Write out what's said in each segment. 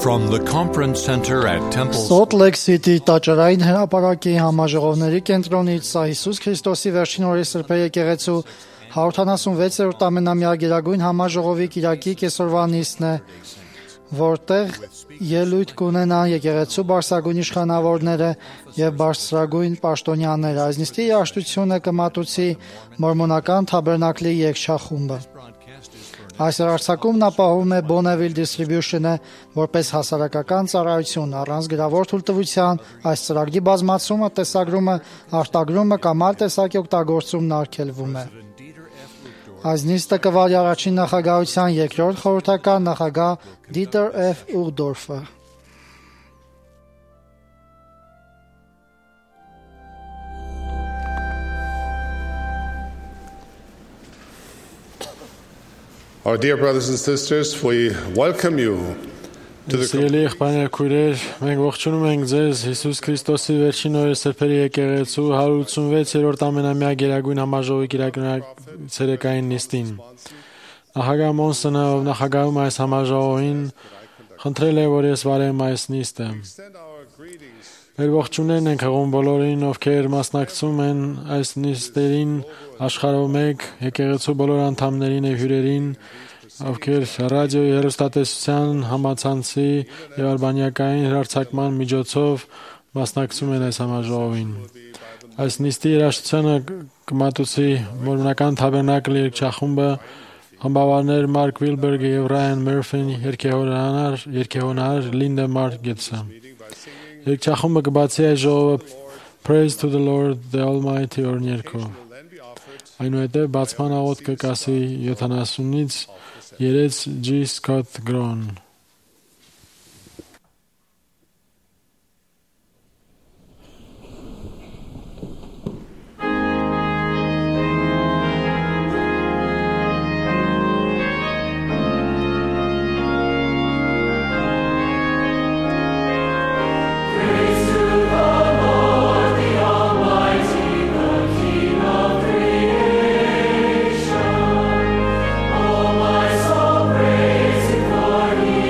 From the Conference Center at Temple Salt Lake City տաճարային հրապարակի համաժողովների կենտրոնից սա Հիսուս Քրիստոսի վերջին օրի սրբե եկեղեցու 176-րդ ամենամյա գերագույն համաժողովի կիրակի կեսօրվա նիստն է, որտեղ ելույթ կունենան եկեղեցու բարձրագույն իշխանավորները եւ բարձրագույն պաշտոնյաները։ Այս նիստի երաժշտությունը կմատուցի մորմոնական թաբերնակլի երգչախումբը։ Այս արձակումն ապահովում է Bonneville Distribution-ը որպես հասարակական ծառայություն առանց գրավոր թույլտվության։ Այս ծրագրի բազմացումը, տեսագրումը, արտագրումը կամ այլ տեսակի օգտագործումն արգելվում է։ Այս նիստը կվարի առաջին նախագահության երկրորդ խորհրդական նախագահ Dieter F. Uchtdorfը։ Our dear brothers and sisters, we welcome you to the Սիրելի եղբայրներ, քույրեր, մենք ողջունում ենք ձեզ Հիսուս Քրիստոսի վերջին օրը սրբերի եկեղեցու 186-րդ ամենամյա գերագույն համաժողովի ցերեկային նիստին։ Նախագահ Մոնսոնը, ով նախագահում այս համաժողովին, խնդրել է, որ ես վարեմ այս նիստը։ Մեր ողջուններն ենք հղում բոլորին, ովքեր մասնակցում են այս նիստերին աշխարհով մեկ, եկեղեցու բոլոր անդամներին եւ հյուրերին, ովքեր ռադիոյի, հեռուստատեսության, համացանցի եւ արբանյակային հեռարձակման միջոցով մասնակցում են այս համաժողովին։ Այս նիստի երաժշտությունը կմատուցի մորմոնական թաբերնակլ երգչախումբը, խմբավարներ Մարկ Վիլբերգը եւ Ռայան Մերֆին, երգեհոնար Լինդա Մարգետսը։ Երգչախումբը կբացի այս ժողովը Praise to the Lord the Almighty օրներկով։ Այնուհետև բացման աղոթքը կասի 70-ից 3 G. Scott Groen։ Oh, my soul, praise Him, for He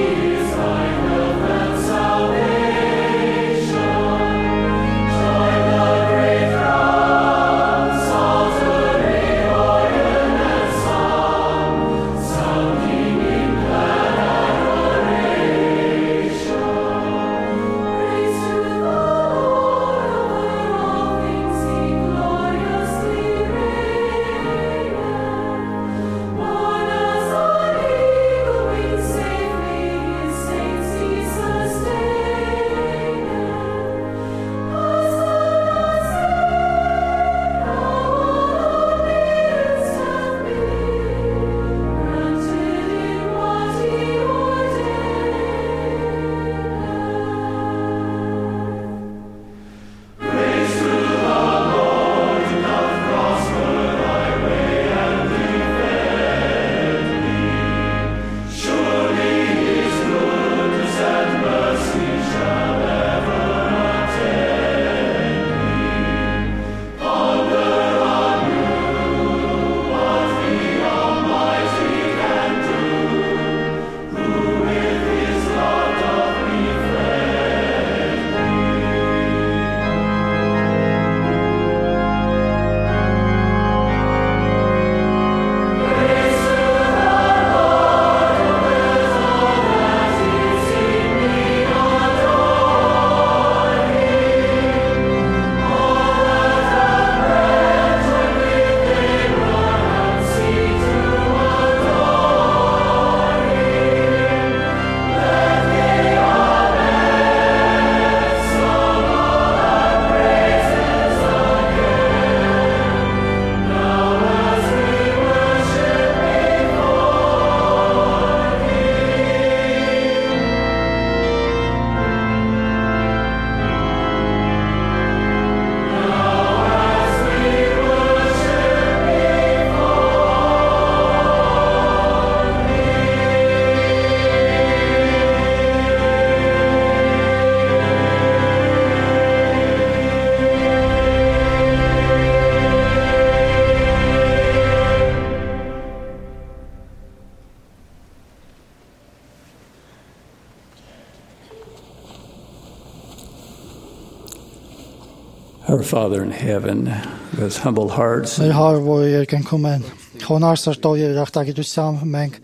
Our Father in heaven, with humble hearts, Մեր Հայր, որ երկնքում են, խոնարհ սրտով եւ երախտագիտությամբ մենք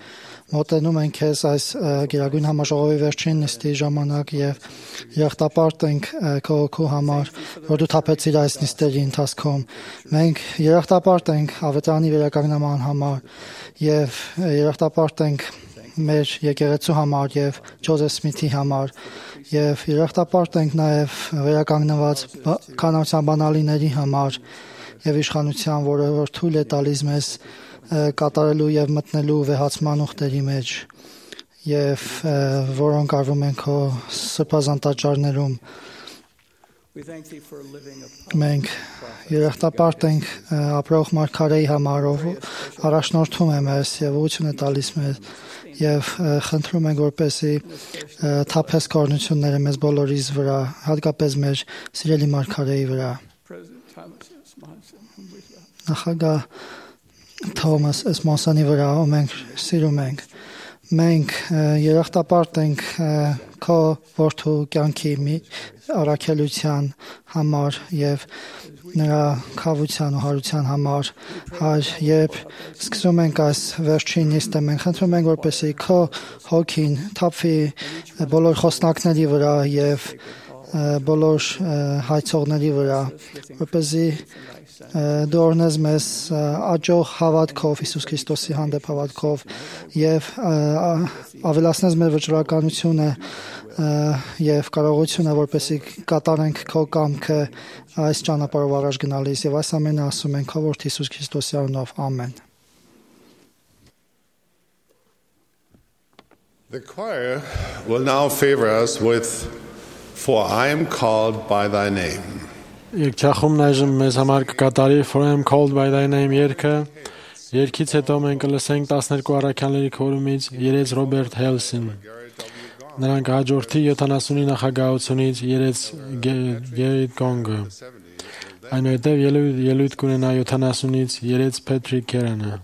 մոտենում ենք քեզ այս գերագույն համաժողովի վերջին նիստի ժամանակ եւ երախտապարտ ենք քո օգու համար, որ դու թափեցիր այս նիստերի ընթացքում։ Մենք երախտապարտ ենք ավետարանի վերականգնման համար եւ երախտապարտ ենք մեր եկեղեցու համար եւ Ջոզեֆ Սմիթի համար եւ երախտապարտ ենք նաեւ վերականգնված կանանցական բանալիների համար եւ իշխանության, որը որ թույլ է տալիս մեզ կատարելու եւ մտնելու վեհացման ուխտերի մեջ եւ որոնք արվում են քո սրբազան տաճարներում։ Մենք երախտապարտ ենք ապրող մարգարեի համար, ով առաջնորդում է մեզ եւ ուղղություն է տալիս մեզ եւ խնդրում ենք, որպեսզի թափես կորնությունները մեզ բոլորիս վրա, հատկապես մեր սիրելի մարգարեի վրա։ Նախագահ Թոմաս Էսմոնսանի վրա, ով մենք սիրում ենք։ Մենք երախտապարտ ենք քո որդու կյանքի առաքելության համար եւ նրա քավության ու հարության համար, Հայր, երբ սկսում ենք այս վերջին նիստը, մենք խնդրում ենք, որպեսզի քո հոգին թափվի բոլոր խոսնակների վրա եւ բոլոր հայցողների վրա, որպեսզի դու օրհնես մեզ աճող հավատքով Հիսուս Քրիստոսի հանդեպ հավատքով եւ ավելացնես մեր վճռականությունը եւ կարողությունը, որպեսզի կատարենք քո կամքը այս ճանապարհով առաջ գնալիս եւ այս ամենը ասում ենք քո որդի Հիսուս Քրիստոսի անունով, ամեն։ The choir will now favor us with For I am called by thy name. Երկչախումն այժմ մեզ համար կկատարի For I am called by thy name երգը։ Երգից հետո մենք կլսենք 12 առաքյալների քորումից երեց Ռոբերտ Հելսին։ Նրանք հաջորդի 70-ի նախագահությունից երեց Գերիտ Կոնգը։ Այնուհետև ելույթ կունենա 70-ից երեց Փեթրիկ Քերանը։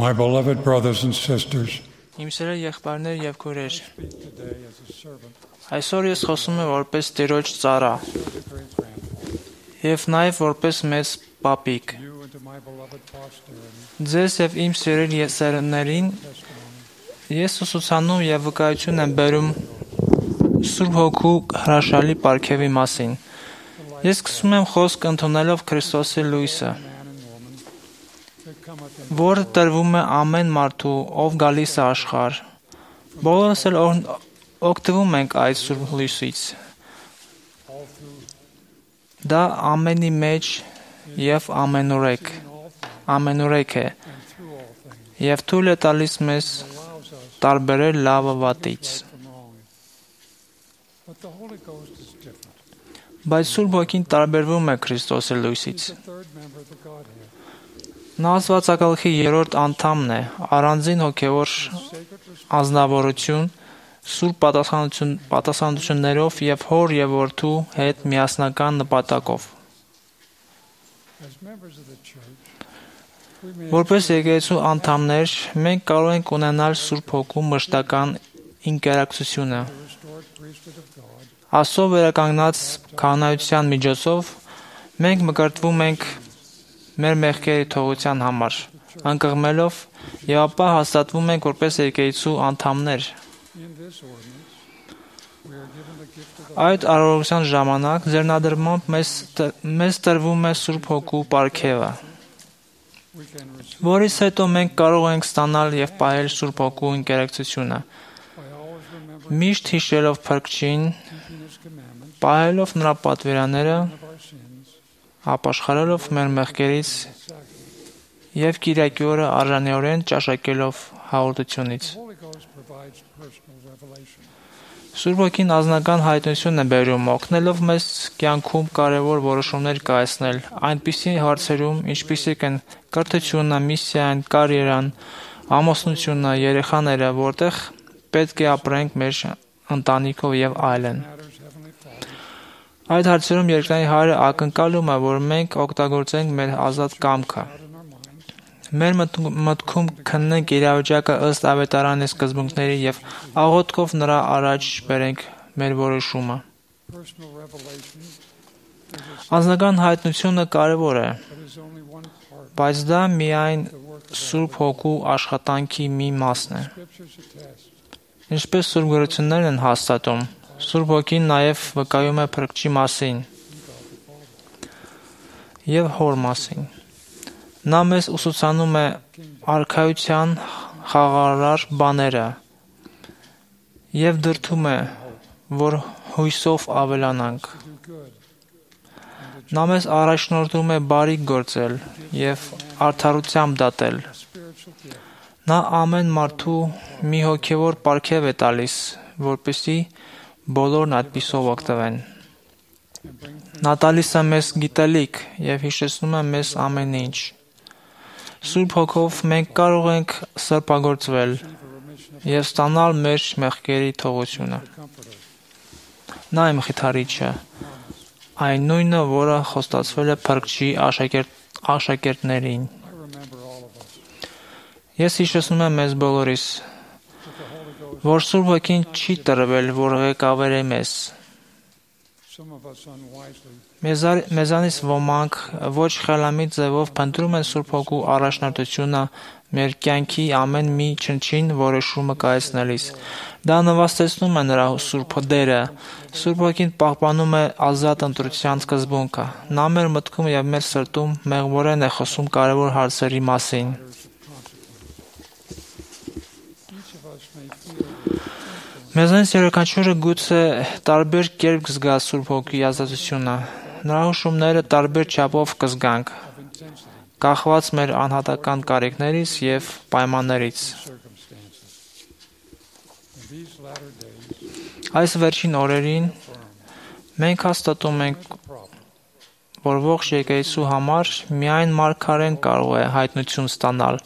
My beloved brothers and sisters, Իմ սիրելի եղբայրներ եւ քույրեր, այսօր ես խոսում եմ որպես Տերոջ ծառա եւ նաեւ որպես մեծ պապիկ։ Ձեզ եւ իմ սիրելի եսերներին ես ուսուցանում եւ վկայություն եմ բերում Սուրբ Հոգու հրաշալի պարգևի մասին Ես սկսում եմ խոսք ընդունելով Քրիստոսի լույսը, որը տրվում է ամեն մարդու, ով գալիս է աշխարհ։ Բոլորս էլ օգտվում ենք այդ սուրբ լույսից։ Դա ամենի մեջ եւ ամենուրեք է, եւ թույլ է տալիս մեզ տարբերել լավը վատից։ Բայց Սուրբ Հոգին տարբերվում է Քրիստոսի լույսից։ Նա Աստվածակալքի երրորդ անդամն է, առանձին հոգևոր անձնավորություն, սուրբ պատասխանատվություններով եւ Հոր եւ Որդու հետ միասնական նպատակով։ Որպես եկեղեցու անդամներ, մենք կարող ենք ունենալ Սուրբ Հոգու մշտական ինտերակցիոնը։ Աստծո վերականգնած քահանայության միջոցով մենք մկրտվում ենք մեր մեղքերի թողության համար, անկղմելով եւ ապա հաստատվում ենք որպես եկեղեցու անդամներ։ Այդ արարողության ժամանակ ձեռնադրմամբ մեզ տրվում է Սուրբ Հոգու պարգևը, որից հետո մենք կարող ենք ստանալ եւ պահել Սուրբ Հոգու ինտերակցիոնը, միշտ հիշելով Փրկչին, պահելով նրա պատվիրանները, ապաշխարելով մեր մեղքերից եւ Կիրակի օրը արժանիորեն ճաշակելով հաղորդությունից։ Սուրբ Հոգին անձնական հայտնություն է բերում, օգնելով մեզ կյանքում կարևոր որոշումներ կայացնել այնպիսի հարցերում, ինչպիսիք են կրթությունը, միսիան, կարիերան, ամուսնությունը, երեխաները, որտեղ պետք է ապրենք մեր ընտանիքով եւ այլն։ Այդ հարցերում երկնային Հայրը ակնկալում է, որ մենք օգտագործենք մեր ազատ կամքը։ Մեր մտքում քննենք իրավիճակը ըստ ավետարանի սկզբունքների եւ աղոթքով նրա առաջ բերենք մեր որոշումը։ Անձնական հայտնությունը կարևոր է, բայց դա միայն Սուրբ Հոգու աշխատանքի մի մասն է։ Ինչպես Սուրբ Գրություններն են հաստատում, Սուրբ Հոգին նաև վկայում է Փրկչի մասին եւ Հոր մասին։ Նա մեզ ուսուցանում է արքայության խաղաղարար բաները եւ դրդում է, որ հույսով ավելանանք։ Նա մեզ առաջնորդում է բարիք գործել եւ արդարությամբ դատել։ Նա ամեն մարդու մի հոգևոր պարգև է տալիս, որպեսզի բոլորն այդպիսով օգտվեն։ Նա տալիս է մեզ գիտելիք եւ հիշեցնում է մեզ ամեն ինչ։ Սուրբ Հոգով մենք կարող ենք սրբագործվել եւ ստանալ մեր մեղքերի թողությունը։ Նա իմ խիթարիչը, այն նույնը, որը խոստացվել է Փրկչի աշակերտներին։ Ես հիշեցնում եմ մեզ բոլորիս, որ Սուրբ Հոգին չի տրվել, որ ղեկավարի մեզ։ Մեզանից ոմանք ոչ խելամիտ ձևով փնտրում են Սուրբ Հոգու առաջնորդությունը մեր կյանքի ամեն մի չնչին որոշումը կայացնելիս։ Դա նվաստեցնում է նրա Սուրբ դերը։ Սուրբ Հոգին պահպանում է ազատ ընտրության սկզբունքը։ Նա մեր մտքում եւ մեր սրտում մեղվորեն է խոսում կարևոր հարցերի մասին։ Մեզանից յուրաքանչյուրը գուցե տարբեր կերպ կզգա Սուրբ Հոգուի ազատությունը։ Նրա հուշումները տարբեր չափով կզգանք, կախված մեր անհատական կարիքներից եւ պայմաններից։ Այս վերջին օրերին մենք հաստատում ենք, որ ողջ եկեղեցու համար միայն մարգարեն կարող է հայտնություն ստանալ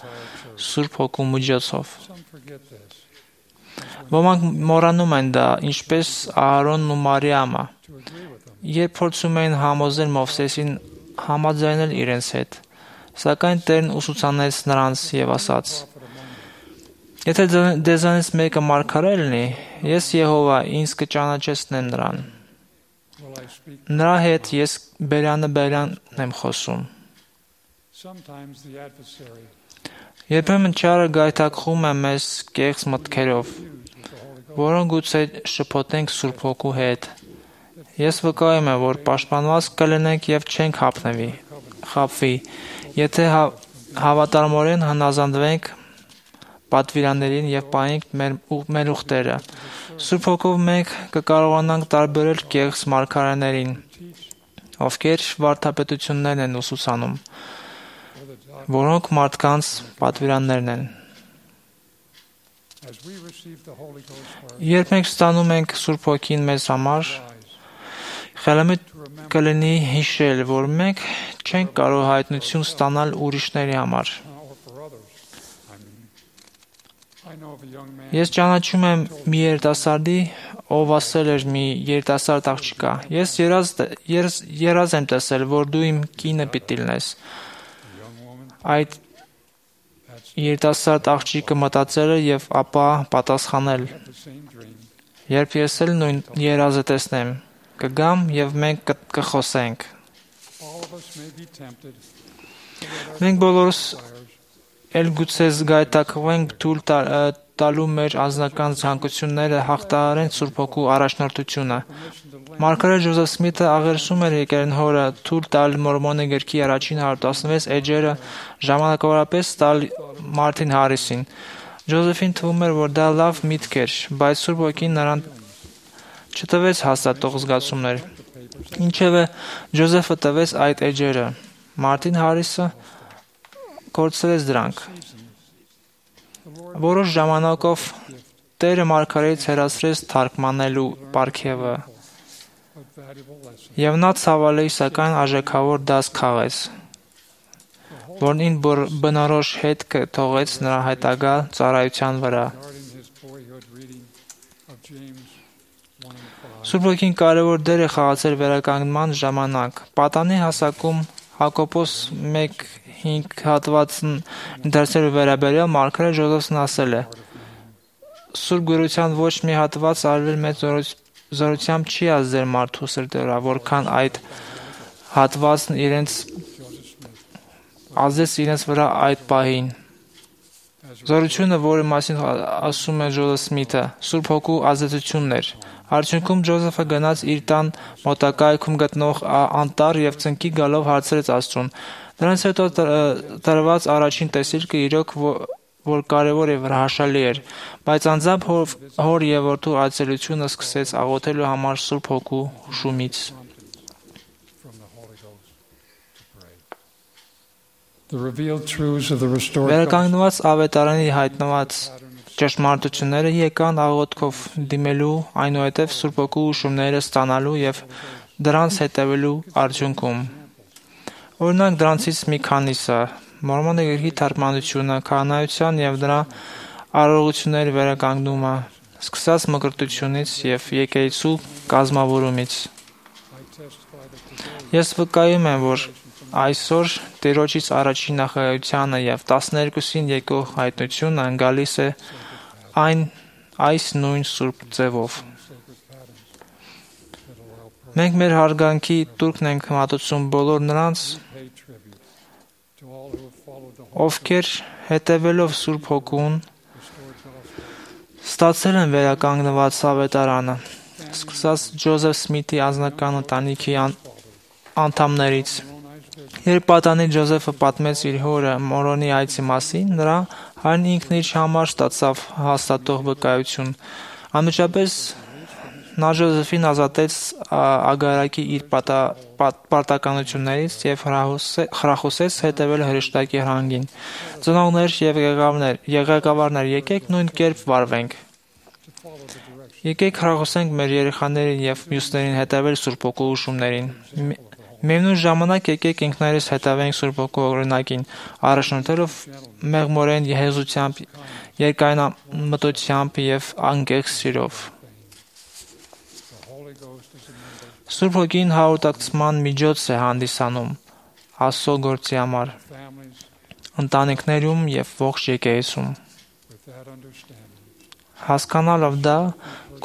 Սուրբ Հոգու միջոցով։ Ոմանք մոռանում են դա, ինչպես Ահարոնն ու Մարիամը, երբ փորձում էին համոզել Մովսեսին համաձայնել իրենց հետ, սակայն Տերն ուսուցանեց նրանց եւ ասաց. Եթե դեզանից մեկը մարգարե լինի, ես Եհովա ինձ կճանաչեցնեմ նրան։ Նրա հետ ես բերան եմ խոսում։ Երբեմն չարը գայթակղում է մեզ կեղծ մտքերով, որոնք գուցե շփոթենք Սուրբ Հոգու հետ, Ես վկայում եմ, որ պաշտպանված կլինենք եւ չենք խաբվի, եթե հավատարմորեն հնազանդվենք պատվիրաններին եւ պահենք մեր ուխտերը։ Սուրբ Հոգով մենք կկարողանանք տարբերել կեղծ մարգարեներին, ովքեր վարդապետություններն են ուսուցանում, որոնք մարդկանց պատվիրաններն են։ Երբ մենք ստանում ենք Սուրբ Հոգին մեզ համար, խելամիտ կլինի հիշել, որ մենք չենք կարող հայտնություն ստանալ ուրիշների համար։ Ես ճանաչում եմ մի երիտասարդի, ով ասել էր մի երիտասարդ աղջկա. Ես երազ եմ տեսել, որ դու իմ կինը պիտի լինես։ Այդ երիտասարդ աղջիկը մտածել է եւ ապա պատասխանել. Երբ ես էլ նույն երազը տեսնեմ, կգամ եւ մենք կխոսենք։ Մենք բոլորս էլ գուցե զգայթակվենք թույլ տալու մեր անձնական ցանկությունները հաղթահարեն Սուրբ Հոգու առաջնորդությունը։ Մարգարետ Ջոզեֆ Սմիթը աղերսում էր եկեղեցին հորը թույլ տալ Մորմոնի գրքի առաջին 116 էջերը ժամանակավորապես տալ Մարտին Հարիսին։ Ջոզեֆին թվում էր, որ դա լավ միտք էր, բայց Սուրբ Հոգին նրան չտվեց հաստատող զգացումներ։ Ինչևէ, Ջոզեֆը տվեց այդ էջերը։ Մարտին Հարիսը կորցրեց դրանք։ Որոշ ժամանակով Տերը մարգարեից հեռացրեց թարգմանելու պարգևը, եւ նա ցավալի, սակայն արժեքավոր դաս քաղեց, որն ին բնորոշ հետք թողեց նրա հետագա ծառայության վրա։ Սուրբ Հոգին կարևոր դեր է խաղացել վերականգնման ժամանակ։ Պատանի հասակում Հակոբոս 1:5 հատվածն դարձել վերաբերյալ մարգարետ Ջոզեֆն ասել է. Սուրբ Գրության ոչ մի հատված արվել մեծ զորությամբ չի ազդել մարդու սրտի վրա, որքան այդ հատվածն ազդեց իրենց վրա այդ պահին։ Զորությունը, որի մասին ասում է Ջոզեֆ Սմիթը, Սուրբ Հոգու ազդեցությունն էր։ Արդյունքում Ջոզեֆը գնաց իր տան մոտակայքում գտնող անտառ եւ ծնկի գալով հարցրեց Աստծուն։ Դրանից հետո տրված առաջին տեսիլքը իրոք որ կարևոր եւ հրաշալի էր, բայց անձամբ հոր եւ որդու այցելությունը սկսեց աղոթելու համար Սուրբ Հոգու շումից։ Վերականգնված ավետարանի հայտնված ճշմարտությունները եկան աղոթքով դիմելու, այնուհետև Սուրբ Հոգու ուշումները ստանալու եւ դրանց հետևելու արդյունքում։ Օրինակ դրանցից մի քանիսը՝ Մորմոնի գրքի թարգմանությունը, քահանայության եւ դրա արարողությունների վերականգնումը, սկսած մկրտությունից եւ եկեղեցու կազմավորումից։ Ես վկայում եմ, որ այսօր Տերոջից առաջին նախագահությանը եւ 12-ին եկող հայտնությունը գալիս է այս նույն սուրբ ձևով։ Մենք մեր հարգանքի տուրքն ենք մատուցում բոլոր նրանց, ովքեր հետևելով Սուրբ Հոգուն ստացել են վերականգնված ավետարանը, սկսած Ջոզեֆ Սմիթի անձնական ընտանիքի անդամներից։ Երբ պատանի Ջոզեֆը պատմեց իր հորը Մորոնի այցի մասին, նրա հայրն ինքն իր համար ստացավ հաստատող վկայություն։ Անմիջապես նա Ջոզեֆին ազատեց Ագարակի իր պարտականություններից եւ խրախուսեց հետևել հրեշտակի հրանգին։ Ծնողներ եւ ղեկավարներ, եկեք նույն կերպ վարվենք։ Եկեք խրախուսենք մեր երեխաներին եւ մյուսներին հետևել Սուրբ Հոգու ուշումներին։ Միևնույն ժամանակ եկեք ինքներս հետևենք Սուրբ Հոգու օրինակին, առաջնորդելով մեղմորեն հեզությամբ, երկայնամտությամբ եւ անկեղծ սիրով։ Սուրբ Հոգին հաղորդակցման միջոց է հանդիսանում Աստծո գործի համար, ընտանիքներում եւ ողջ եկեղեցում։ Հասկանալով դա,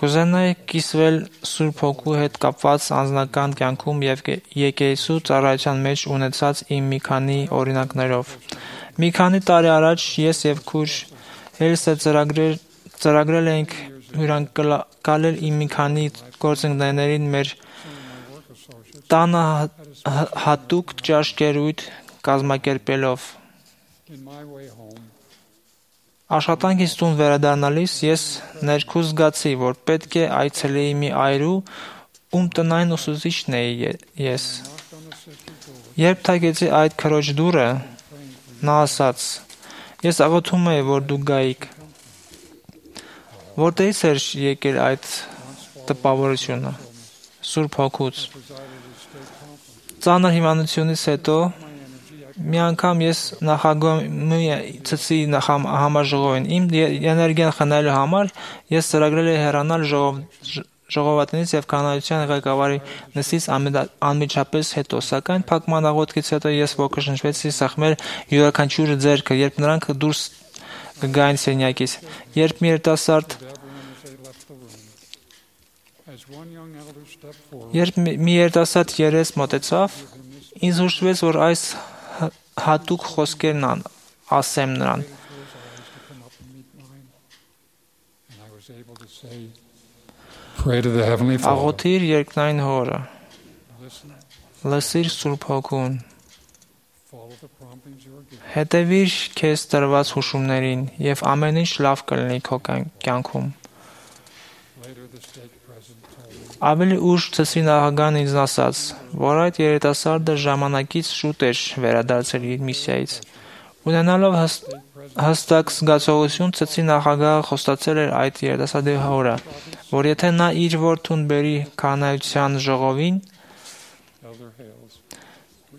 կուզենայի կիսվել Սուրբ Հոգու հետ կապված անձնական կյանքում եւ եկեղեցու ծառայության մեջ ունեցած իմ մի քանի օրինակներով։ Մի քանի տարի առաջ ես եւ քույր Հելսը ծրագրել էինք հյուրընկալել իմ մի քանի գործընկերներին մեր տանը հատուկ ճաշկերույթ կազմակերպելով։ Աշխատանքից տուն վերադառնալիս ես ներքուս զգացի, որ պետք է այցելեի մի այրու, ում տնային ուսուցիչն էի ես։ Երբ թակեցի այդ քրոջ դուռը, նա ասաց. «Ես աղոթում էի, որ դուք գայիք»։ Որտեղից էր եկել այդ տպավորությունը։ Սուրբ Հոգուց։ Ծանր հիվանդությունից հետո մի անգամ ես նախագահի ցցի համաժողովին իմ էներգիան խնայելու համար ես ծրագրել էի հեռանալ ժողովածուից եւ կանոնացիոն ղեկավարի նստից անմիջապես հետո, սակայն փակման աղոթքից հետո ես ոգեշնչվեցի սեղմել յուրաքանչյուր ձեռքը, երբ նրանք դուրս կգային սենյակից, երբ մի երիտասարդ երես մոտեցավ, ինձ հուշվեց, որ այս հատուկ խոսքերն ասեմ նրան։ Աղոթիր երկնային Հորը, լսիր Սուրբ Հոգուն, հետևիր քեզ տրված հուշումներին և ամեն ինչ լավ կլինի քո կյանքում։ Ավելի ուշ ցցրի նախագահն ինձ ասաց, որ այդ երիտասարդը ժամանակից շուտ էր վերադարձել իր միսիայից։ Ունենալով հստակ զգացողություն, ցցրի նախագահը խոստացել էր այդ երիտասարդի հորը, որ եթե նա իր որդուն բերի քահանայության ժողովին,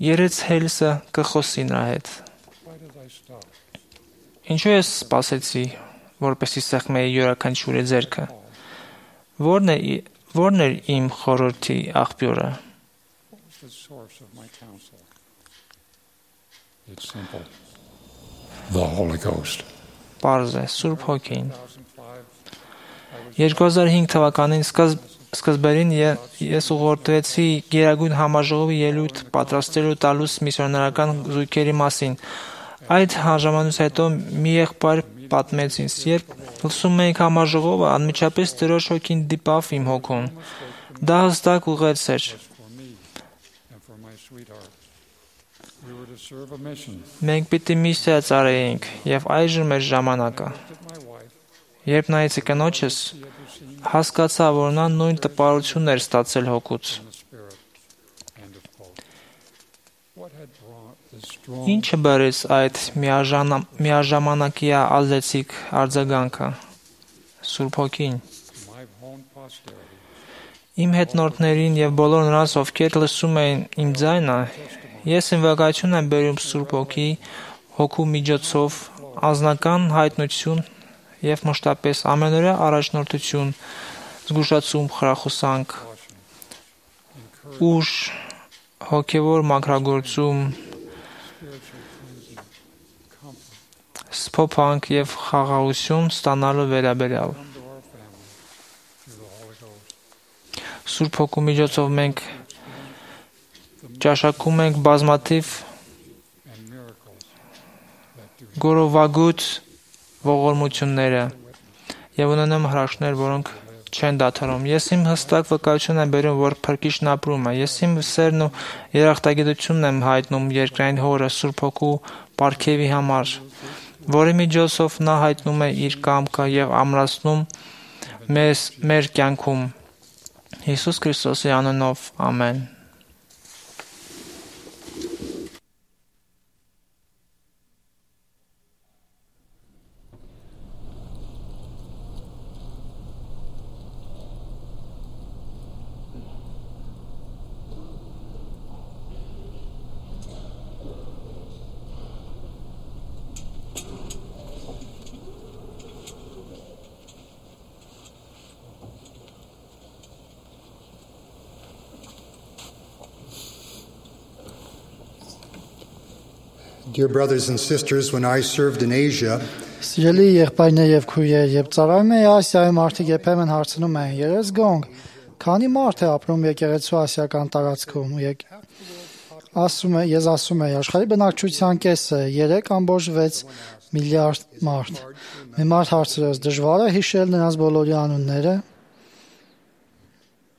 երեց Հելսը կխոսի նրա հետ։ Ինչու ես սպասեցի, որպեսզի սեղմեի յուրաքանչյուրի ձեռքը։ Որն էր իմ խորհրդի աղբյուրը։ The Holy Ghost. Պարզ է, Սուրբ Հոգին։ 2005 թվականին սկզբերին ես ուղղորդվեցի Գերագույն համաժողովի ելույթ պատրաստելու տալուս միսիոներական զույգերի մասին։ Այդ ժամանից հետո մի եղբայր պատմեց ինձ, երբ լսում էինք համաժողովը, անմիջապես Տիրոջ Հոգին դիպավ իմ հոգուն։ Դա հստակ ուղերձ էր։ Մենք պիտի միսիա ծառայեինք, եւ այժմ էր ժամանակը։ Երբ նայեցի կնոջս, հասկացա, որ նա նույն տպարությունն էր ստացել հոգուց։ Ինչը բերեց այդ միաժամանակյա ազդեցիկ արձագանքը։ Սուրբ Հոգին։ Իմ հետնորդներին եւ բոլոր նրանց, ովքեր լսում էին իմ ձայնը, ես ինվոկացիոն եմ բերում Սուրբ Հոգու միջոցով անձնական հայտնություն եւ մշտապես ամենօրյա առաջնորդություն, զգուշացում, խրախուսանք, ուժ, հոգեվոր մաքրագործում, սփոփանք եւ խաղաղություն ստանալու վերաբերյալ։ Սուրբ Հոգու միջոցով մենք ճաշակում ենք բազմաթիվ գորովագույն ողորմությունները եւ ունենամ հրաշքներ, որոնք չեն դադարում։ Ես իմ հստակ վկայություն եմ բերում, որ Փրկիչն ապրում է։ Ես իմ սերն ու երախտագիտությունն եմ հայտնում երկրային Հորը Սուրբ Հոգու պարգևի համար, որի միջոցով նա հայտնում է իր կամքը եւ ամրացնում մեր կյանքում։ Հիսուս Քրիստոսի անունով, ամեն։ Dear brothers and sisters, when I served in Asia, Սիրելի եղբայրներ եւ քույրեր, երբ ծառայում էի Ասիայում, մարդիկ երբեմն հարցնում էին. «Երես գոնգ, քանի մարդ է ապրում եկեղեցու ասիական տարածքում»։ Ես ասում եի, աշխարհի բնակչության կեսը 3.6 միլիարդ մարդ։ Մի մարդ հարցրեց. «Դժվար է հիշել նրանց բոլորի անունները»։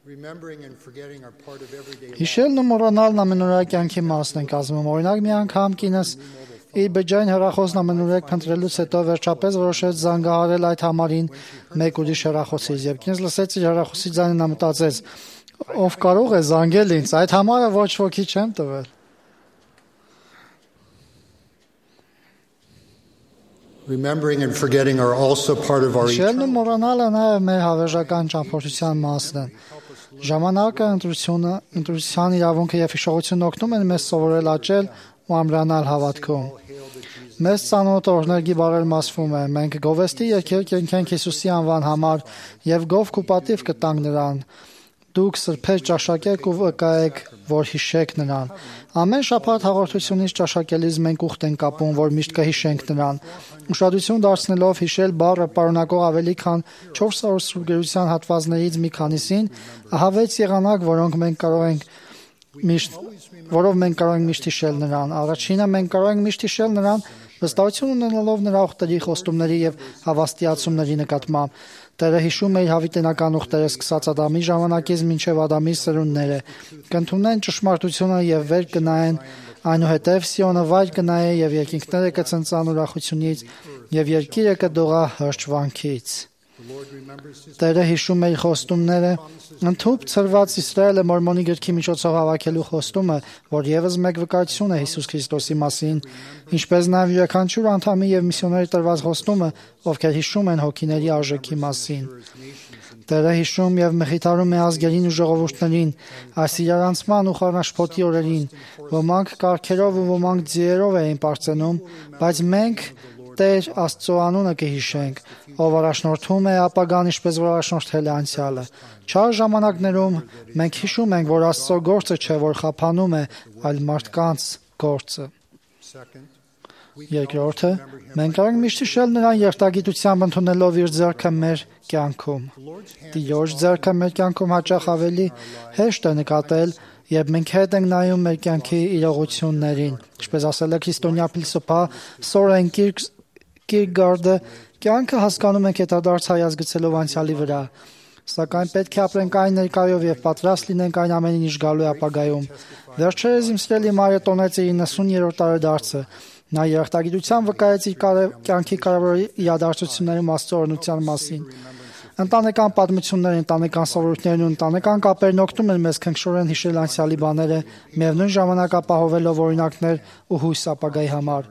Remembering and forgetting are part of everyday life. Հիշելն ու մոռանալն ամենօրյա կյանքի մասն են կազմում։ Օրինակ մի անգամ կինս իր բջջային հեռախոսն ամենուրեք փնտրելուց հետո վերջապես որոշեց զանգահարել այդ համարին մեկ ուրիշ հեռախոսից եւ կինս լսեց իր հեռախոսի ձայնը, նա մտածեց. ով կարող է զանգել ինձ, այդ համարը ոչ ոքի չեմ տվել։ Remembering and forgetting are also part of our Հիշելն ու մոռանալը նաև մեր հավերժական ճամփորդության մասն են։ Ժամանակը, ընտրության իրավունքը եւ հիշողությունն օգնում են մեզ սովորել աճել ու ամրանալ հավատքում։ Մեզ ծանոթ օրհներգի բառերն ասվում է. մենք գովեստի երկեր կենքենք Հիսուսի անվան համար եւ գովք ու պատիվ կտանք նրան։ Դուք սրբեր ճաշակեք ու վկայեք, որ հիշեք նրան։ Ամեն շաբաթ հաղորդությունից ճաշակելիս մենք ուխտ ենք կապում, որ միշտ կհիշենք նրան։ Ուշադրություն դարձնելով հիշել բառը պարունակող ավելի քան 400 սուրբ գրության հատվածներից մի քանիսին, ահա 6 եղանակ, որով մենք կարող ենք միշտ հիշել նրան։ Առաջինը մենք կարող ենք միշտ հիշել նրան, վստահություն ունենալով նրա ուխտերի, խոստումների եւ հավաստիացումների նկատմամբ։ Տերը հիշում է իր հավիտենական ուխտերը սկսած Ադամի ժամանակից մինչև Ադամի սերունդները։ Կընդունեն ճշմարտությունը եւ վեր կնայեն, այնուհետև Սիոնը վայր կնայե եւ երկինքները կցնծան ուրախությունից եւ երկիրը կդողա հրճվանքից։ Տերը հիշում է իր խոստումները, ընդհուպ ցրված Իսրայելը Մորմոնի գրքի միջոցով հավաքելու խոստումը, որ եւս մեկ վկայություն է Հիսուս Քրիստոսի մասին, ինչպես նաեւ յուրաքանչյուր անդամի եւ միսիոների տրված խոստումը, ովքեր հիշում են հոգիների արժեքի մասին։ Տերը հիշում եւ մխիթարում է ազգերին ու ժողովուրդներին, այս իրարանցման ու խառնաշփոթի օրերին, ոմանք կարգերով ու ոմանք ձիերով էին պարծենում, բայց մենք Տեր Աստծո անունը կհիշենք, ով առաջնորդում է ապագան, ինչպես որ առաջնորդել է անցյալը։ Չար ժամանակներում մենք հիշում ենք, որ Աստծո գործը չէ, որ խափանում է, այլ մարդկանց գործը։ Երկրորդը, մենք կարող ենք միշտ հիշել նրան երթագիտությամբ ընդունելով իր ձեռքը մեր կյանքում։ Տիրոջ ձեռքը մեր կյանքում հաճախ ավելի հեշտ է նկատել, երբ մենք հետ ենք նայում մեր կյանքի իրողություններին։ Ինչպես ասել է քրիստոնյա փիլիսոփա Սորեն Կիրկեգարդը, կյանքը հասկանում ենք հետադարձ հայացքելով անցյալի վրա, սակայն պետք է ապրենք այն ներկայով եւ պատրաստ լինենք այն ամենին, ինչ գալու է ապագայում։ Վերջերս իմ սիրելի մայրը տոնեց իր 90-րդ տարեդարձը։ Նա երախտագիտությամբ վկայեց իր կյանքի կարևոր իրադարձություններում Աստծո օրհնության մասին։ Ընտանեկան պատմությունները, ընտանեկան սովորույթներն ու ընտանեկան կապերն օգնում են մեզ քնքշորեն հիշել անցյալի բաները, միևնույն ժամանակ ապահովելով օրինակներ ու հույս ապագայի համար։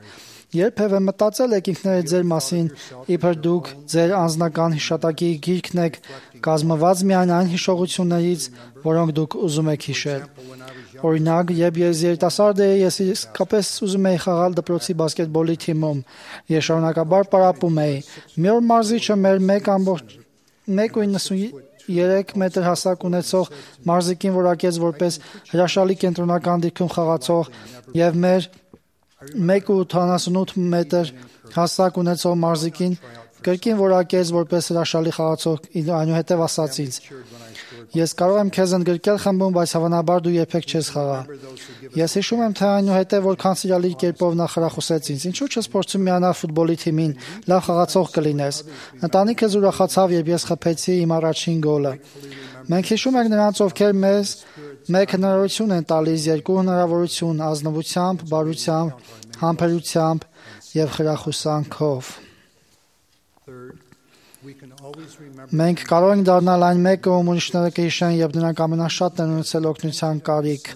Երբևէ մտածել եք ինքներդ ձեր մասին, իբր դուք ձեր անձնական հիշատակի գիրքն եք, կազմված միայն այն հիշողություններից, որոնք դուք ուզում եք հիշել։ Օրինակ, երբ ես երիտասարդ էի, ես իսկապես ուզում էի խաղալ դպրոցի բասկետբոլի թիմում։ Ես շարունակաբար պարապում էի։ Մի օր մարզիչը մեր 1.93 մետր հասակ ունեցող մարզիկին որակեց որպես հրաշալի կենտրոնական դիրքում խաղացող եւ մեր 1.88 մետր հասակ ունեցող մարզիկին կրկին որակեց որպես հրաշալի խաղացող, այնուհետև ասաց ինձ. ես կարող եմ քեզ ընդգրկել խմբում, բայց հավանաբար դու երբեք չես խաղա։ Ես հիշում եմ, թե այնուհետև որքան սիրալիր կերպով նա խրախուսեց ինձ. ինչու՞ չես փորձում միանալ ֆուտբոլի թիմին, լավ խաղացող կլինես։ Ընտանիքս ուրախացավ, երբ ես խփեցի իմ առաջին գոլը։ Մենք հիշում ենք նրանց, ովքեր մեզ մեկ հնարավորություն են տալիս, երկու հնարավորություն՝ ազնվությամբ, բարությամբ, համբերությամբ եւ խրախուսանքով։ Մենք կարող ենք դառնալ այն մեկը, ում ուրիշները կհիշեն, եւ նրանք ամենաշատն են ունեցել օգնության կարիք։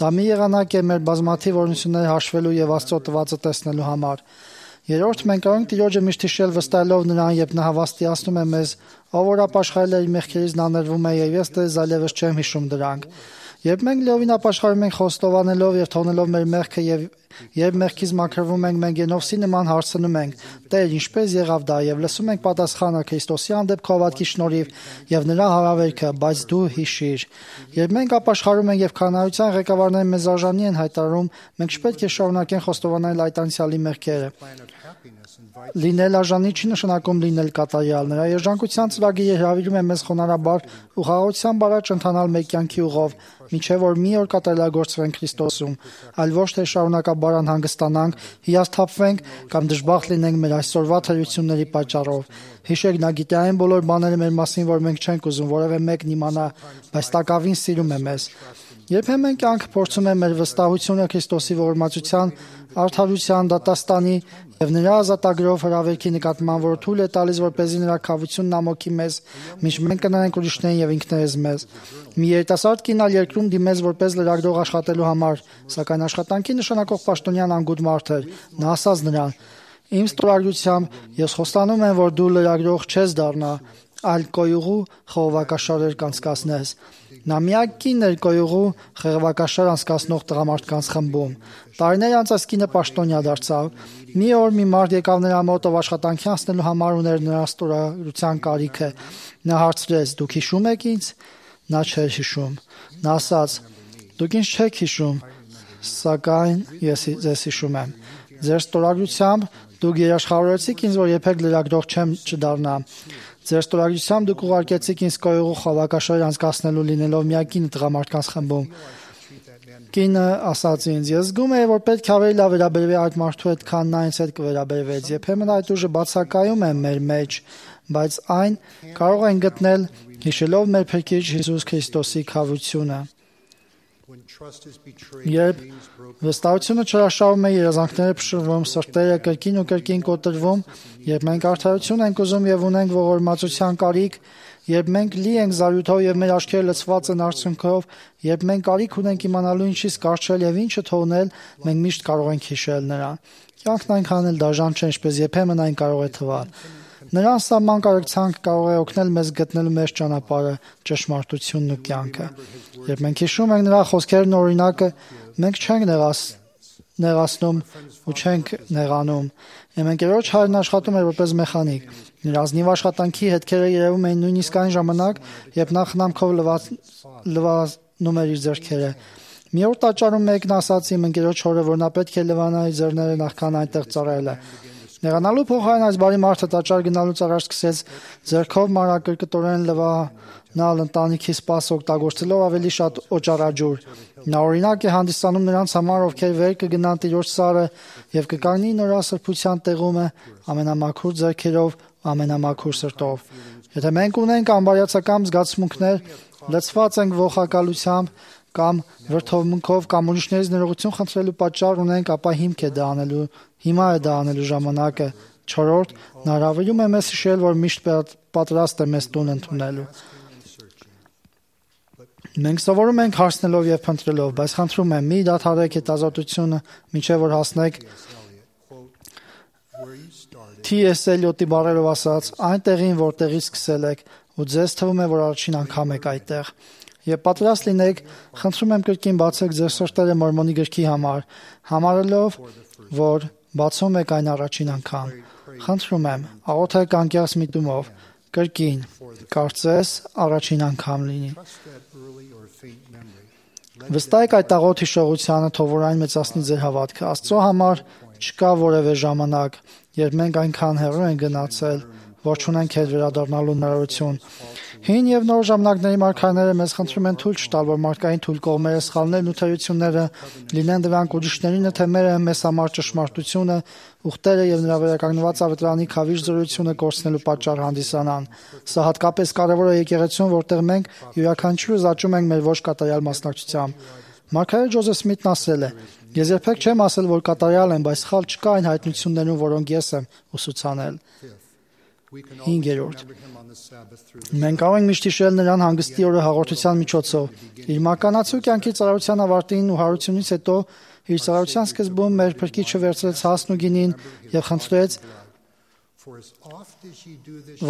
Դա մի եղանակ է մեր բազմաթիվ օրհնությունները հաշվելու եւ Աստծո տվածը տեսնելու համար։ Երրորդ, մենք կարող ենք Տիրոջը միշտ հիշել վստահելով նրան, երբ նա հավաստիացնում է մեզ, ով որ ապաշխարել է իր մեղքերից, նա ներվում է եւ ես դες այլևս չեմ հիշում դրանք։ Երբ մենք լիովին ապաշխարում ենք խոստովանելով եւ թողնելով մեր մեղքը եւ երբ մեղքից մաքրվում ենք, մենք Ենովսի նման հարցնում ենք. Տեր, ինչպես եղավ դա, եւ լսում ենք պատասխանը Քրիստոսի հանդեպ քո հավատքի շնորհիվ եւ նրա հարավերքը, բայց դու հիշիր։ Երբ մենք ապաշխարում ենք եւ քանայության ղեկավարները մեզ արժանի են հայտարարում, մենք չպետք է շարունակենք խոստովանել այդ անցյալի մեղքերը։ Լինել արժանի չի նշանակում լինել կատարյալ։ Նրա երջանկության ծրագիրը հրավիրում է մեզ խոնարհաբար ու խաղաղությամբ առաջ ընթանալ մեր կյանքի ուղով, մինչև որ մի օր կատարելագործվենք Քրիստոսում, այլ ոչ թե շարունակաբար անհանգստանանք, հիասթափվենք կամ դժբախտ լինենք մեր այսօրվա թերությունների պատճառով։ Հիշեք, նա գիտե այն բոլոր բաները մեր մասին, որ մենք չենք ուզում որևէ մեկն իմանա, բայց տակավին սիրում է մեզ։ Երբեմն կյանքը փորձում է մեր վստահությունը Քրիստոսի ողորմածության, արդարության, դատաստանի եւ նրա ազատագրով հրավերքի նկատմամբ, որ թույլ է տալիս, որպեսզի նրա քավությունն ամոքի մեզ, մինչ մենք կնայենք ուրիշներին եւ ինքներս մեզ։ Մի երիտասարդ կին ալ երկրում դիմեց որպես լրագրող աշխատելու համար, սակայն աշխատանքի նշանակող պաշտոնյան անգութ մարդ էր։ Նա ասաց նրան. «Իմ ստորագրությամբ ես խոստանում եմ, որ դու լրագրող չես դառնա, այլ կոյուղու խողովակաշարեր կանցկացնես»։ Նա միակ կինն էր կոյուղու խողովակաշար անցկացնող տղամարդկանց խմբում։ Տարիներ անց այս կինը պաշտոնյա դարձավ։ Մի օր մի մարդ եկավ նրա մոտ, ով աշխատանքի անցնելու համար ուներ նրա ստորագրության կարիքը։ Նա հարցրեց. «Դուք հիշում եք ինձ»։ Նա չէր հիշում։ Նա ասաց. «Դուք ինձ չեք հիշում, սակայն ես ձեզ հիշում եմ։ Ձեր ստորագրությամբ դուք երաշխավորեցիք ինձ, որ երբեք լրագրող չդառնա։ Ձեր ստորագրությամբ դուք ուղարկեցիք ինձ կոյուղու խողովակաշարեր անցկացնելու լինելով միակին տղամարդկանց խմբում»։ Կինը ասաց ինձ. «Ես զգում եմ, որ պետք է ավելի լավ վերաբերվի այդ մարդու հետ, քան նա ինձ հետ կվերաբերվեց։ Երբեմն այդ ուժը բացակայում է մեր մեջ, բայց այն կարող ենք գտնել հիշելով մեր Փրկիչ Հիսուս Քրիստոսի քավությունը»։ Երբ վստահությունը չհրաշավում է, երազանքները փշրվում, սրտերը կրկին ու կրկին կոտրվում, երբ մենք արդարություն ենք ուզում եւ ունենք ողորմածության կարիք, երբ մենք լի ենք զարյութով եւ մեր աչքերը լցված են արցունքով, երբ մենք կարիք ունենք իմանալու ինչից կառչել եւ ինչը թողնել, մենք միշտ կարող ենք հիշել նրան։ Կյանքն այնքան էլ դաժան չէ, ինչպես երբեմն այն կարող է թվալ։ Նրան սահման կարեկցանք կարող է օգնել մեզ գտնելու մեր ճանապարհը, ճշմարտությունն ու կյանքը։ Երբ մենք հիշում ենք նրա խոսքերն ու օրինակը, մենք չենք նեղացնում ու չենք նեղանում։ Իմ ընկերոջ հայրն աշխատում էր որպես մեխանիկ։ Նրա ազնիվ աշխատանքի հետքերը երևում էին նույնիսկ այն ժամանակ, երբ նա խնամքով լվանում էր իր ձեռքերը։ Մի օր տաճարում մեկն ասաց իմ ընկերոջ հորը, որ նա պետք է լվանա իր ձեռները նախքան այնտեղ ծառայելը։ Նեղանալու փոխարեն այս բարի մարդը տաճար գնալուց առաջ սկսեց ձեռքով մանրակրկտորեն լվանալ ընտանիքի սպասը օգտագործելով ավելի շատ օճառաջուր։ Նա օրինակ է հանդիսանում նրանց համար, ովքեր վեր կգնան տիրոջ սարը եւ կկանգնի նրա սրբության տեղումը ամենամաքուր ձեռքերով, ամենամաքուր սրտով։ Եթե մենք ունենք անբարյացակամ զգացմունքներ, լցված ենք ողակալությամբ կամ վրդովմունքով կամ ուրիշներից ներողություն խնդրելու պատճառ ունենք, ապա հիմա է դա անելու ժամանակը։ 4. Նա հրավիրում է մեզ հիշել, որ միշտ պատրաստ է մեզ տուն ընդունելու։ Մենք սովորում ենք հարցնելով եւ փնտրելով, բայց խնդրում եմ, մի դադարեք հետազոտությունը, մինչեւ որ հասնեք T.S. Eliot-ի բառերով ասած, այն տեղին, որտեղից սկսել եք, ու ձեզ թվում է, որ առաջին անգամ եք այդտեղ։ Եվ պատրաստ լինեք, խնդրում եմ կրկին բացեք ձեր սրտերը Մորմոնի գրքի համար, համարելով, որ բացում եք այն առաջին անգամ։ Խնդրում եմ, աղոթեք անկեղծ միտումով, կրկին, կարծես առաջին անգամ լինի։ Վստահեք այդ աղոթ հիշողությանը, թող որ այն մեծացնի ձեր հավատքը։ Աստծո համար չկա որևէ ժամանակ, երբ մենք այնքան հեռու ենք գնացել, որ չունենք հետ վերադառնալու հնարավորություն։ Հին եւ նոր ժամանակների մարգարեները մեզ խնդրում են թույլ չտալ, որ մարդկային թույլ կողմերը, սխալներն ու թերությունները լինեն դրանք ուրիշներին, թե մերը մեզ համար ճշմարտությունը, ուխտերը եւ նրա վերականգնված ավետարանի քավիժ զորությունը կորցնելու պատճառ հանդիսանան։ Սա հատկապես կարեւոր է եկեղեցում, որտեղ մենք յուրաքանչյուրը զաճում ենք մեր ոչ կատարյալ մասնակցությամբ։ Մարգարե Ջոզեֆ Սմիթն ասել է. «Ես երբեք չեմ ասել, որ կատարյալ եմ, բայց սխալ չկա այն հայտնություններում, որոնք ես եմ ուսուցանել»։ 5. Մենք կարող ենք միշտ հիշել նրան հանգստի օրը հաղորդության միջոցով։ Իր մականացու կյանքի ծառայության ավարտին ու հարությունից հետո իր ծառայության սկզբում մեր Փրկիչը վերցրեց հասն ու գինին եւ խնդրեց,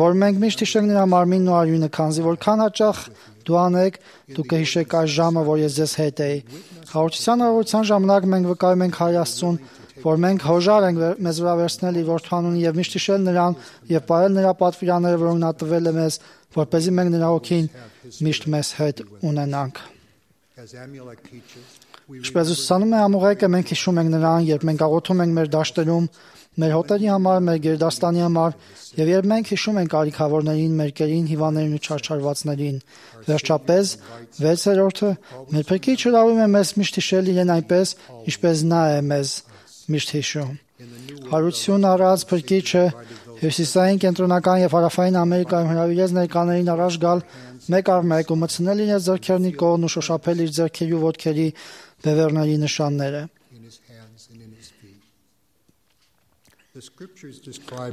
որ մենք միշտ հիշենք նրա մարմինն ու արյունը, քանզի որքան հաճախ դու անեք, դու կհիշեք այս ժամը, որ ես ձեզ հետ էի։ Հաղորդության առողջության ժամանակ մենք վկայում ենք Հայր Աստծուն, որ մենք հոժար ենք մեզ վրա վերցնել իր որդու անունը եւ միշտ հիշել նրան եւ պահել նրա պատվիրանները, որոնք նա տվել է մեզ, որպեսզի մենք նրա օգին միշտ մեզ հետ ունենանք։ Ինչպես ուսուցանում է ամուղեկը, մենք հիշում ենք նրան, երբ մենք աղոթում ենք մեր դաշտերում, մեր հոտերի համար, մեր գերդաստանի համար, եւ երբ մենք հիշում ենք ալիքավորներին, մեր կերին, հիվանդներին ու չարչարվածներին։ Վերջապես, 6-րդը մեր Փրկիչը հրավիրում է մեզ միշտ հիշել իրեն այնպես, ինչպես նա է մեզ միշտ հիշում։ Հարություն առած Փրկիչը Հյուսիսային, կենտրոնական եւ հարավային Ամերիկայում հրավիրեց ներկաներին առաջ գալ մեկ առ մեկ ու մտցնել իրենց ձեռքերն իր կողմն ու շոշափել իր ձեռքերի ու ոտքերի բևեռների նշանները։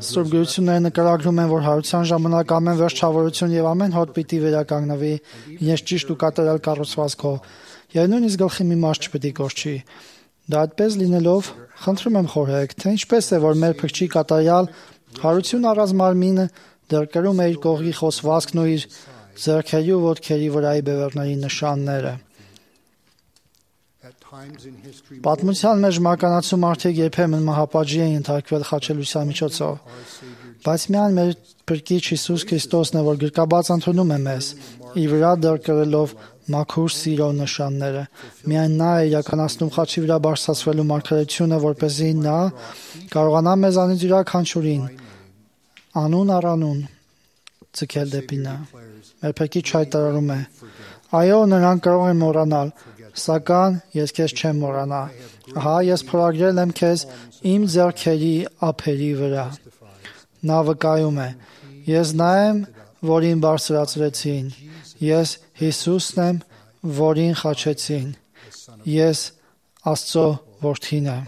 Սուրբ գրությունները նկարագրում են, որ հարության ժամանակ ամեն վերջավորություն եւ ամեն հոտ պիտի վերականգնվի իրենց ճիշտ ու կատարյալ կառուցվածքով, եւ նույնիսկ գլխի մի մաս չպիտի կորչի։ Դա այդպես լինելով, խնդրում եմ խորհեք, թե ինչպես է, որ մեր Փրկչի կատարյալ հարություն առած մարմինը դեռ կրում է իր կողքի խոսվածքն ու իր ձեռքերի ու ոտքերի վրայի բևեռների նշանները։ Պատմության մեջ մականացու մարդիկ երբեմն մահապատժի են ենթարկվել խաչելության միջոցով, բայց միայն մեր Փրկիչ Հիսուս Քրիստոսն է, որ գրկաբաց ընդունում է մեզ, իր վրա դեռ կրելով մաքուր սիրո նշանները։ Միայն նա է իրականացնում խաչի վրա բարձրացվելու մարգարեությունը, որպեսզի նա կարողանա մեզանից յուրաքանչյուրին անուն առ անուն ձգել դեպի նա։ Մեր Փրկիչ հայտարարում է. այո, նրանք կարող են մոռանալ, սակայն ես քեզ չեմ մոռանա։ Ահա ես փորագրել եմ քեզ իմ ձեռքերի ափերի վրա։ Նա վկայում է. ես նա եմ, որին բարձրացրեցին, ես Հիսուսն եմ, որին խաչեցին, ես Աստծո որդին եմ։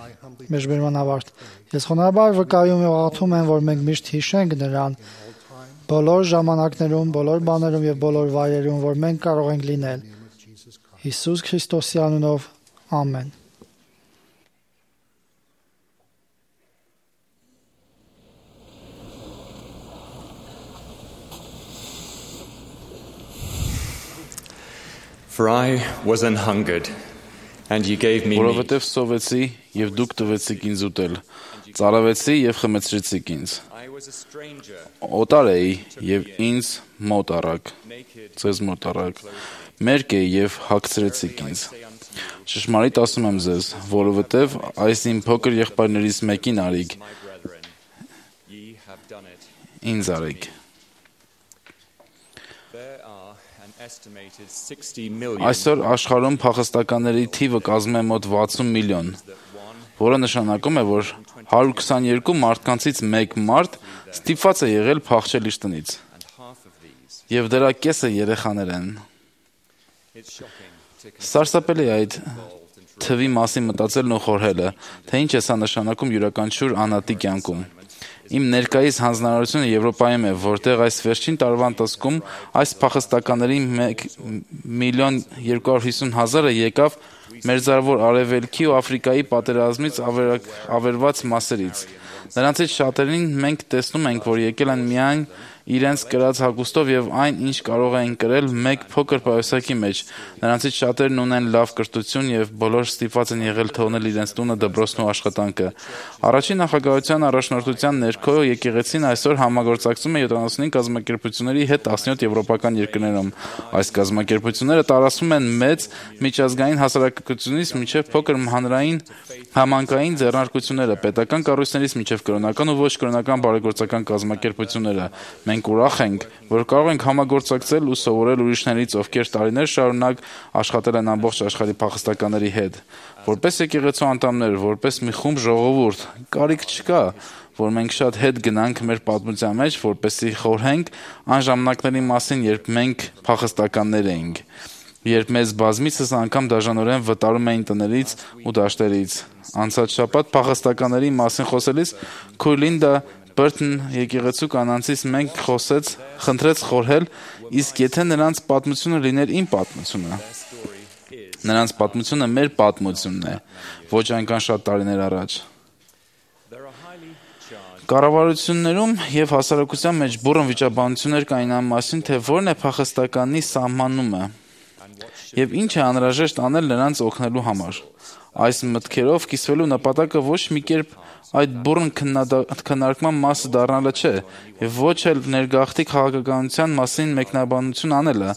Մեջբերման ավարտ։ Ես խոնարհաբար վկայում եւ աղոթում եմ, որ մենք միշտ հիշենք նրան բոլոր ժամանակներում, բոլոր բաներում եւ բոլոր վայրերում, որ մենք կարող ենք լինել։ Հիսուս Քրիստոսի անունով, ամեն։ For I was an hungered, and you gave me meat. Որովհետև սովեցի եւ դուք տվեցիք ինձ ուտել, ծարավեցի եւ խմեցրեցիք ինձ։ Օտար էի եւ ինձ մոտ առաք, ձեզ մոտ առաք, մերկ էի եւ հագցրեցիք ինձ։ Ճշմարիտ ասում եմ ձեզ, որովհետև այս իմ փոքր եղբայրներից մեկին արիք, ինձ արիք։ Այսօր աշխարհում փախստականների թիվը կազմում է մոտ 60 միլիոն, որը նշանակում է, որ 122 մարդկանցից մեկ մարդ ստիպված է եղել փախչել իր տնից։ Եվ դրա կեսը երեխաներ են։ Սարսափելի է այդ թվի մասին մտածելն ու խորհելը, թե ինչ է սա նշանակում յուրաքանչյուր անհատի կյանքում։ Իմ ներկայիս հանձնարարությունը Եվրոպայում է, որտեղ այս վերջին տարվա ընթացքում այս փախստականների 1,250,000-ը եկավ Մերձավոր Արևելքի ու Աֆրիկայի պատերազմից ավերված մասերից։ Նրանցից շատերին մենք տեսնում ենք, որ եկել են միայն իրենց կրած հագուստով եւ այն, ինչ կարող էին կրել մեկ փոքր պայուսակի մեջ։ Նրանցից շատերն ունեն լավ կրթություն եւ բոլոր ստիպված են եղել թողնել իրենց տունը, դպրոցն ու աշխատանքը։ Առաջին նախագահության առաջնորդության ներքո եկեղեցին այսօր համագործակցում է 75 կազմակերպությունների հետ 17 եվրոպական երկրներում։ Այս կազմակերպությունները տարածվում են մեծ միջազգային հասարակությունից մինչև փոքր հանրային համայնքային ձեռնարկությունները, պետական կառույցներից մինչև կրոնական ու ոչ կրոնական բարեգործական կազմակերպությունները։ Մենք ուրախ ենք, որ կարող ենք համագործակցել ու սովորել ուրիշներից, ովքեր տարիներ շարունակ աշխատել են ամբողջ աշխարհի փախստականների հետ։ Որպես եկեղեցու անդամներ, որպես մի խումբ ժողովուրդ, կարիք չկա, որ մենք շատ հետ գնանք մեր պատմության մեջ, որպեսզի խորհենք այն ժամանակների մասին, երբ մենք փախստականներ էինք, երբ մեզ բազմիցս անգամ դաժանորեն վտարում էին տներից ու դաշտերից։ Անցած շաբաթ փախստականների մասին խոսելիս Քույլինդա Բերտն եկեղեցու կանանցից մենք խնդրեց խորհել, իսկ եթե նրանց պատմությունը լիներ իմ պատմությունը, նրանց պատմությունը մեր պատմությունն է, ոչ այնքան շատ տարիներ առաջ։ Կառավարություններում եւ հասարակության մեջ բուռն վիճաբանություններ կային այն մասին, թե որն է փախստականի սահմանումը եւ ինչ է անհրաժեշտ անել նրանց օգնելու համար։ Այս մտքերով կիսվելու նպատակը ոչ մի կերպ այդ բուռն քննարկման մասը դառնալը չէ, եւ ոչ էլ ներգաղթի քաղաքականության մասին մեկնաբանություն անելը,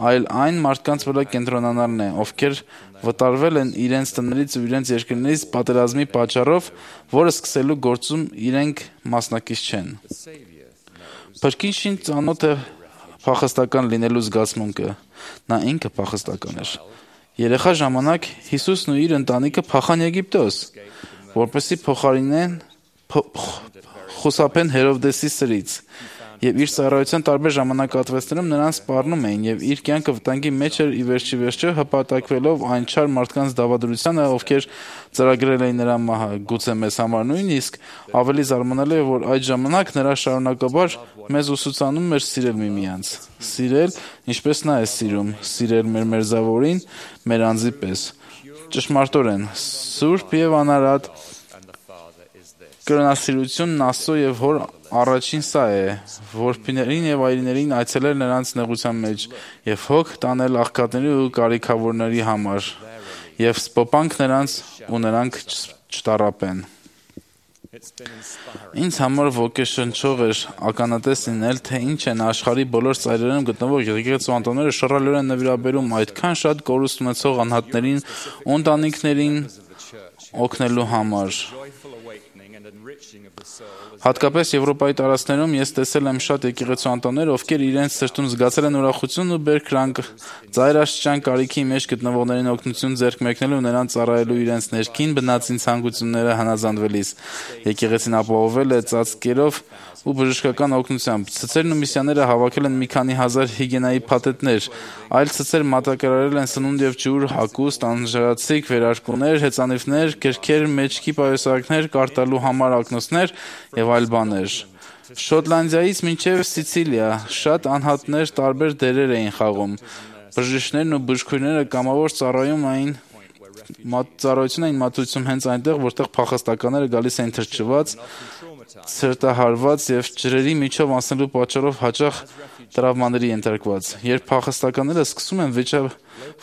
այլ այն մարդկանց վրա կենտրոնանալն է, ովքեր վտարվել են իրենց տներից ու իրենց երկրներից պատերազմի պատճառով, որը սկսելու գործում իրենք մասնակից չեն։ Փրկիչին ծանոթ է փախստական լինելու զգացմունքը։ Նա ինքը փախստական էր։ Երեխա ժամանակ Հիսուսն ու իր ընտանիքը փախան Եգիպտոս, որպեսզի փոխարինեն խուսափեն Հերովդեսի սրից, եւ իր ծառայության տարբեր ժամանակահատվածներում նրան սպառնում էին եւ իր կյանքը վտանգի մեջ էր ի վերջո հպատակվելով այն չար մարդկանց դավադրությանը, ովքեր ծրագրել էին նրա մահը, գուցե մեզ համար նույնիսկ ավելի զարմանալի է, որ այդ ժամանակ նրա շարունակաբար մեզ ուսուցանում էր սիրել միմյանց, սիրել, ինչպես նա է սիրում, սիրել մեր մերձավորին, մեր անձի պես։ Ճշմարտորեն, սուրբ եւ անարատ կրոնասիրությունն Աստծո եւ Հոր առաջին սա է, որբիներին եւ այրիներին այցելել նրանց նեղության մեջ եւ հոգ տանել աղքատների ու կարիքավորների համար եւ սպոպանք նրանց ու նրանք չտառապեն։ Ինձ համար ոգեշնչող էր ականատես լինել, թե ինչ են աշխարհի բոլոր ծայրերում գտնվող եկեղեցու անդամները շռայլորեն նվիրաբերում այդքան շատ կորուստ ունեցող անհատներին ու ընտանիքներին օգնելու համար։ Հատկապես Եվրոպայի տարածքներում ես տեսել եմ շատ եկեղեցու անդամներ, ովքեր իրենց սրտում զգացել են ուրախություն ու բերկրանք ծայրաշրջան կարիքի մեջ գտնվողներին օգնություն ձեռք մեկնելու ու նրանց ծառայելու իրենց ներքին բնածին ցանկությունները հնազանդվելիս։ Եկեղեցին ապահովել է ծածկերով ու բժշկական օգնությամբ։ Ցցերն ու միսիաները հավաքել են մի քանի հազար հիգիենայի փաթեթներ, այլ ցցեր մատակարարել են սնունդ եւ ջուր, հագուստ, անժրացիկ, վերարկուներ, հեծանիվներ, գրքեր, մեջքի պայուսակներ, կարտալու համար ակնոցներ եւ այլ բաներ։ Շոտլանդիայից մինչև Սիցիլիա շատ անհատներ տարբեր դերեր էին խաղում։ Բժիշկներն ու բժշկուհիները կամավոր ծառայություն էին մատուցում հենց այնտեղ, որտեղ փախստականները գալիս էին թրջված, ցրտահարված եւ ջրերի միջով անցնելու պատճառով հաճախ տրավմաների ենթարկված։ Երբ փախստականները սկսում են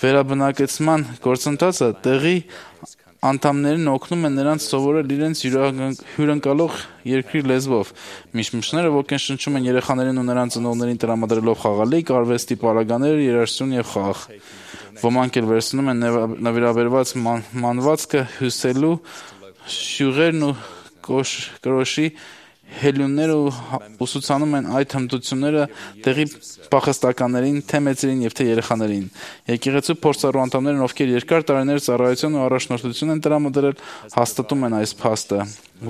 վերաբնակեցման գործընթացը, տեղի անդամներին օգնում են նրանց սովորել իրենց հյուրընկալող երկրի լեզվով։ Միշմշները ոգեշնչում են երեխաներին ու նրանց ծնողներին տրամադրելով խաղալիք, արվեստի պարագաներ, երաժշտություն եւ խաղ։ Ոմանք էլ վերցնում են նվիրաբերված մանվածքը հյուսելու շյուղերն ու կրոշի հելյունները ուսուցանում են այդ հմտությունները տեղի փախստականներին, թե մեծերին եւ թե երեխաներին։ Եկեղեցու փորձառու անդամներն, ովքեր երկար տարիներ ծառայություն ու առաջնորդություն են տրամադրել, հաստատում են այս փաստը,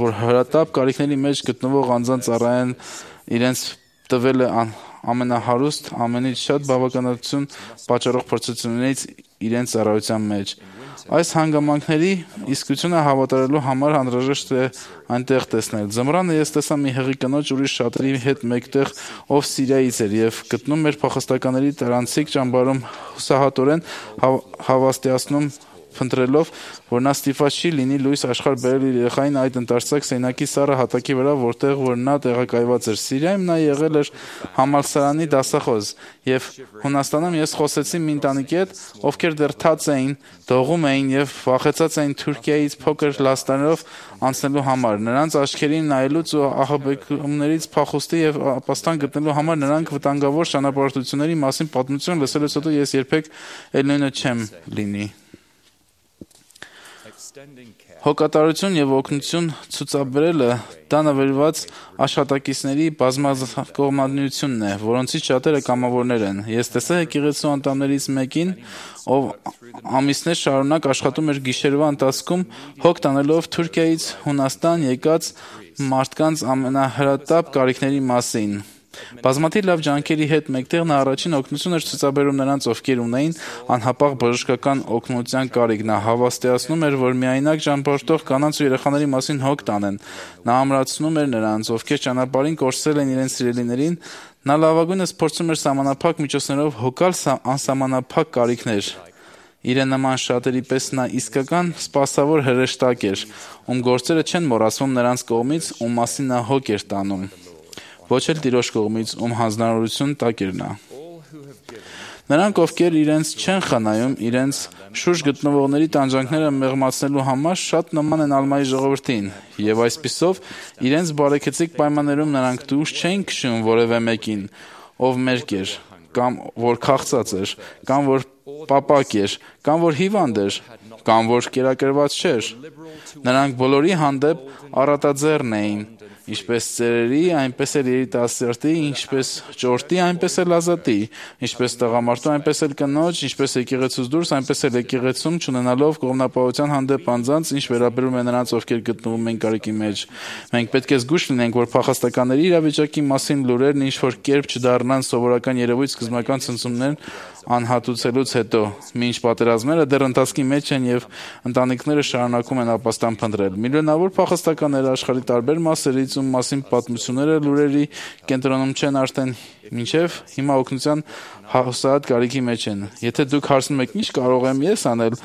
որ հրատապ կարիքների մեջ գտնվող անձանց ծառայեն իրենց տվել է ամենահարուստ, ամենից շատ բավականություն պատճառող փորձություններից իրենց ծառայության մեջ։ Այս հանգամանքների իսկությունը հավատարելու համար անհրաժեշտ է այնտեղ տեսնել։ Ձմռանը ես տեսա մի հղի կնոջ ուրիշ շատերի հետ մեկտեղ, ով Սիրիայից էր եւ գտնում էր փախստականների տարանցիկ ճամբարում հուսահատորեն հավաստիացնում փնտրելով, որ նա ստիպված չի լինի լույս աշխարհ բերել իր երեխային այդ ընտարսակ սենակի սառը հատակի վրա, որտեղ որ նա տեղակայված էր։ Սիրիայում նա եղել էր համալսարանի դասախոս եւ Հունաստանում ես խոսեցի մի ընտանիքի հետ, ովքեր դեռ թաց էին, դողում էին եւ վախեցած էին Թուրքիայից փոքր լաստանով անցնելու համար։ Նրանց աչքերին նայելուց ու ահաբեկումներից փախուստի եւ ապաստան գտնելու համար նրանք վտանգավոր ճանապարհորդությունների մասին պատմություն լսելուց հետո ես երբեք էլ նույնը չեմ լինի։ Հոգատարություն եւ օգնություն ցուցաբերելը դա նվիրված աշխատակիցների բազմակողմանությունն է, որոնցից շատերը կամավորներ են։ Ես տեսա եկեղեցու անդամներից մեկին, ով ամիսներ շարունակ աշխատում էր գիշերվա ընթացքում, հոգ տանելով Թուրքիայից Հունաստան եկած մարդկանց ամենահրատապ կարիքների մասին։ Բազմաթիվ լավ ջանքերի հետ մեկտեղ նա առաջին օգնություն էր ցուցաբերում նրանց, ովքեր ունեին անհապաղ բժշկական օգնության կարիք։ Նա հավաստիացնում էր, որ միայնակ ճամփորդող կանանց ու երեխաների մասին հոգ տանեն։ Նա ամրացնում էր նրանց, ովքեր ճանապարհին կորցրել են իրենց սիրելիներին։ Նա լավագույնս փորձում էր սահմանափակ միջոցներով հոգալ անսահմանափակ կարիքներ։ Իրեն նման շատերի պես նա իսկական սպասավոր հրեշտակ էր, ում գործերը չեն մոռացվում նրանց կողմից, ում մասին նա հոգ էր տանում։ Ոչ էլ Տիրոջ կողմից, ում հանձնարարություն տակ էր նա։ Նրանք, ովքեր իրենց չեն խնայում, իրենց շուրջ գտնվողների տանջանքները մեղմացնելու համար շատ նման են Ալմայի ժողովրդին, եւ այսպիսով իրենց բարեկեցիկ պայմաններում նրանք դուրս չէին քշում որևէ մեկին, ով մերկ էր, կամ որ քաղցած էր, կամ որ պապակ էր, կամ որ հիվանդ էր, կամ որ կերակրված չէր։ Նրանք բոլորի հանդեպ առատաձեռն էին, ինչպես ծերերի, այնպես էլ երիտասարդի, ինչպես ճորտի, այնպես էլ ազատի, ինչպես տղամարդու, այնպես էլ կնոջ, ինչպես եկեղեցուց դուրս, այնպես էլ եկեղեցում, չունենալով կողմնապահության հանդեպ անձանց, ինչ վերաբերում է նրանց, ովքեր գտնվում են կարիքի մեջ։ Մենք պետք է զգույշ լինենք, որ փախստականների իրավիճակի մասին լուրերն ինչ-որ կերպ չդառնան սովորական երևույթ սկզբնական ցնցումներն անհատուցելուց հետո, մինչ պատերազմները դեռ ընթացքի մեջ են եւ ընտանիքները շարունակում են ապաստան փնտրել։ Միլիոնավոր փախստականներ աշխարհի տարբեր մասերից, ում մասին պատմությունները լուրերի կենտրոնում չեն արդեն մինչև հիմա օգնության հուսահատ կարիքի մեջ են։ Եթե դուք հարցնում եք ինչ կարող եմ ես անել,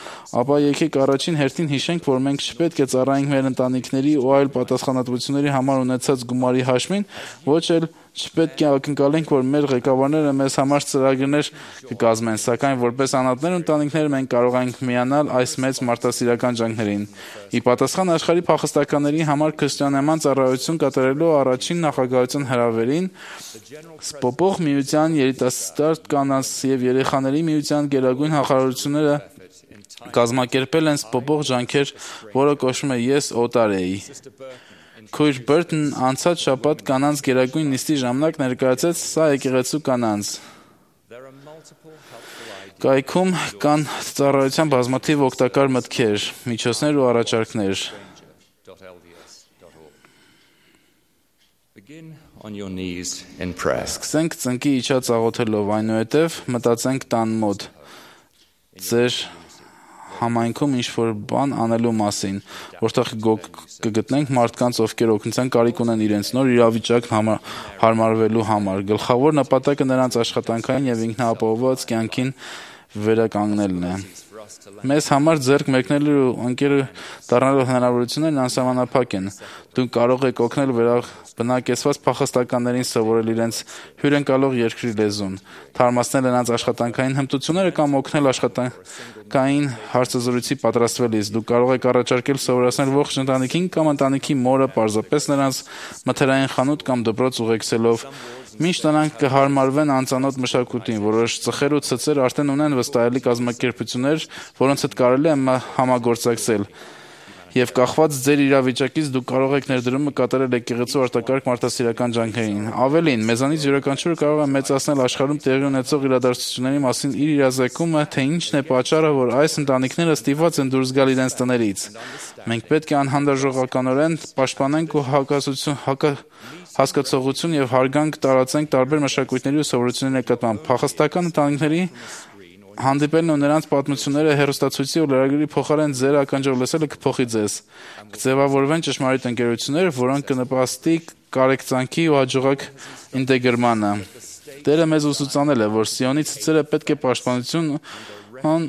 ապա եկեք առաջին հերթին հիշենք, որ մենք չպետք է ծառայենք մեր ընտանիքների ու այլ պատասխանատվությունների համար ունեցած գումարի հաշվին, ոչ էլ չպետք է ակնկալենք, որ մեր ղեկավարները մեզ համար ծրագրեր կկազմեն, սակայն որպես անհատներ ու ընտանիքներ մենք կարող ենք միանալ այս մեծ մարդասիրական ջանքերին։ Ի պատասխան աշխարհի փախստականների համար քրիստոնեական ծառայություն կատարելու առաջին նախագահության հրավերին, Սպոպող միության երիտասարդ կանանց եւ երեխաների միության գերագույն նախարարությունները կազմակերպել են սպոպող ջանքեր, որը կոչվում է «Ես օտար էի»։ Քույր Բերտն անցած շաբաթ կանանց գերագույն նիստի ժամանակ ներկայացրեց սա եկեղեցու կանանց։ Կայքում կան ծառայության բազմաթիվ օգտակար մտքեր, միջոցներ ու առաջարկներ։ Սկսենք ծնկի իջած աղոթելով, այնուհետև մտածենք տան մոտ, ձեր համայնքում ինչ-որ բան անելու մասին, որտեղ կգտնենք մարդկանց, ովքեր օգնության կարիք ունեն իրենց նոր իրավիճակն հարմարվելու համար։ Գլխավոր նպատակը նրանց աշխատանքային եւ ինքնապահովված կյանքին վերականգնելն է։ Մեզ համար ձեռք մեկնելու ու ընկեր դառնալու հնարավորություններն անսահմանափակ են։ Դուք կարող եք օգնել բնակեցված փախստականներին սովորել իրենց հյուրընկալող երկրի լեզուն, թարմացնել նրանց աշխատանքային հմտությունները կամ օգնել աշխատանքային հարցազրույցի պատրաստվելիս։ Դուք կարող եք առաջարկել սովորեցնել ողջ ընտանիքին կամ ընտանիքի մորը պարզապես նրանց մթերային խանութ կամ դպրոց ուղեկցելով, մինչ նրանք կհարմարվեն անծանոթ մշակույթին։ Որոշ ծխեր ու ցծեր արդեն ունեն վստահելի կազմակերպություններ, որոնց հետ կարելի է համագործակցել։ Եվ կախված ձեր իրավիճակից դուք կարող եք ներդրումը կատարել եկեղեցու արտակարգ մարդասիրական ջանքերին։ Ավելին, մեզանից յուրաքանչյուրը կարող է մեծացնել աշխարհում տեղի ունեցող իրադարձությունների մասին իր իրազեկումը, թե ինչն է պատճառը, որ այս ընտանիքները ստիպված են դուրս գալ իրենց տներից։ Մենք պետք է անհանդուրժողականորեն պաշտպանենք ու հասկացողություն եւ հարգանք տարածենք տարբեր մշակույթների ու սովորությունների նկատմամբ։ Փախստական ընտանիքների հանդիպելն ու նրանց պատմությունները հեռուստացույցի ու լրագրի փոխարեն ձեր ականջով լսելը կփոխի ձեզ։ Կձևավորվեն ճշմարիտ ընկերություններ, որոնք կնպաստի կարեկցանքի ու հաջողակ ինտեգրմանը։ Տերը մեզ ուսուցանել է, որ Սիոնի ցցերը պետք է պաշտպանություն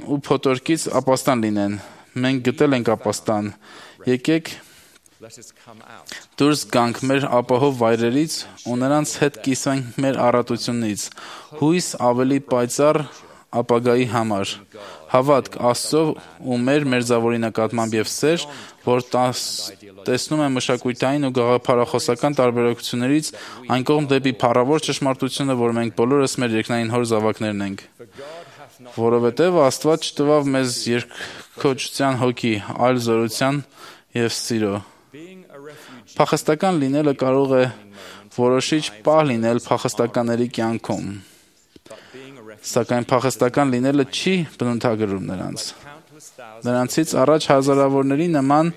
ու փոթորկից ապաստան լինեն։ Մենք գտել ենք ապաստան։ Եկեք դուրս գանք մեր ապահով վայրերից ու նրանց հետ կիսվենք մեր առատությունից։ Հույս ավելի պայծառ ապագայի համար։ Հավատք Աստծո ու մեր մերձավորի նկատմամբ եւ սեր, որ տեսնում է մշակութային ու գաղափարախոսական տարբերություններից այն կողմ դեպի փառավոր ճշմարտությունը, որ մենք բոլորս մեր երկնային հոր զավակներն ենք։ Որովհետև Աստված չտվավ մեզ երկխոչության հոգի, այլ զորության եւ սիրո։ Փախստական լինելը կարող է որոշիչ պահ լինել փախստականների կյանքում, սակայն փախստական լինելը չի բնութագրում նրանց։ Նրանցից առաջ հազարավորների նման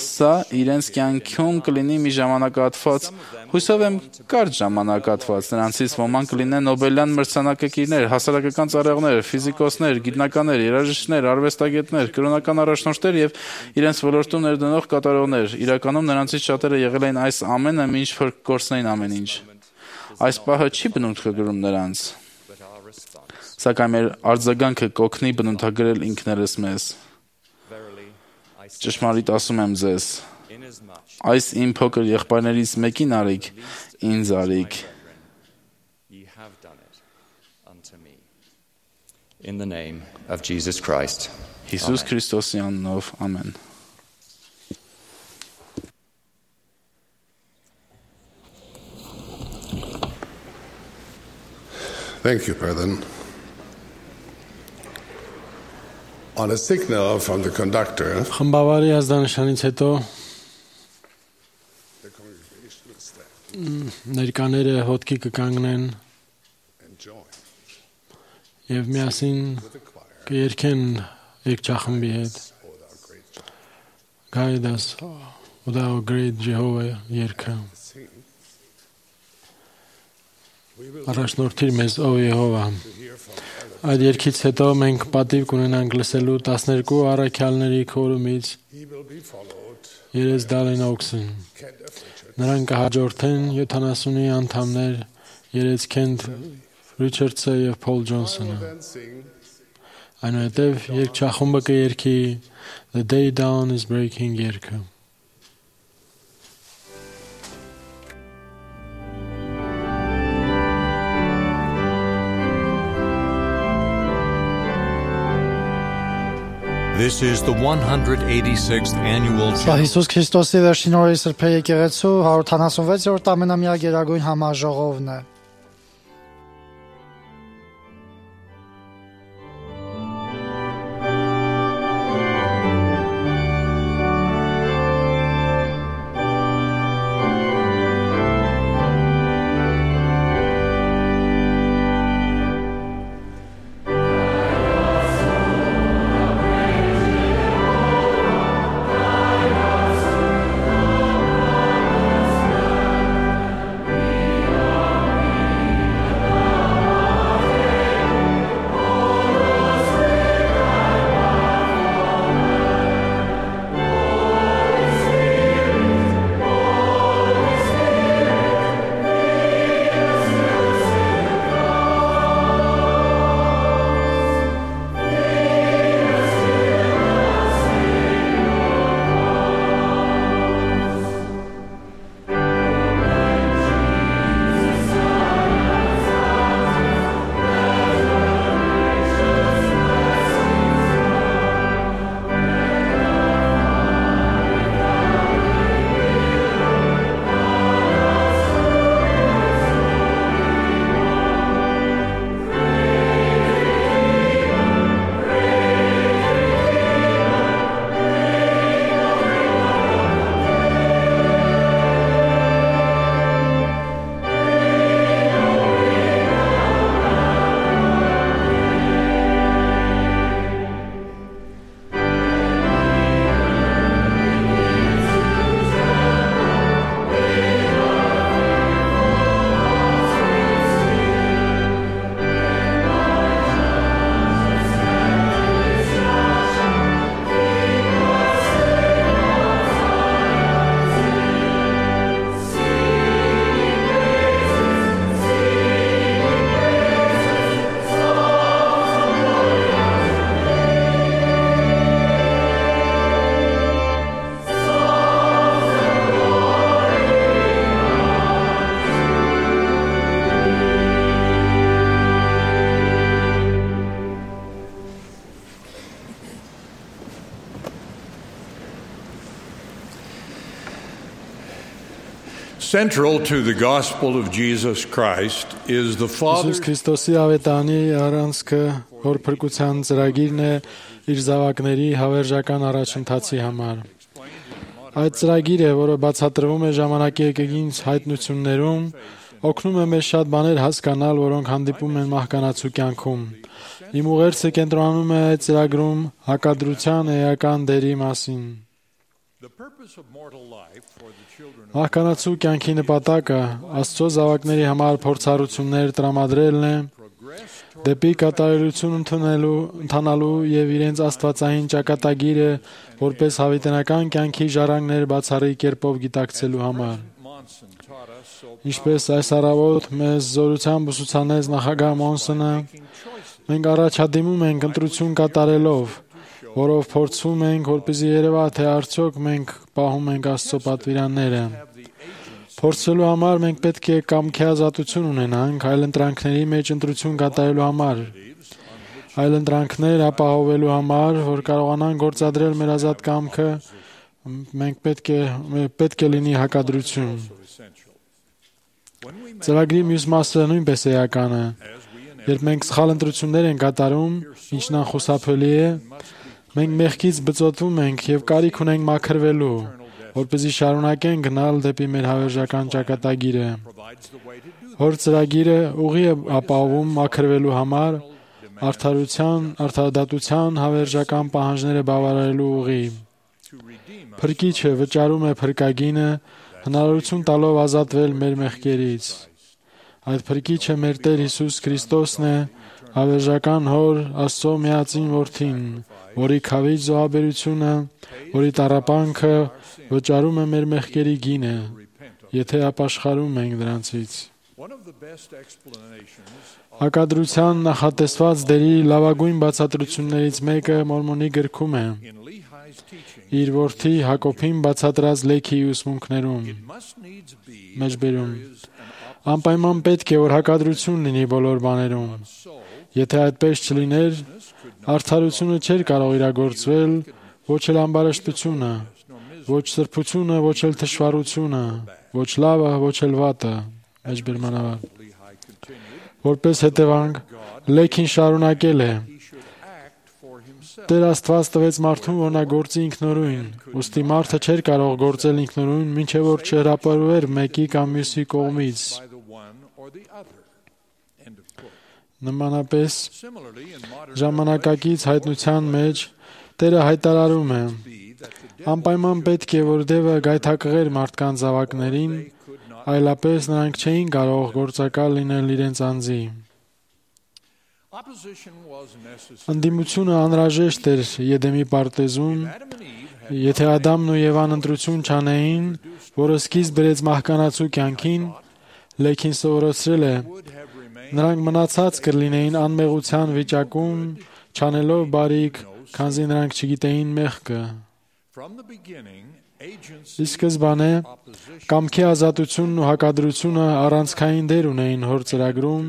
սա իրենց կյանքում կլինի մի ժամանակահատված, հույսով եմ կարճ ժամանակահատված։ Նրանցից ոմանք կլինեն Նոբելյան մրցանակակիրներ, հասարակական ծառայողներ, ֆիզիկոսներ, գիտնականներ, երաժիշտներ, արվեստագետներ, կրոնական առաջնորդներ եւ իրենց ոլորտում ներդնող կատարողներ։ Իրականում նրանցից շատերը եղել են այս ամենը, մինչ որ կորցնեին ամեն ինչ։ Այս պահը չի բնութագրում նրանց, սակայն մեր արձագանքը կօգնի բնութագրել ինքներս մեզ։ Ճշմարիտ ասում եմ ձեզ, այս իմ փոքր եղբայրներից մեկին արիք, ինձ արիք։ In the name of Jesus Christ. Հիսուս Քրիստոսի անունով, ամեն։ Thank you, brethren. On a signal from the conductor, Խմբավարի ազդանշանից հետո the congregation will stand ներկաները հոտքի կկանգնեն and join եւ միասին with the choir կերքեն երգչախմբի հետ with our great joy. Guide us, O thou great Jehovah երգը Sing. We will առաջնորդիր մեզ ո Եհովա hear from heaven. Այդ երգից հետո մենք պատիվ կունենանք լսելու 12 առաքյալների քորումից He will be followed. Երես Դալեն Օքսն Kent F. Richards. Նրանք կհաջորդեն 70-ի անդամներ Երես Քենթ Ռիչարդսը եւ Փոլ Ջոնսոնը Then sing. Այնուհետև երգչախումբը կերքի The Day Dawn is Breaking երգը This is the 186th annual Սա Հիսուս Քրիստոսի վերջին օրերի սրբե եկեղեցու 176-րդ ամենամյա գերագույն համաժողովն է։ Central to the gospel of Jesus Christ is the Father. Հիսուս Քրիստոսի ավետանի առանցքը, որ փրկության ծրագիրն է իր զավակների հավերժական առաջընթացի համար։ Այդ ծրագիրը, որը բացատրվում է ժամանակի եկեղեցին հայտնություններում, օգնում է մեզ շատ բաներ հասկանալ, որոնք հանդիպում են մահկանացու կյանքում։ Իմ ուղերձը կենտրոնանում է այդ ծրագրում հակադրության էական դերի մասին։ Մահկանացու կյանքի նպատակը Աստծո զավակների համար փորձառություններ տրամադրելն է, դեպի կատարելություն ընթանալու եւ իրենց աստվածային ճակատագիրը որպես հավիտենական կյանքի ժառանգներ բացառիկ կերպով գիտակցելու համար։ Ինչպես այս առավոտ մեզ զորությամբ ուսուցանեց նախագահ Մոնսոնը, մենք առաջադիմում ենք ընտրություն կատարելով, որով փորձում ենք, որպեսզի երևա, թե արդյոք մենք պահում ենք Աստծո պատվիրանները։ Փորձելու համար մենք պետք է կամքի ազատություն ունենանք այլ ընտրանքների մեջ ընտրություն կատարելու համար։ այլ ընտրանքներ ապահովելու համար, որ կարողանան գործադրել մեր ազատ կամքը, մենք պետք է լինի հակադրություն։ Ծրագրի մյուս մասը նույնպես էական է։ Երբ մենք սխալ ընտրություններ ենք կատարում, ինչն անխուսափելի է, մենք մեղքից բծոտվում ենք եւ կարիք ունենք մաքրվելու, որպեսզի շարունակենք գնալ դեպի մեր հավերժական ճակատագիրը։ Հոր ծրագիրը ուղի է ապահովում մաքրվելու համար, արդարադատության հավերժական պահանջները բավարարելու ուղի։ Փրկիչը վճարում է փրկագինը, հնարավորություն տալով ազատվել մեր մեղքերից։ Այդ փրկիչը մեր Տեր Հիսուս Քրիստոսն է, հավերժական Հոր Աստծո միածին Որդին, որի քավիճ զոհաբերությունը, որի տառապանքը վճարում է մեր մեղքերի գինը, եթե ապաշխարում ենք դրանցից։ Հակադրության նախատեսված դերի լավագույն բացատրություններից մեկը Մորմոնի գրքում է, իր որդի Հակոբին բացատրած լեքի ուսմունքներում, մեջբերում։ Անպայման պետք է, որ հակադրություն լինի բոլոր բաներում։ Եթե այդպես չլիներ, արդարությունը չէր կարող իրագործվել, ոչ էլ ամբարշտությունը, ոչ սրբությունը, ոչ էլ թշվառությունը, ոչ լավը, ոչ էլ վատը, մեջբերմանավար։ Որպես հետևանք, լեքին շարունակել է։ Տեր Աստված տվեց մարդուն, որ նա գործի ինքնուրույն, ուստի մարդը չէր կարող գործել ինքնուրույն, մինչև որ չհրապարվեր մեկի կամ մյուսի կողմից։ Նմանապես, ժամանակակից հայտնության մեջ Տերը հայտարարում է. անպայման պետք է, որ դևը գայթակղեր մարդկանց զավակներին, այլապես նրանք չէին կարող գործակալ լինել իրենց անձի։ Ընդդիմությունը անհրաժեշտ էր Եդեմի պարտեզում, եթե Ադամն ու Եվան ընտրություն չանեին, որը սկիզբ բերեց մահկանացու կյանքին, լեքին սովորեցրել է, նրանք մնացած կլինեին անմեղության վիճակում, չանելով բարիք, քանզի նրանք չգիտեին մեղքը։ Ի սկզբանե, կամքի ազատությունն ու հակադրությունը առանցքային դեր ունեին Հոր ծրագրում,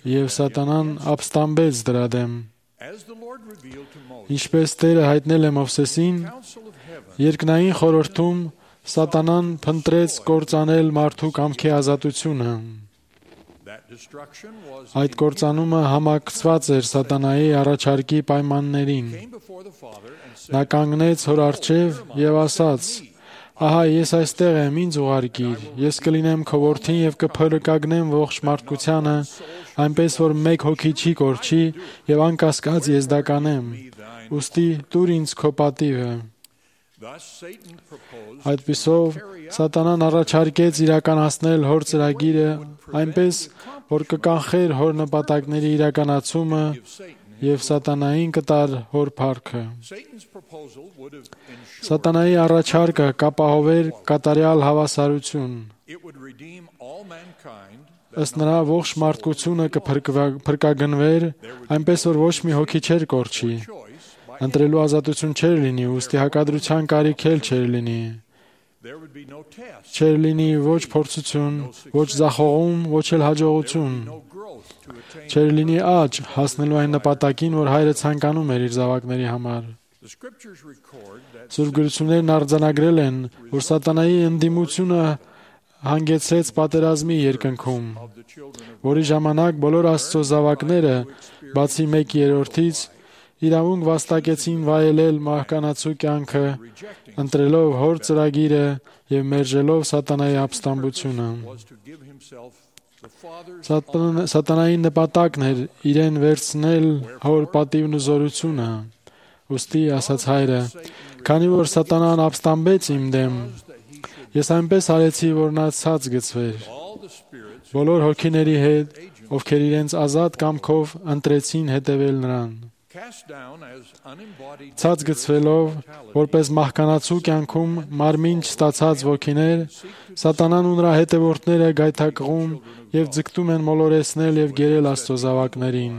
և Սատանան ապստամբեց դրա դեմ։ Ինչպես Տերը հայտնել է Մովսեսին, երկնային խորհրդում Սատանան փնտրեց կործանել մարդու կամքի ազատությունը։ Այդ կործանումը համակցված էր Սատանայի առաջարկի պայմաններին։ Նա կանգնեց Հոր առջև և ասաց. «Ահա ես այստեղ եմ, ինձ ուղարկիր, ես կլինեմ քո որդին և կփրկագնեմ ողջ մարդկությանը, այնպես որ մեկ հոգի չի կորչի և անկասկած ես դա կանեմ, ուստի տուր ինձ քո պատիվը»։ Այդպիսով Սատանան առաջարկեց իրականացնել Հոր ծրագիրը այնպես, որ կկանխեր Հոր նպատակների իրականացումը և Սատանային կտար Հոր փառքը։ Սատանայի առաջարկը կապահովեր կատարյալ հավասարություն։ Ըստ նրա ողջ մարդկությունը կփրկագնվեր, այնպես որ ոչ մի հոգի չէր կորչի։ Ընտրելու ազատություն չէր լինի, ուստի հակադրության կարիք էլ չէր լինի։ Չէր լինի ոչ փորձություն, ոչ ձախողում, ոչ էլ հաջողություն։ Չէր լինի աճ հասնելու այն նպատակին, որ Հայրը ցանկանում էր իր զավակների համար։ Սուրբ գրություններն արձանագրել են, որ Սատանայի ընդդիմությունը հանգեցրեց պատերազմի երկնքում, որի ժամանակ բոլոր Աստծո զավակները, բացի 1/3-ից, իրավունք վաստակեցին վայելել մահկանացու կյանքը, ընտրելով Հոր ծրագիրը և մերժելով Սատանայի ապստամբությունը։ Սատանայի նպատակն էր իրեն վերցնել Հոր պատիվն ու զորությունը։ Ուստի ասաց Հայրը. «Քանի որ Սատանան ապստամբեց իմ դեմ, ես այնպես արեցի, որ նա ցած գցվեր։ Բոլոր հոգիների հետ, ովքեր իրենց ազատ կամքով ընտրեցին հետևել նրան։ Ցած գցվելով, որպես մահկանացու կյանքում մարմին չստացած ոգիներ, Սատանան ու նրա հետևորդները գայթակղում և ձգտում են մոլորեցնել և գերել Աստծո զավակներին։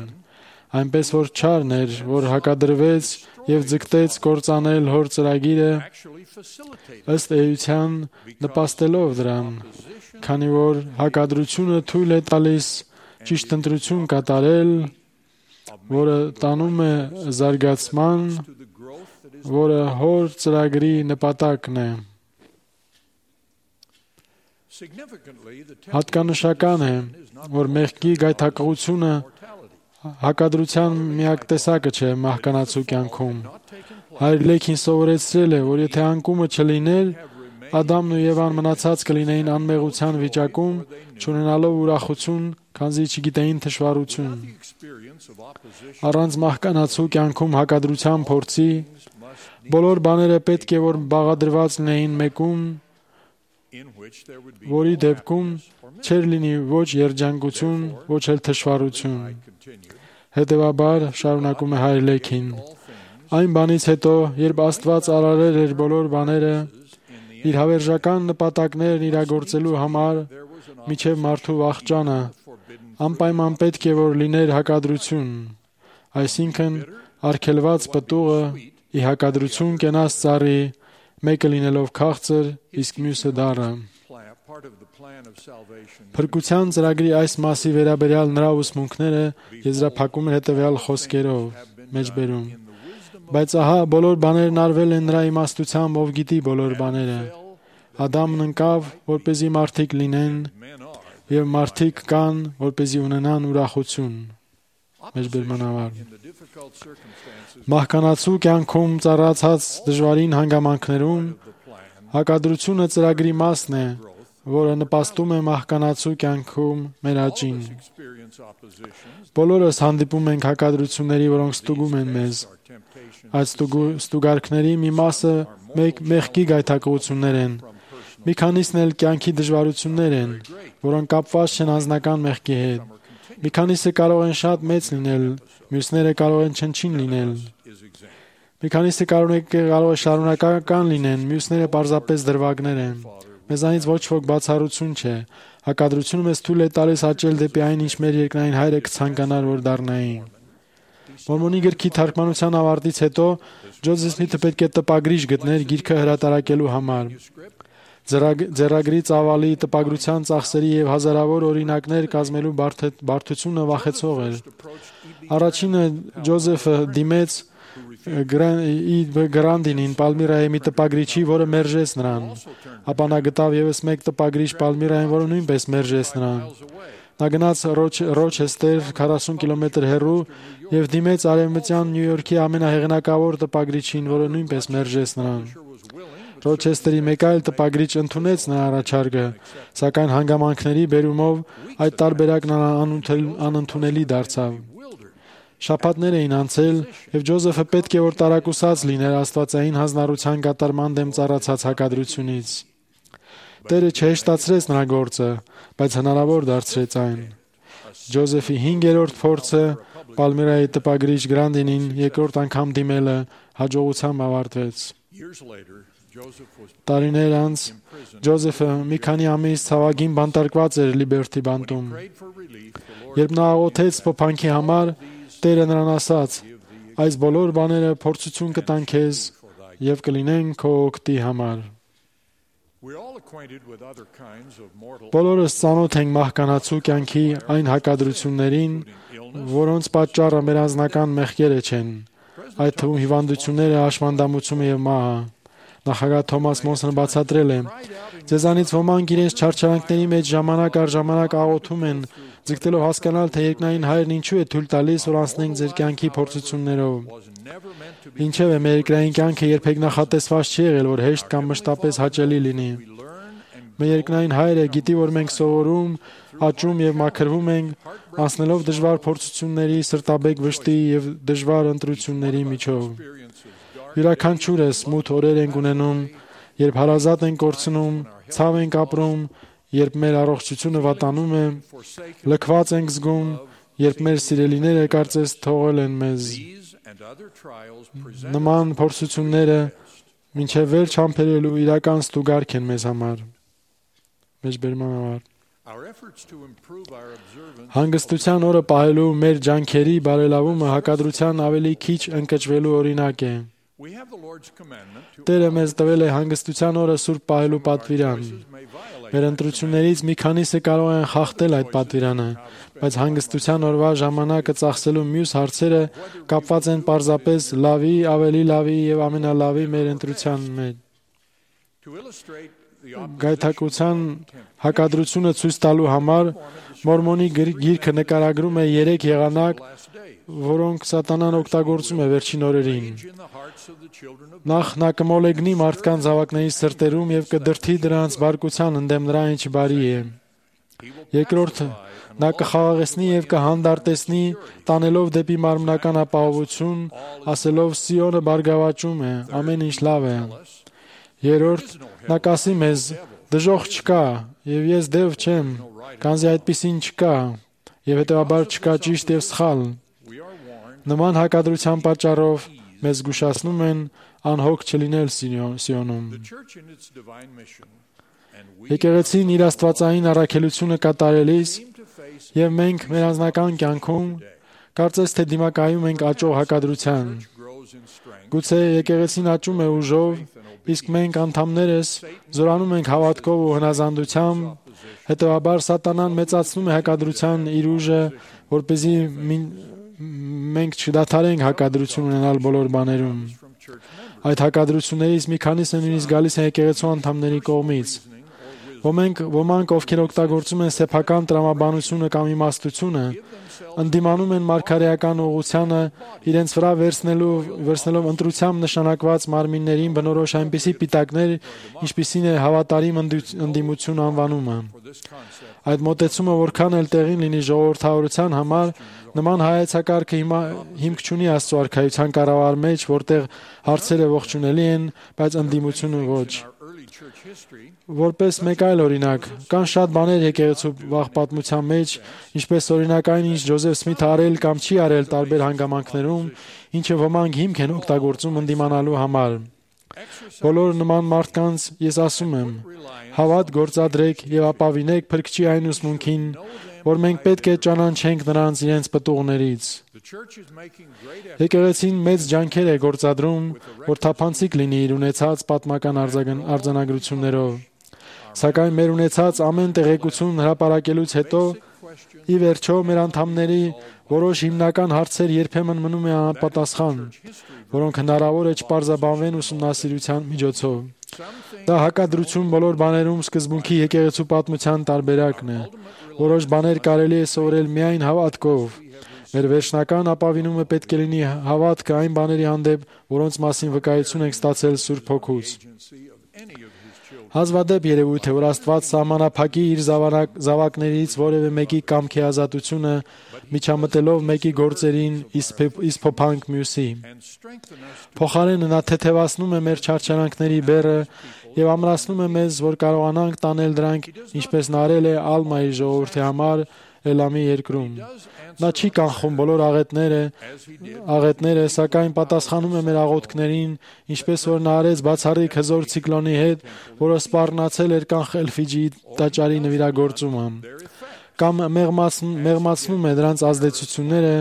Այնպես որ չարն էր, որ հակադրվեց և ձգտեց կործանել Հոր ծրագիրը, ըստ էության նպաստելով դրան, քանի որ հակադրությունը թույլ է տալիս ճիշտ ընտրություն կատարել, որը տանում է զարգացման, որը հոր ծրագրի նպատակն է։ Հատկանշական է, որ մեղքի գայթակղությունը հակադրության միակ տեսակը չէ մահկանացու կյանքում։ Հայր Լեքին սովորեցրել է, որ եթե անկումը չլիներ, Ադամն ու Եվան մնացած կլինեին անմեղության վիճակում, չունենալով ուրախություն, քանզի չգիտեին թշվառություն։ Առանց մահկանացու կյանքում հակադրության փորձի, բոլոր բաները պետք է որ բաղադրված լինեին մեկում, որի դեպքում չէր լինի ոչ երջանկություն, ոչ էլ թշվառություն։ Հետևաբար, շարունակում է հայր Լեքին, այն բանից հետո, երբ Աստված արարել էր բոլոր բաները, իր հավերժական նպատակներն իրագործելու համար, միջև մարդու վախճանը, անպայման պետք է որ լիներ հակադրություն, այսինքն արգելված պտուղը ի հակադրություն կենաց ծառի, մեկը լինելով քաղցր, իսկ մյուսը դառը։ Փրկության ծրագրի այս մասի վերաբերյալ նրա ուսմունքները եզրափակում են հետևյալ խոսքերով, մեջբերում. Բայց ահա բոլոր բաներն արվել են նրա իմաստությամբ, ով գիտի բոլոր բաները։ Ադամն ընկավ, որպեսզի մարդիկ լինեն, եւ մարդիկ կան, որպեսզի ունենան ուրախություն։ Մեջբերմանավար։ Մահկանացու կյանքում ծառացած դժվարին հանգամանքներում հակադրությունը ծրագրի մասն է, որը նպաստում է մահկանացու կյանքում մեր աճին։ Բոլորս հանդիպում ենք հակադրությունների, որոնք ստուգում են մեզ։ Այդ ստուգարքների մի մասը մեղքի գայթակղություններ են, մի քանիսն էլ կյանքի դժվարություններ են, որոնք կապված չեն անձնական մեղքի հետ։ Մի քանիսը կարող են շատ մեծ լինել, մյուսները կարող են չնչին լինել։ Մի քանիսը կարող է շարունակական լինեն, մյուսները պարզապես դրվագներ են։ Մեզանից ոչ ոք բացառություն չէ։ Հակադրությունը մեզ թույլ է տալիս աճել դեպի այն, ինչ մեր երկնային Հայրը կցանկանար, որ դառնային։ Մորմոնի գրքի թարգմանության ավարտից հետո Ջոզեֆ Սմիթը պետք է տպագրիչ գտներ գիրքը հրատարակելու համար։ Ձեռագրի ծավալի, տպագրության ծախսերի եւ հազարավոր օրինակներ կազմելու բարդությունը վախեցող էր։ Առաջինը Ջոզեֆը դիմեց Գրանդինին, Պալմիրայի մի տպագրիչի, որը մերժեց նրան։ Ապա նա գտավ ևս մեկ տպագրիչ Պալմիրային, որը նույնպես մերժեց նրան։ Նա գնաց Ռոչեստեր 40 կիլոմետր հեռու եւ դիմեց արևմտյան Նյու Յորքի ամենահեղինակավոր տպագրիչին, որը նույնպես մերժեց նրան։ Ռոչեստերի մեկ այլ տպագրիչ ընդունեց նրա առաջարկը, սակայն հանգամանքների բերումով այդ տարբերակն անընդունելի դարձավ։ Շաբաթներ էին անցել, եւ Ջոզեֆը պետք է որ տարակուսած լիներ աստվածային հանձնառության կատարման դեմ ծառացած հակադրությունից։ Տերը չհեշտացրեց նրա գործը, բայց հնարավոր դարձրեց այն։ Ջոզեֆի 5-րդ փորձը Պալմիրայի տպագրիչ Գրանդինին երկրորդ անգամ դիմելը հաջողությամբ ավարտվեց։ Տարիներ անց Ջոզեֆը մի քանի ամիս ցավագին բանտարկված էր Լիբերթի բանտում։ Երբ նա աղոթեց փոփանքի համար, Տերը նրան ասաց. այս բոլոր բաները փորձություն կտան քեզ եւ կլինեն քո օգտի համար։ Բոլորս ծանոթ ենք մահկանացու կյանքի այն հակադրություններին, որոնց պատճառը մեր անձնական մեղքերը չեն, այդ թվում հիվանդությունները, հաշմանդամությունը եւ մահը։ Նախագահ Թոմաս Մոնսոնը բացատրել է. Ձեզանից ոմանք իրենց չարչարանքների մեջ ժամանակ առ ժամանակ աղոթում են, ձգտելով հասկանալ, թե երկնային Հայրն ինչու է թույլ տալիս, որ անցնենք ձեր կյանքի փորձություններով։ Ինչևէ, մեր երկրային կյանքը երբեք նախատեսված չի եղել, որ հեշտ կամ մշտապես հաճելի լինի։ Մեր երկնային Հայրը գիտի, որ մենք սովորում, աճում եւ մաքրվում ենք, անցնելով դժվար փորձությունների, սրտաբեկ վշտի եւ դժվար ընտրությունների միջով։ Յուրաքանչյուրս մութ օրեր ենք ունենում, երբ հարազատ ենք կորցնում, ցավ ենք ապրում, երբ մեր առողջությունը վատանում է, լքված ենք զգում, երբ մեր սիրելիները կարծես թողել են մեզ։ Նման փորձությունները մինչև վերջ համբերելու իրական ստուգարք են մեզ համար։ Մեջբերմանավար։ Հանգստության օրը պահելու մեր ջանքերի բարելավումը հակադրության ավելի քիչ ընկճվելու օրինակ է։ Տերը մեզ տվել է հանգստության օրը սուրբ պահելու պատվիրան։ Մեր ընտրություններից մի քանիսը կարող են խախտել այդ պատվիրանը, բայց հանգստության օրվա ժամանակը ծախսելու մյուս հարցերը կապված են պարզապես լավի, ավելի լավի եւ ամենալավի մեր ընտրության մեջ։ Գայթակղության հակադրությունը ցույց տալու համար Մորմոնի գիրքը նկարագրում է 3 եղանակ, որոնք սատանան օգտագործում է վերջին օրերին։ Նախ նա կմոլեգնի մարդկանց զավակների սրտերում եւ կդրթի դրանց բարկության ընդդեմ նրա ինչ բարի է։ Երկրորդ, նա կխաղաղեցնի եւ կհանդարտեցնի, տանելով դեպի մարմնական ապահովություն, ասելով Սիոնը բարգավաճում է, ամեն ինչ լավ է։ Երրորդ, նա կասի մեզ. դժոխք չկա, եւ ես դև չեմ, քանզի այդպիսին չկա, եւ հետեւաբար չկա ճիշտ եւ սխալ։ Նման հակադրության պատճառով մեզ զգուշացնում են անհոգ չլինել Սիոնում։ Եկեղեցին իր աստվածային առաքելությունը կատարելիս եւ մենք մեր անձնական կյանքում կարծես թե դիմակայում ենք աճող հակադրության։ Գուցե եկեղեցին աճում է ուժով, իսկ մենք անդամներս զորանում ենք հավատքով ու հնազանդությամբ, հետեւաբար սատանան մեծացնում է հակադրության իր ուժը, որպեսզի մենք չդադարենք հակադրություն ունենալ բոլոր բաներում։ Այդ հակադրություններից մի քանիսը նույնիսկ գալիս են եկեղեցու անդամների կողմից։ Ոմանք, ովքեր օգտագործում են սեփական տրամաբանությունը կամ իմաստությունը, ընդդիմանում են մարգարեական ուղղությանը, իրենց վրա վերցնելով ընտրությամբ նշանակված մարմիններին բնորոշ այնպիսի պիտակներ, ինչպիսին է հավատարիմ ընդդիմություն անվանումը։ Այդ մոտեցումը որքան էլ տեղին լինի ժողովրդավարության համար, նման հայեցակարգը հիմք չունի Աստծո արքայության կառավար մեջ, որտեղ հարցերը ողջունելի են, բայց ընդդիմությունը ոչ։ Որպես մեկ այլ օրինակ, կան շատ բաներ եկեղեցու վաղ պատմության մեջ, ինչպես օրինակ այն, ինչ Ջոզեֆ Սմիթը արել կամ չի արել տարբեր հանգամանքներում, ինչը ոմանք հիմք են օգտագործում ընդդիմանալու համար։ Բոլոր նման մարդկանց ես ասում եմ. հավատ գործադրեք եւ ապավինեք Փրկչի այն ուսմունքին, որ մենք պետք է ճանաչենք նրանց իրենց պտուղներից։ Եկեղեցին մեծ ջանքեր է գործադրում, որ թափանցիկ լինի իր ունեցած պատմական արձանագրություններով։ Սակայն մեր ունեցած ամեն տեղեկություն հրապարակելուց հետո, ի վերջո մեր անդամների որոշ հիմնական հարցեր երբեմն մնում է անպատասխան, որոնք հնարավոր է չպարզաբանվեն ուսումնասիրության միջոցով։ Դա հակադրություն բոլոր բաներում սկզբունքի եկեղեցու պատմության տարբերակն է։ Որոշ բաներ կարելի է սովորել միայն հավատքով։ Մեր վերջնական ապավինումը պետք է լինի հավատքը այն բաների հանդեպ, որոնց մասին վկայություն ենք ստացել Սուրբ Հոգուց։ Հազվադեպ երևույթ է, որ Աստված սահմանափակի իր զավակներից որևէ մեկի կամքի ազատությունը, միջամտելով մեկի գործերին, իսկ փոփանք մյուսի։ Փոխարենը նա թեթևացնում է մեր չարչարանքների բեռը եւ ամրացնում է մեզ, որ կարողանանք տանել դրանք, ինչպես նա արել է Ալմայի ժողովրդի համար Էլամի երկրում։ Նա չի կանխում բոլոր աղետները, սակայն պատասխանում է մեր աղոթքներին, ինչպես որ նա արեց բացառիկ հզոր ցիկլոնի հետ, որը սպառնացել էր կանխել Ֆիջիի տաճարի նվիրագործումը, կամ մեղմացնում է դրանց ազդեցությունները,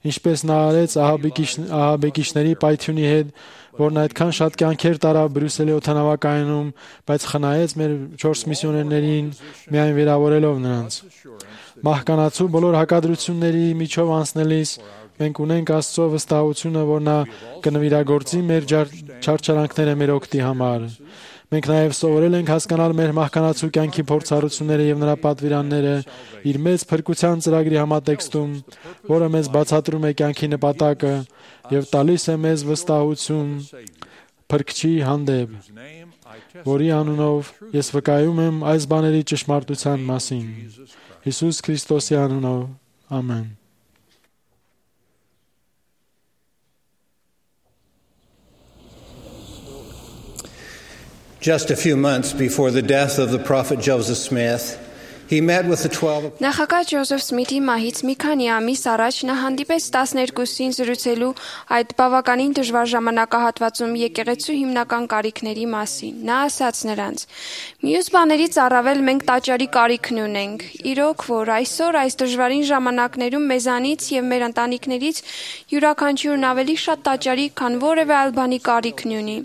ինչպես նա արեց ահաբեկիչների պայթյունի հետ, որն այդքան շատ կյանքեր տարավ Բրյուսելի օդանավակայանում, բայց խնայեց մեր 4 միսիոներներին, միայն վիրավորելով նրանց։ Մահկանացու բոլոր հակադրությունների միջով անցնելիս մենք ունենք Աստծո վստահությունը, որ նա կնվիրագործի մեր չարչարանքները մեր օգտի համար։ Մենք նաև սովորել ենք հասկանալ մեր մահկանացու կյանքի փորձառությունները եւ նրա պատվիրանները իր մեծ փրկության ծրագրի համատեքստում, որը մեզ բացատրում է կյանքի նպատակը եւ տալիս է մեզ վստահություն Փրկչի հանդեպ, որի անունով ես վկայում եմ այս բաների ճշմարտության մասին։ Հիսուս Քրիստոսի անունով, ամեն։ Just a few months before the death of the prophet Joseph Smith, he met with the 12 Նախագահ Ջոզեֆ Սմիթի մահից մի քանի ամիս առաջ նա հանդիպեց 12-ին զրուցելու այդ բավականին դժվար ժամանակահատվածում եկեղեցու հիմնական կարիքների մասին։ Նա ասաց նրանց. «Մյուս բաներից առավել մենք տաճարի կարիքն ունենք։ Իրոք որ այսօր այս դժվարին ժամանակներում մեզանից եւ մեր ընտանիքներից յուրաքանչյուրն ավելի շատ տաճարի, քան որևէ այլ բանի կարիքն ունի։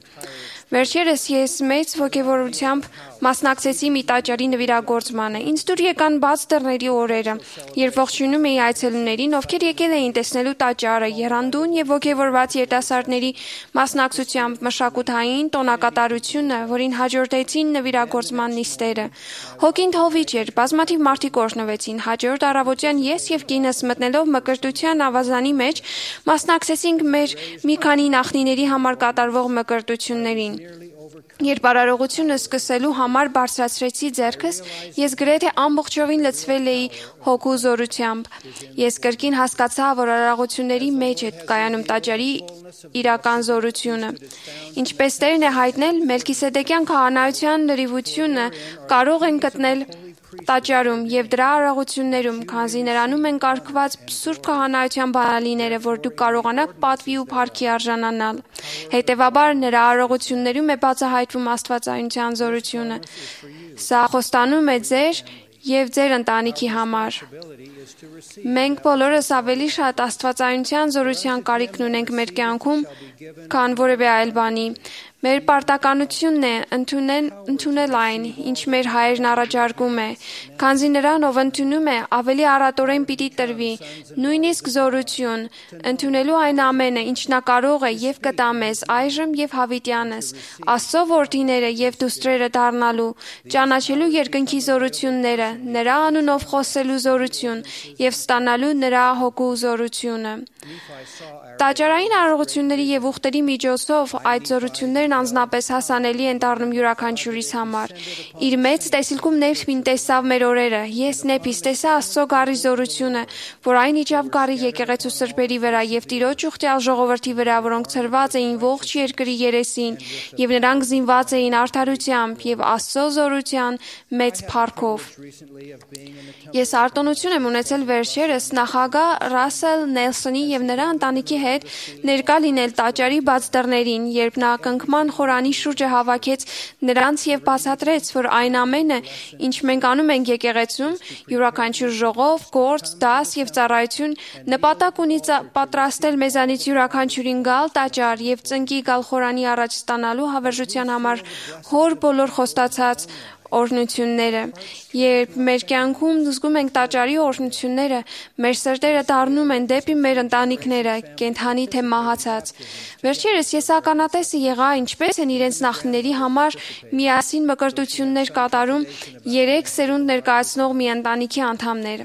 Վերջերս ես մեծ ոգևորությամբ Մասնակցեցի մի տաճարի նվիրագործմանը։ Ինձ դուր եկան բաց դռների օրերը, երբ ողջունում էի այցելուներին, ովքեր եկել էին տեսնելու տաճարը, եռանդուն եւ ոգևորված երիտասարդների մասնակցությամբ մշակութային տոնակատարությունը, որին հաջորդեցին նվիրագործման նիստերը։ Հոգին թովիչ էր, բազմաթիվ մարդիկ օրհնվեցին։ Հաջորդ առավոտյան ես եւ կինս մտնելով մկրտության ավազանի մեջ մասնակցեցինք մեր մի քանի նախնիների համար կատարվող մկրտություններին։ Երբ արարողությունը սկսելու համար բարձրացրեցի ձեռքս, ես գրեթե ամբողջովին լցվել էի հոգու զորությամբ։ Ես կրկին հասկացա, որ արարողությունների մեջ է կայանում տաճարի իրական զորությունը։ Ինչպես Տերն է հայտնել, Մելքիսեդեկյան քահանայության լրիվությունը կարող են գտնել տաճարում եւ դրա արարողություններում, քանզի նրանում են կարգված սուրբ քահանայության բանալիները, որ դուք կարողանաք պատվի ու փառքի արժանանալ։ Հետևաբար նրա արարողություններում է բացահայտվում աստվածայնության զորությունը։ Սա խոստանում է ձեր եւ ձեր ընտանիքի համար։ Մենք բոլորս ավելի շատ աստվածայնության զորության կարիքն ունենք մեր կյանքում, քան որևէ այլ բանի։ Մեր պարտականությունն է ընդունել այն, ինչ մեր Հայրն առաջարկում է, քանզի նրան, ով ընդունում է, ավելի առատորեն պիտի տրվի, նույնիսկ զորություն, ընդունելու այն ամենը, ինչ նա կարող է եւ կտա մեզ այժմ եւ հավիտյանս, Աստծո որդիները եւ դուստրերը դառնալու, ճանաչելու երկնքի զորությունները, նրա անունով խոսելու զորություն եւ ստանալու նրա հոգու զորությունը։ Տաճարային արարողությունների եւ ուխտերի միջոցով այդ զորություններն անձնապես հասանելի են դառնում յուրաքանչյուրիս համար։ Իր մեծ տեսիլքում Նեպին տեսավ մեր օրերը։ Ես Նեպիս տեսա Աստծո գառի զորությունը, որ այն իջավ գառի եկեղեցու սրբերի վրա եւ Տիրոջ ուխտյալ ժողովրդի վրա, որոնք ցրված էին ողջ երկրի երեսին, եւ նրանք զինված էին արդարությամբ եւ Աստծո զորության մեծ փառքով։ Ես արտոնություն եմ ունեցել վերջերս նախագահ Ռասել Նելսոնի եւ նրա ընտանիքի հետ ներկա լինել տաճարի բաց դռներին, երբ նա կնքման խորանի շուրջը հավաքեց նրանց եւ բացատրեց, որ այն ամենը, ինչ մենք անում ենք եկեղեցում, յուրաքանչյուր ժողով, գործ, դաս եւ ծառայություն նպատակ ունի պատրաստել մեզանից յուրաքանչյուրին գալ տաճար եւ ծնկի գալ խորանի առաջ ստանալու հավերժության համար հոր բոլոր խոստացած օրհնությունները։ Երբ մեր կյանքում զգում ենք տաճարի օրհնությունները, մեր սրտերը դառնում են դեպի մեր ընտանիքները, կենդանի թե մահացած։ Վերջերս ես ականատեսը եղա, ինչպես են իրենց նախնիների համար միասին մկրտություններ կատարում 3 սերունդ ներկայացնող մի ընտանիքի անդամները։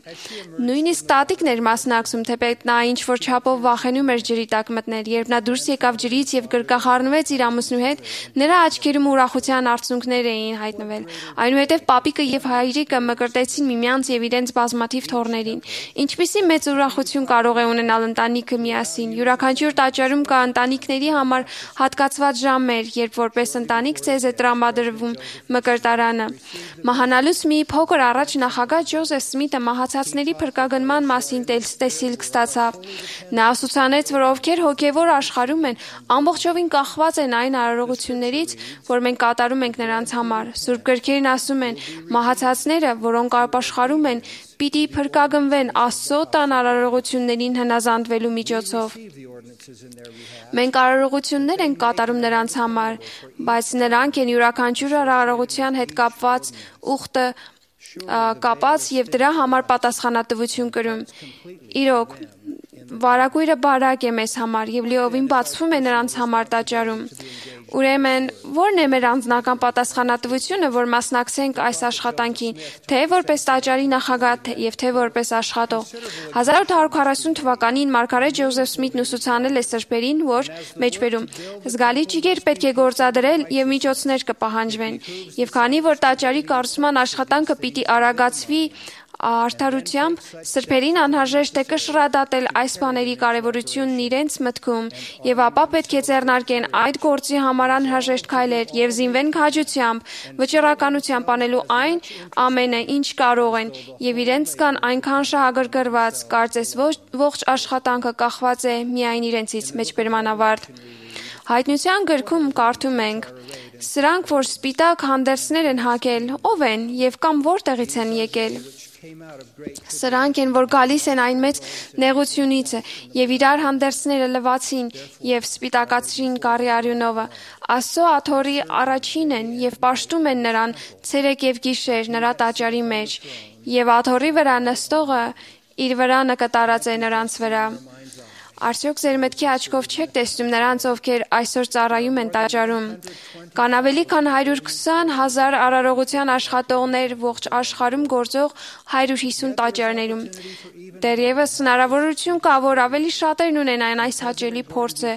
Նույնիսկ տատիկն էր մասնակցում, թեպետ նա ինչ-որ չափով վախենում էր ջրի տակ մտնել։ Երբ նա դուրս եկավ ջրից եւ գրկախառնվեց իր ամուսնու հետ, նրա աչքերում ուրախության արցունքներ էին հայտնվել։ Այնուհետև պապիկը եւ հայրիկը մկրտեցին միմյանց եւ իրենց բազմաթիվ թոռներին։ Ինչպիսի մեծ ուրախություն կարող է ունենալ ընտանիքը միասին։ Յուրաքանչյուր տաճարում կա ընտանիքների համար հատկացված ժամեր, երբ որպես ընտանիք ցեզ է տրամադրվում մկրտարանը։ Մահանալուց մի փոքր առաջ նախագահ Ջոզեֆ Սմիթը մահացածների փրկագնման մասին տեսիլք ստացավ։ Նա ասուցանեց, որ ովքեր հոգևոր աշխարհում են, ամբողջովին կախված են այն արարողություններից, որ մենք կատարում ենք նրանց համար։ Սուրբ գրքերն ասում են, մահացածները, որոնք ապաշխարում են, պիտի փրկագնվեն Աստծո տան արարողություններին հնազանդվելու միջոցով։ Մենք արարողություններ ենք կատարում նրանց համար, բայց նրանք են յուրաքանչյուր արարողության հետ կապված ուխտը կապած եւ դրա համար պատասխանատվություն կրում։ Իրոք, վարագույրը բարակ է մեզ համար եւ լիովին բացվում է նրանց համար տաճարում։ Ուրեմն, ո՞րն է մեր անձնական պատասխանատվությունը, որ մասնակցենք այս աշխատանքին, թե որպես տաճարի նախագահ եւ թե որպես աշխատող։ 1840 թվականին մարգարետ Ջոզեֆ Սմիթն ուսուցանել է սրբերին, որ մեջբերում զգալի ջիգեր պետք է գործադրել եւ միջոցներ կպահանջվեն։ Եվ քանի որ տաճարի կառուցման աշխատանքը պիտի արագացվի արդարությամբ, սրբերին անհրաժեշտ է կշռադատել այս բաների կարևորությունն իրենց մտքում եւ ապա պետք է ձեռնարկեն այդ գործի համար անհրաժեշտ քայլեր եւ զինվեն քաջությամբ, վճռականությամբ անելու այն ամենը, ինչ կարող են եւ իրենց կան այնքան շահագրգռված, կարծես ողջ աշխատանքը կախված է միայն իրենցից։ Մեջբերման ավարտ։ Հայտնության գրքում կարդում ենք. Սրանք, որ սպիտակ հանդերձներ են հագել, ով են եւ կամ որտեղից են եկել։ Սրանք են, որ գալիս են այն մեծ նեղությունից եւ իրար հանդերձները լվացին եւ սպիտակացրին կարի արյունովը։ Աստծո աթոռի առաջին են եւ պաշտում են նրան ցերեկ եւ գիշեր նրա տաճարի մեջ եւ աթոռի վրա նստողը իր վրանը կտարած է նրանց վրա։ Արդյոք ձեր մտքի աչքով չեք տեսնում նրանց, ովքեր այսօր ծառայում են տաճարում։ Կան ավելի քան 120,000 արարողության աշխատողներ ողջ աշխարհում գործող 150 տաճարներում։ Դեռևս հնարավորություն կա, որ ավելի շատերն ունենան այս հաճելի փորձը։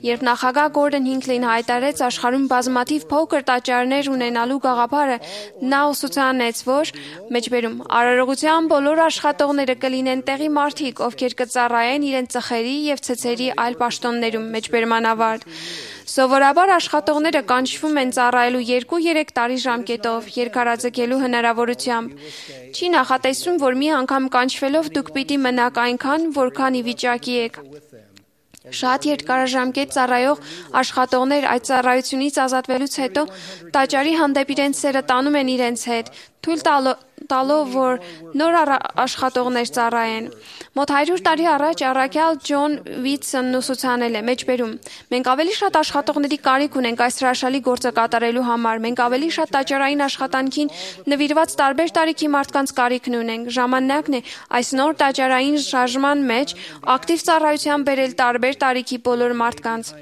Երբ նախագահ Գորդոն Հինքլին հայտարարեց աշխարհում բազմաթիվ փոքր տաճարներ ունենալու գաղափարը, նա ուսուցանեց, որ մեջբերում արարողության բոլոր աշխատողները կլինեն տեղի մարդիկ, ովքեր կծառայեն իրենց ծխերի եւ ցեցերի այլ պաշտոններում մեջբերմանավար։ Սովորաբար աշխատողները կանչվում են ծառայելու 2-3 տարի ժամկետով երկարաձգելու հնարավորությամբ։ Չի նախատեսվում, որ մի անգամ կանչվելով դուք պիտի մնաք այնքան, որքան ի վիճակի եք։ Շատ երկարաժամկետ ծառայող աշխատողներ այդ ծառայությունից ազատվելուց հետո տաճարի հանդեպ իրենց սերը տանում են իրենց հետ, թույլ տալով, որ նոր աշխատողներ ծառայեն։ Մոտ 100 տարի առաջ առաքյալ Ջոն Վիթսոնն ուսուցանել է մեջբերում. մենք ավելի շատ աշխատողների կարիք ունենք այս հրաշալի գործը կատարելու համար, մենք ավելի շատ տաճարային աշխատանքին նվիրված տարբեր տարիքի մարդկանց կարիքն ունենք։ Ժամանակն է այս նոր տաճարային շարժման մեջ ակտիվ ծառայության բերել տարբեր տարիքի բոլոր մարդկանց։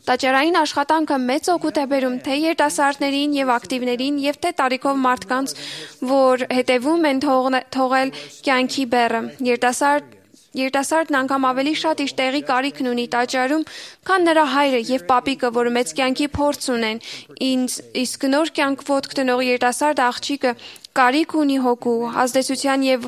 Տաճարային աշխատանքը մեծ օգուտ է բերում թե երիտասարդներին եւ ակտիվներին եւ թե տարիքով մարդկանց, որ հետևում են թողել կյանքի բեռը։ Երիտասարդն անգամ ավելի շատ իր տեղի կարիքն ունի տաճարում, քան նրա հայրը եւ պապիկը, որ մեծ կյանքի փորձ ունեն։ Իսկ նոր կյանք ոտք տնող երիտասարդ աղջիկը կարիք ունի հոգու, ազդեցության եւ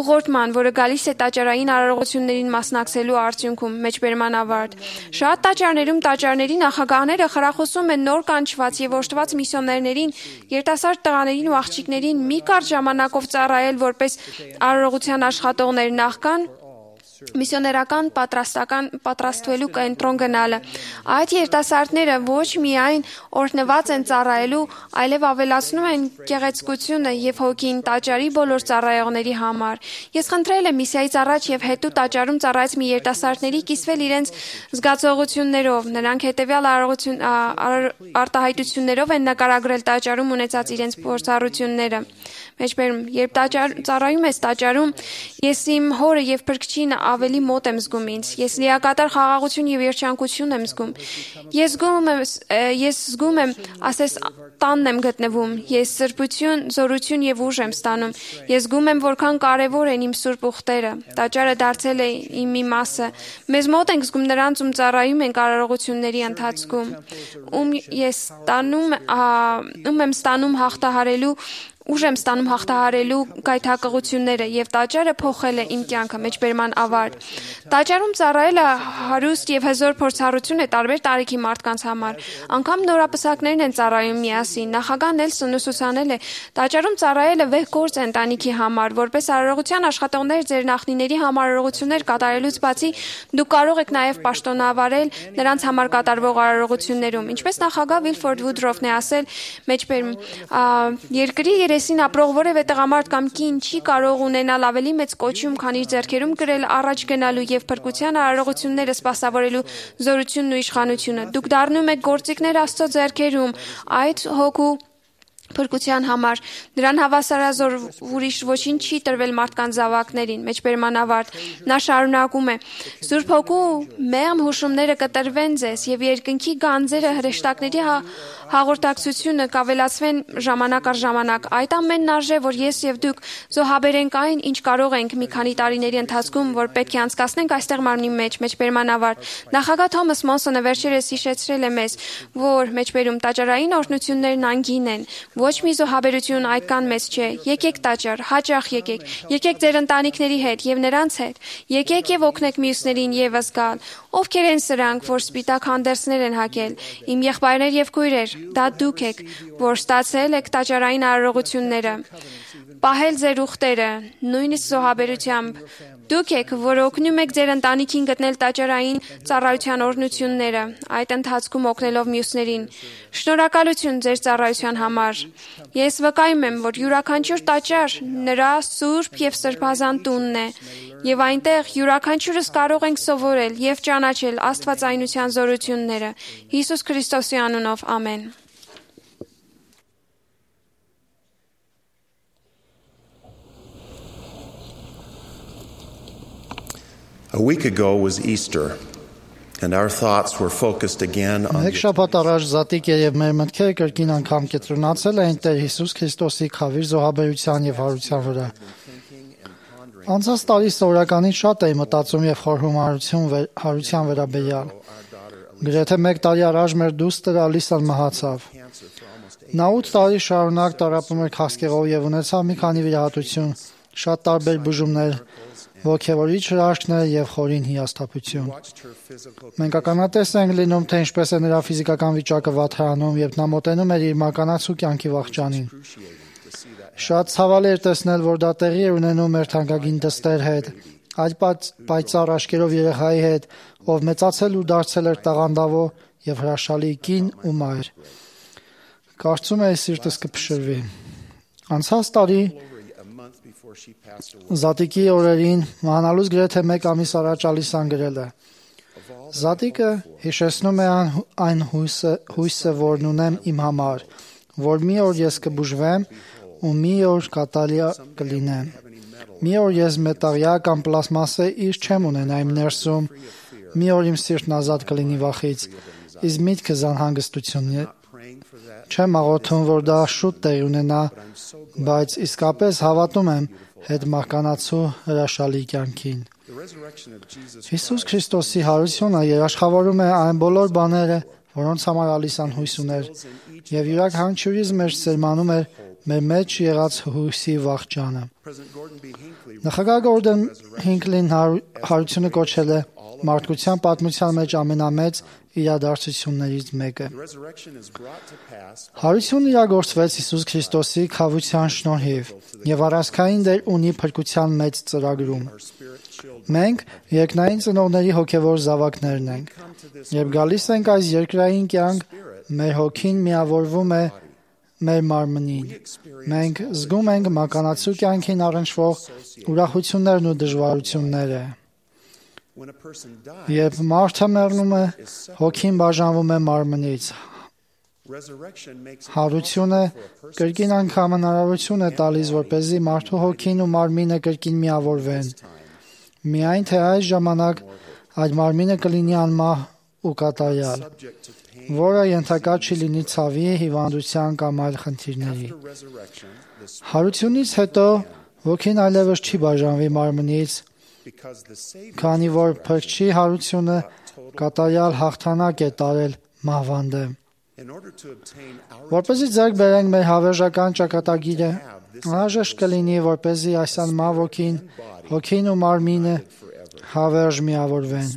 ուղղորդման, որը գալիս է տաճարային արարողություններին մասնակցելու արդյունքում մեջբերման ավարտ։ Շատ տաճարներում տաճարների նախագահները խրախուսում են նոր կանչված եւ օժտված միսիոներներին, երիտասարդ տղաներին ու աղջիկներին մի կարճ ժամանակով ծառայել որպես արարողության աշխատողներ նախքան միսիոներական պատրաստվելու կենտրոն գնալը։ Այդ երիտասարդները ոչ միայն օրհնված են ծառայելու, այլև ավելացնում են գեղեցկությունը եւ հոգին տաճարի բոլոր ծառայողների համար։ Ես խնդրել եմ միսիայից առաջ եւ հետո տաճարում ծառայած մի երիտասարդների կիսվել իրենց զգացողություններով։ Նրանք հետեւյալ արտահայտություններով են նկարագրել տաճարում ունեցած իրենց փորձառությունները։ Մեջբերում, երբ ծառայում ես տաճարում, ես իմ հորը եւ փրկչին ավելի մոտ եմ զգում ինձ։ Ես լիակատար խաղաղություն եւ երջանկություն եմ զգում։ Ես զգում եմ, ասես տանն եմ գտնվում։ Ես սրբություն, զորություն եւ ուժ եմ ստանում։ Ես զգում եմ, որքան կարեւոր են իմ սուրբ ուխտերը։ Տաճարը դարձել է իմ մի մասը։ Մեզ մոտ ենք զգում նրանց, ում ծառայում ենք արարողությունների ընթացքում, ում եմ ստանում հաղթահարելու ուժ եմ ստանում հաղթահարելու գայթակղությունները եւ տաճարը փոխել է իմ կյանքը մեջբերման ավարտ։ Տաճարում ծառայելը հարուստ եւ հզոր փորձառություն է տարբեր տարիքի մարդկանց համար։ Անգամ նորապսակներն են ծառայում միասին։ Նախագահ Նելսոնն ուսուցանել է. տաճարում ծառայելը վեհ գործ է ընտանիքի համար, որպես արարողության աշխատողներ ձեր նախնիների համար արարողություններ կատարելուց բացի դուք կարող եք նաեւ պաշտոնավարել նրանց համար կատարվող արարողություններում։ Ինչպես նախագահ Վիլֆորդ Վուդրոֆն է ասել մեջբերում երկրի երեսին ապրող որևէ տղամարդ կամ կին չի կարող ունենալ ավելի մեծ կոչում, քան իր ձեռքերում կրել առաջ գնալու եւ փրկության արարողությունները սպասավորելու զորությունն ու իշխանությունը։ Դուք դառնում եք գործիքներ Աստծո ձեռքերում, այդ հոգու փրկության համար։ Նրան հավասարազոր ուրիշ ոչինչ չի տրվել մարդկանց զավակներին, մեջբերման ավարտ։ Նա շարունակում է. Սուրբ Հոգու մեղմ հուշումները կտրվեն ձեզ եւ երկնքի գանձերը հրեշտակների հաղորդակցությունը կավելացվեն ժամանակ առ ժամանակ։ Այդ ամենն արժե, որ ես եւ դուք զոհաբերենք այն, ինչ կարող ենք մի քանի տարիների ընթացքում, որ պետք է անցկացնենք այստեղ մարմնի մեջ, մեջբերման ավարտ։ Նախագահ Թոմաս Մոնսոնը վերջերս հիշեցրել է մեզ, որ մեջբերում տաճարային օրհնություններն անգին են։ Ոչ մի զոհաբերություն այդքան մեծ չէ։ Եկեք տաճար, հաճախ եկեք։ Եկեք ձեր ընտանիքների հետ եւ նրանց հետ։ Եկեք եւ օգնեք մյուսներին եւս գալ։ Ովքեր են սրանք, որ սպիտակ հանդերձներ են հագել։ Իմ եղբայրներ եւ քույրեր, դա դուք եք, որ ստացել եք տաճարային արարողությունները։ պահել ձեր ուխտերը, նույնիսկ զոհաբերությամբ։ Դուք եք, որ օգնում եք ձեր ընտանիքին գտնել տաճարային ծառայության օրհնությունները, այդ ընթացքում օգնելով մյուսներին։ Շնորհակալություն ձեր ծառայության համար։ Ես վկայում եմ, որ յուրաքանչյուր տաճար նրա սուրբ եւ սրբազան տունն է, եւ այնտեղ յուրաքանչյուրս կարող ենք սովորել եւ ճանաչել աստվածայնության զորությունները։ Հիսուս Քրիստոսի անունով, ամեն։ A week ago was Easter, and our thoughts were focused again on Մեկ շաբաթ առաջ Զատիկ եւ մեր մտքերը կրկին անգամ կենտրոնացել էին Տեր Հիսուս Քրիստոսի խավիր զոհաբերության եւ հարության վրա։ Անցած տարի սովորականից շատ էի մտածում եւ խորհում հարության վերաբերյալ։ Գրեթե 1 տարի առաջ մեր դուստր Ալիսան մահացավ։ Նա 8 տարի շարունակ տառապում էր քաղցկեղով եւ ունեցավ մի քանի վիրահատություն, շատ տարբեր բուժումներ, ոգևորիչ հրաշքներ եւ խորին հիասթափություն։ Մենք ականատես ենք լինում, թե ինչպես է նրա ֆիզիկական վիճակը վատթարանում, երբ նա մոտենում էր իր մականացու կյանքի վախճանին։ Շատ ցավալի էր տեսնել, որ դա տեղի է ունենում մեր թանկագին դստեր հետ, այլ պայծառ աշկերով երեխայի հետ, ով մեծացել ու դարձել էր տաղանդավոր եւ հրաշալի կին ու մայր։ Կարծում էի սիրտս կփշրվի։ Անցած տարի Զատիկի օրերին մահանալուց գրեթե 1 ամիս առաջ Ալիսան գրել է. Զատիկը հիշեցնում է այն հույսը, որն ունեմ իմ համար, որ մի օր ես կբուժվեմ ու մի օր կատարյա կլինեմ։ Մի օր ես մետաղյա կամ պլաստմասե իր չեմ ունենա իմ ներսում, մի օր իմ սիրտն ազատ կլինի վախից, իսկ միտքս անհանգստությունն չեմ աղոթում, որ դա շուտ տեղի ունենա, բայց իսկապես հավատում եմ հետ մահկանացու հրաշալի կյանքին։ Հիսուս Քրիստոսի հարությունը երաշխավորում է այն բոլոր բաները, որոնց համար Ալիսան հույս ուներ, եւ յուրաքանչյուրիս մեջ սերմանում էր մեր մեջ եղած հույսի վախճանը։ Նախագահ Գորդոն Հինքլին հարությունը կոչել է մարդկության պատմության մեջ ամենամեծ իրադարձություններից մեկը։ Հարությունն իրագործվեց Հիսուս Քրիստոսի խավության շնորհիվ եւ առանցքային դեր ունի փրկության մեծ ծրագրում։ Մենք երկնային ծնողների հոգեվոր զավակներն ենք։ Երբ գալիս ենք այս երկրային կյանք, մեր հոգին միավորվում է մեր մարմնին։ Մենք զգում ենք մականացու կյանքին առնչվող ուրախություններն ու դժվարությունները։ Երբ մարդը մեռնում է, հոգին բաժանվում է մարմնից։ Հարությունը կրկին անգամ հնարավորություն է տալիս, որպեսզի մարդու հոգին ու մարմինը կրկին միավորվեն։ Միայն թե այս ժամանակ այդ մարմինը կլինի անմահ ու կատարյալ, որը ենթակա չի լինի ցավի, հիվանդության կամ այլ խնդիրների։ Հարությունից հետո հոգին այլևս չի բաժանվի մարմնից, քանի որ փրկչի հարությունը կատարյալ հաղթանակ է տարել մահվան դեմ։ Որպեսզի ձեռք բերենք մեր հավերժական ճակատագիրը, անհրաժեշտ կլինի, որպեսզի այս անմահ հոգին ու մարմինը հավերժ միավորվեն։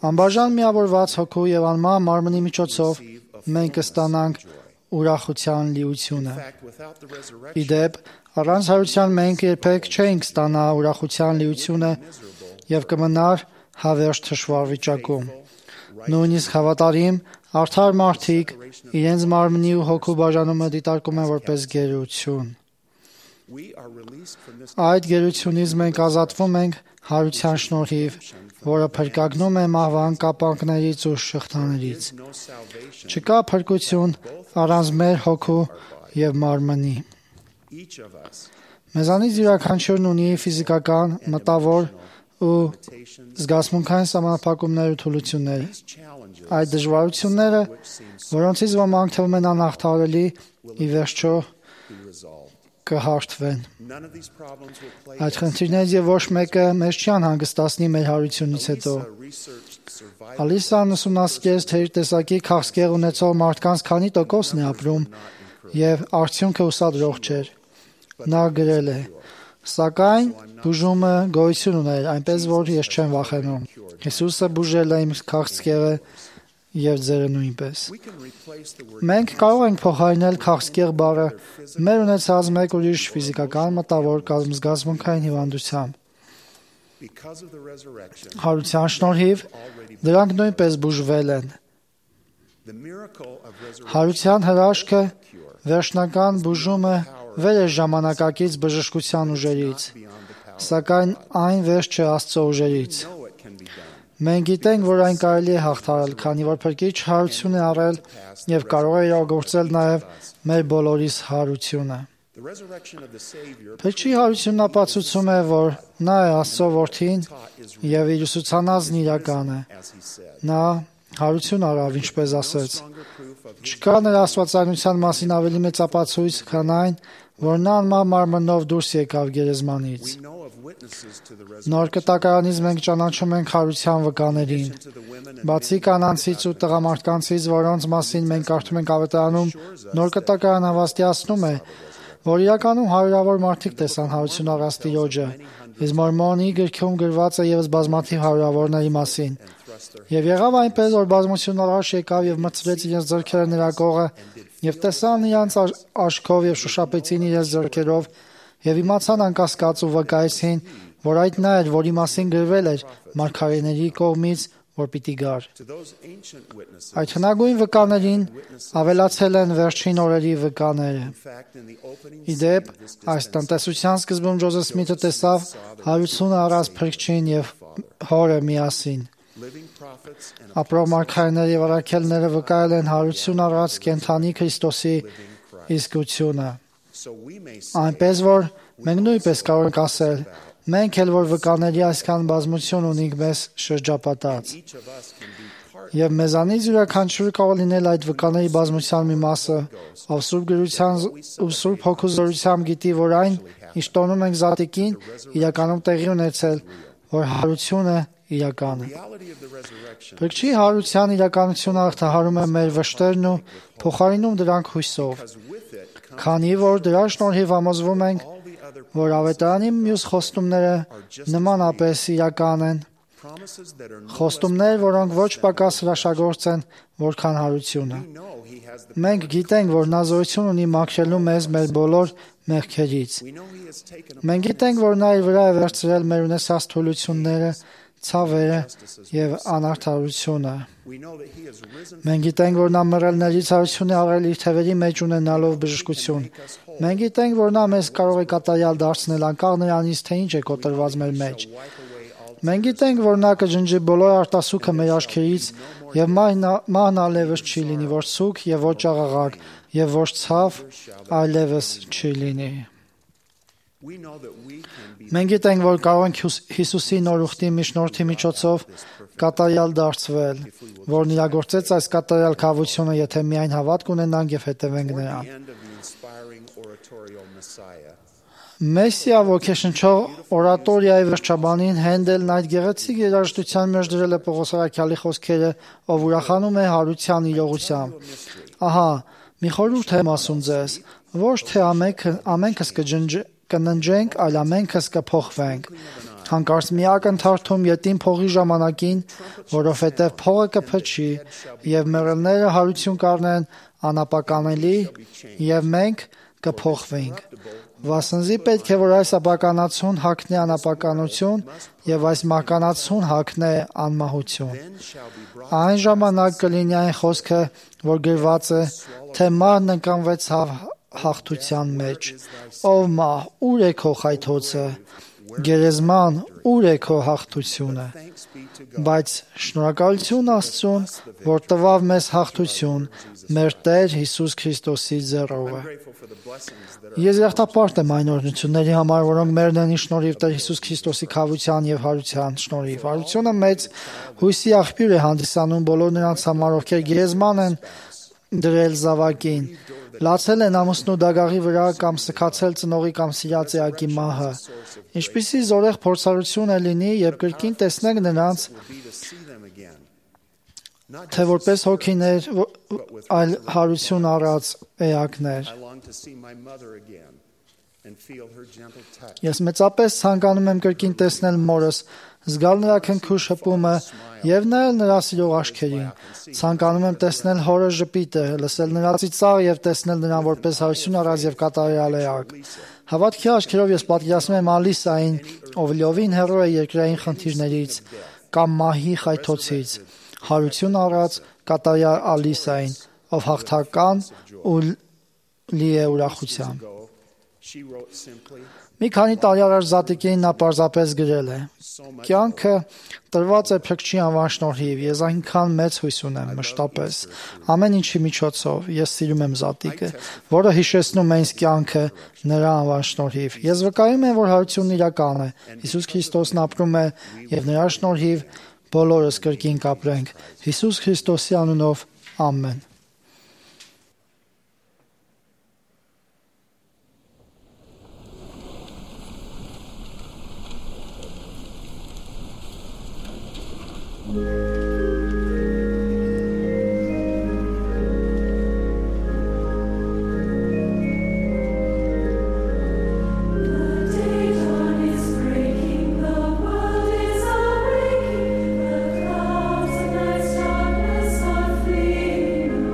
Անբաժան միավորված հոգու եւ անմահ մարմնի միջոցով մենք կստանանք ուրախության լիությունը։ Իդեպ, առանց հարության մենք երբեք չէինք ստանա ուրախության լիությունը եւ կմնար հավերժ թշվառ վիճակում։ Նույնիսկ հավատարիմ, արդար մարդիկ իրենց մարմնի ու հոգու բաժանումը դիտարկում են որպես գերություն։ Այդ գերությունից մենք ազատվում ենք հարության շնորհիվ, որը փրկagնում է մահվան կապանքներից ու շղթաներից։ Չկա փրկություն առանց մեր հոգու եւ մարմնի։ Մեզանից յուրաքանչյուրն ունի ֆիզիկական, մտավոր ու զգացմունքային սահմանափակումներ ու թուլություններ։ Այդ դժվարությունները, որոնցից ոմանք թվում են անհաղթահարելի, ի վերջո կհաղթվեն։ Այդ խնդիրներից եւ ոչ մեկը մեզ չի անհանգստացնի մեր հարությունից հետո։ Ալիսան ուսումնասիրեց, թե իր տեսակի քաղցկեղ ունեցող մարդկանց քանի տոկոսն է ապրում եւ արդյունքը ուսադրող չէր։ Նա գրել է. «Սակայն բուժումը գոյություն ուներ, այնպես որ ես չեմ վախենում։ Հիսուսը բուժել է իմ քաղցկեղը եւ ձերը նույնպես։ Մենք կարող ենք փոխարինել քաղցկեղ բառը մեր ունեցած մեկ ուրիշ ֆիզիկական, մտավոր կամ զգացմունքային հիվանդությամբ։ Հարության շնորհիվ դրանք նույնպես բուժվել են։ Հարության հրաշքը, վերջնական բուժումը վեր է ժամանակակից բժշկության ուժերից, սակայն այն վերջ չէ Աստծո ուժերից։ Մենք գիտենք, որ այն կարելի է հաղթահարել, քանի որ Փրկիչ հարություն է առել եւ կարող է իրագործել նաեւ մեր բոլորիս հարությունը։ Փրկչի հարությունն ապացուցում է, որ նա է Աստծո որդին եւ իր ուսուցանածն իրական է։ Նա հարություն արավ, ինչպես ասեց։ Չկա նրա աստվածայնության մասին ավելի մեծ ապացույց, քան այն, որ նա անմահ մարմնով դուրս եկավ գերեզմանից։ Նոր կտակարանից մենք ճանաչում ենք հարության վկաներին։ Բացի կանանցից ու տղամարդկանցից, որոնց մասին մենք կարդում ենք Ավետարանում, նոր կտակարանը հավաստիացնում է, որ իրականում հարյուրավոր մարդիկ տեսան հարություն առած Տիրոջը, իսկ Մորմոնի գրքում գրված է ևս բազմաթիվ հարյուրավորների մասին։ Եվ եղավ այնպես, որ բազմություն առաջ եկավ եւ մտցրեց իրենց ձեռքերը նրա կողը, եւ տեսան իրանց աչքով եւ շոշափեցին իրենց ձեռքերով, եւ իմացան անկասկած ու վկայեցին, որ այդ նա էր, որի մասին գրվել էր մարգարեների կողմից, որ պիտի գար։ Այդ հնագույն վկաներին ավելացել են վերջին օրերի վկաները։ Իդեպ, այս տնտեսության սկզբում Ջոզեֆ Սմիթը տեսավ հարությունը առած Փրկչին եւ հորը միասին։ Ապրող մարգարեները եւ առաքելները վկայել են հարություն առած կենդանի Քրիստոսի իսկությունը։ Այնպես որ մենք նույնպես կարող ենք ասել, մենք էլ որ վկաների այսքան բազմություն ունենք մեզ շրջապատած։ Եվ մեզանից յուրաքանչյուրը կարող լինել այդ վկաների բազմության մի մասը, ով Սուրբ Գրության ու Սուրբ Հոգու զորությամբ գիտի, որ այն, ինչ տոնում ենք զատիկին, իրականում տեղի ունեցել, որ հարությունը իրական է։ Փրկչի հարության իրականությունը հաղթահարում է մեր վշտերն ու փոխարինում դրանք հույսով, քանի որ դրա շնորհիվ համոզվում ենք, որ Ավետարանի մյուս խոստումները նմանապես իրական են, խոստումներ, որոնք ոչ պակաս հրաշագործ են, որքան հարությունը։ Մենք գիտենք, որ նա զորություն ունի մաքրելու մեզ մեր բոլոր մեղքերից։ Մենք գիտենք, որ նա իր վրա է վերցրել մեր ունեցած թուլությունները, ցավերը եւ անարդարությունը։ Մենք գիտենք, որ նա մռելներից հարություն է առել իր թևերի մեջ ունենալով բժշկություն։ Մենք գիտենք, որ նա մեզ կարող է կատարյալ դարձնել անկախ նրանից, թե ինչ է կոտրված մեր մեջ։ Մենք գիտենք, որ նա կջնջի բոլոր արտասուքը մեր աչքերից եւ մահն այլևս չի լինի, որ ցուկ եւ ոչ աղաղակ եւ ոչ ցավ այլևս չի լինի։ Մենք գիտենք, որ կարող ենք Հիսուսի նոր ուխտի միջնորդի միջոցով կատարյալ դարձվել, որն իրագործեց այս կատարյալ քավությունը, եթե միայն հավատք ունենանք եւ հետևենք նրան։ Մեսիա ոգեշնչող օրատորիայի վերջաբանին Հենդելն այդ գեղեցիկ երաժշտության մեջ դրել է Պողոս առաքյալի խոսքերը, ով ուրախանում է հարության իրողությամբ։ Ահա, մի խորհուրդ եմ ասում ձեզ, ոչ թե ամենքս կննջենք, այլ ամենքս կփոխվենք։ Հանկարծ մի ակնթարթում ետին փողի ժամանակին, որովհետև փողը կփչի եւ մեռելները հարություն կառնեն անապականելի եւ մենք կփոխվենք։ Վասնզի պետք է որ այս ապականացուն հագնի անապականություն եւ այս մահկանացուն հագնի անմահություն։ Այն ժամանակ կլինի այն խոսքը, որ գրված է, թե մահն ընկանվեց հաղթության մեջ։ Ով մահ, ուր է քո խայթոցը։ Գերեզման, ուր է քո հաղթությունը։ Բայց շնորհակալություն Աստծուն, որ տվավ մեզ հաղթություն մեր Տեր Հիսուս Քրիստոսի ձեռով։ Ես երախտապարտ եմ այն օրհնությունների համար, որոնք մերն են շնորհիվ Տեր Հիսուս Քրիստոսի քավության եւ հարության շնորհիվ։ Հարությունը մեծ հույսի աղբյուր է հանդիսանում բոլոր նրանց համար, ովքեր գերեզման են դրել զավակին, լացել են ամուսնու դագաղի վրա կամ սքացել ծնողի կամ սիրած էակի մահը։ Ինչպիսի զորեղ փորձառություն է լինի, երբ կրկին տեսնենք նրանց, թե որպես հոգիներ, այլ հարություն առած էակներ։ Ես մեծապես ցանկանում եմ կրկին տեսնել մորս, զգալ նրա քնքուշ հպումը եւ նայել նրա սիրող աչքերին։ Ցանկանում եմ տեսնել հորը ժպիտը, լսել նրա ծիծաղը եւ տեսնել նրան որպես հարություն առած եւ կատարյալ էակ։ Հավատքի աչքերով ես պատկերացնում եմ Ալիսային, ով լիովին հեռու է երկրային խնդիրներից կամ մահի խայթոցից, հարություն առած կատարյալ Ալիսային, ով հաղթական ու լի է ուրախությամբ։ Մի քանի տարի առաջ Զատիկին նա պարզապես գրել է. «Կյանքը տրված է Փրկչի անվան շնորհիվ, ես այնքան մեծ հույս ունեմ, մշտապես, ամեն ինչի միջոցով, ես սիրում եմ Զատիկը, որը հիշեցնում է ինձ կյանքը նրա անվան շնորհիվ։ Ես վկայում եմ, որ հարությունն իրական է, Հիսուս Քրիստոսն ապրում է եւ նրա շնորհիվ բոլորս կրկին կապրենք։ Հիսուս Քրիստոսի անունով, ամեն»։ The clouds of night's darkness are fleeing.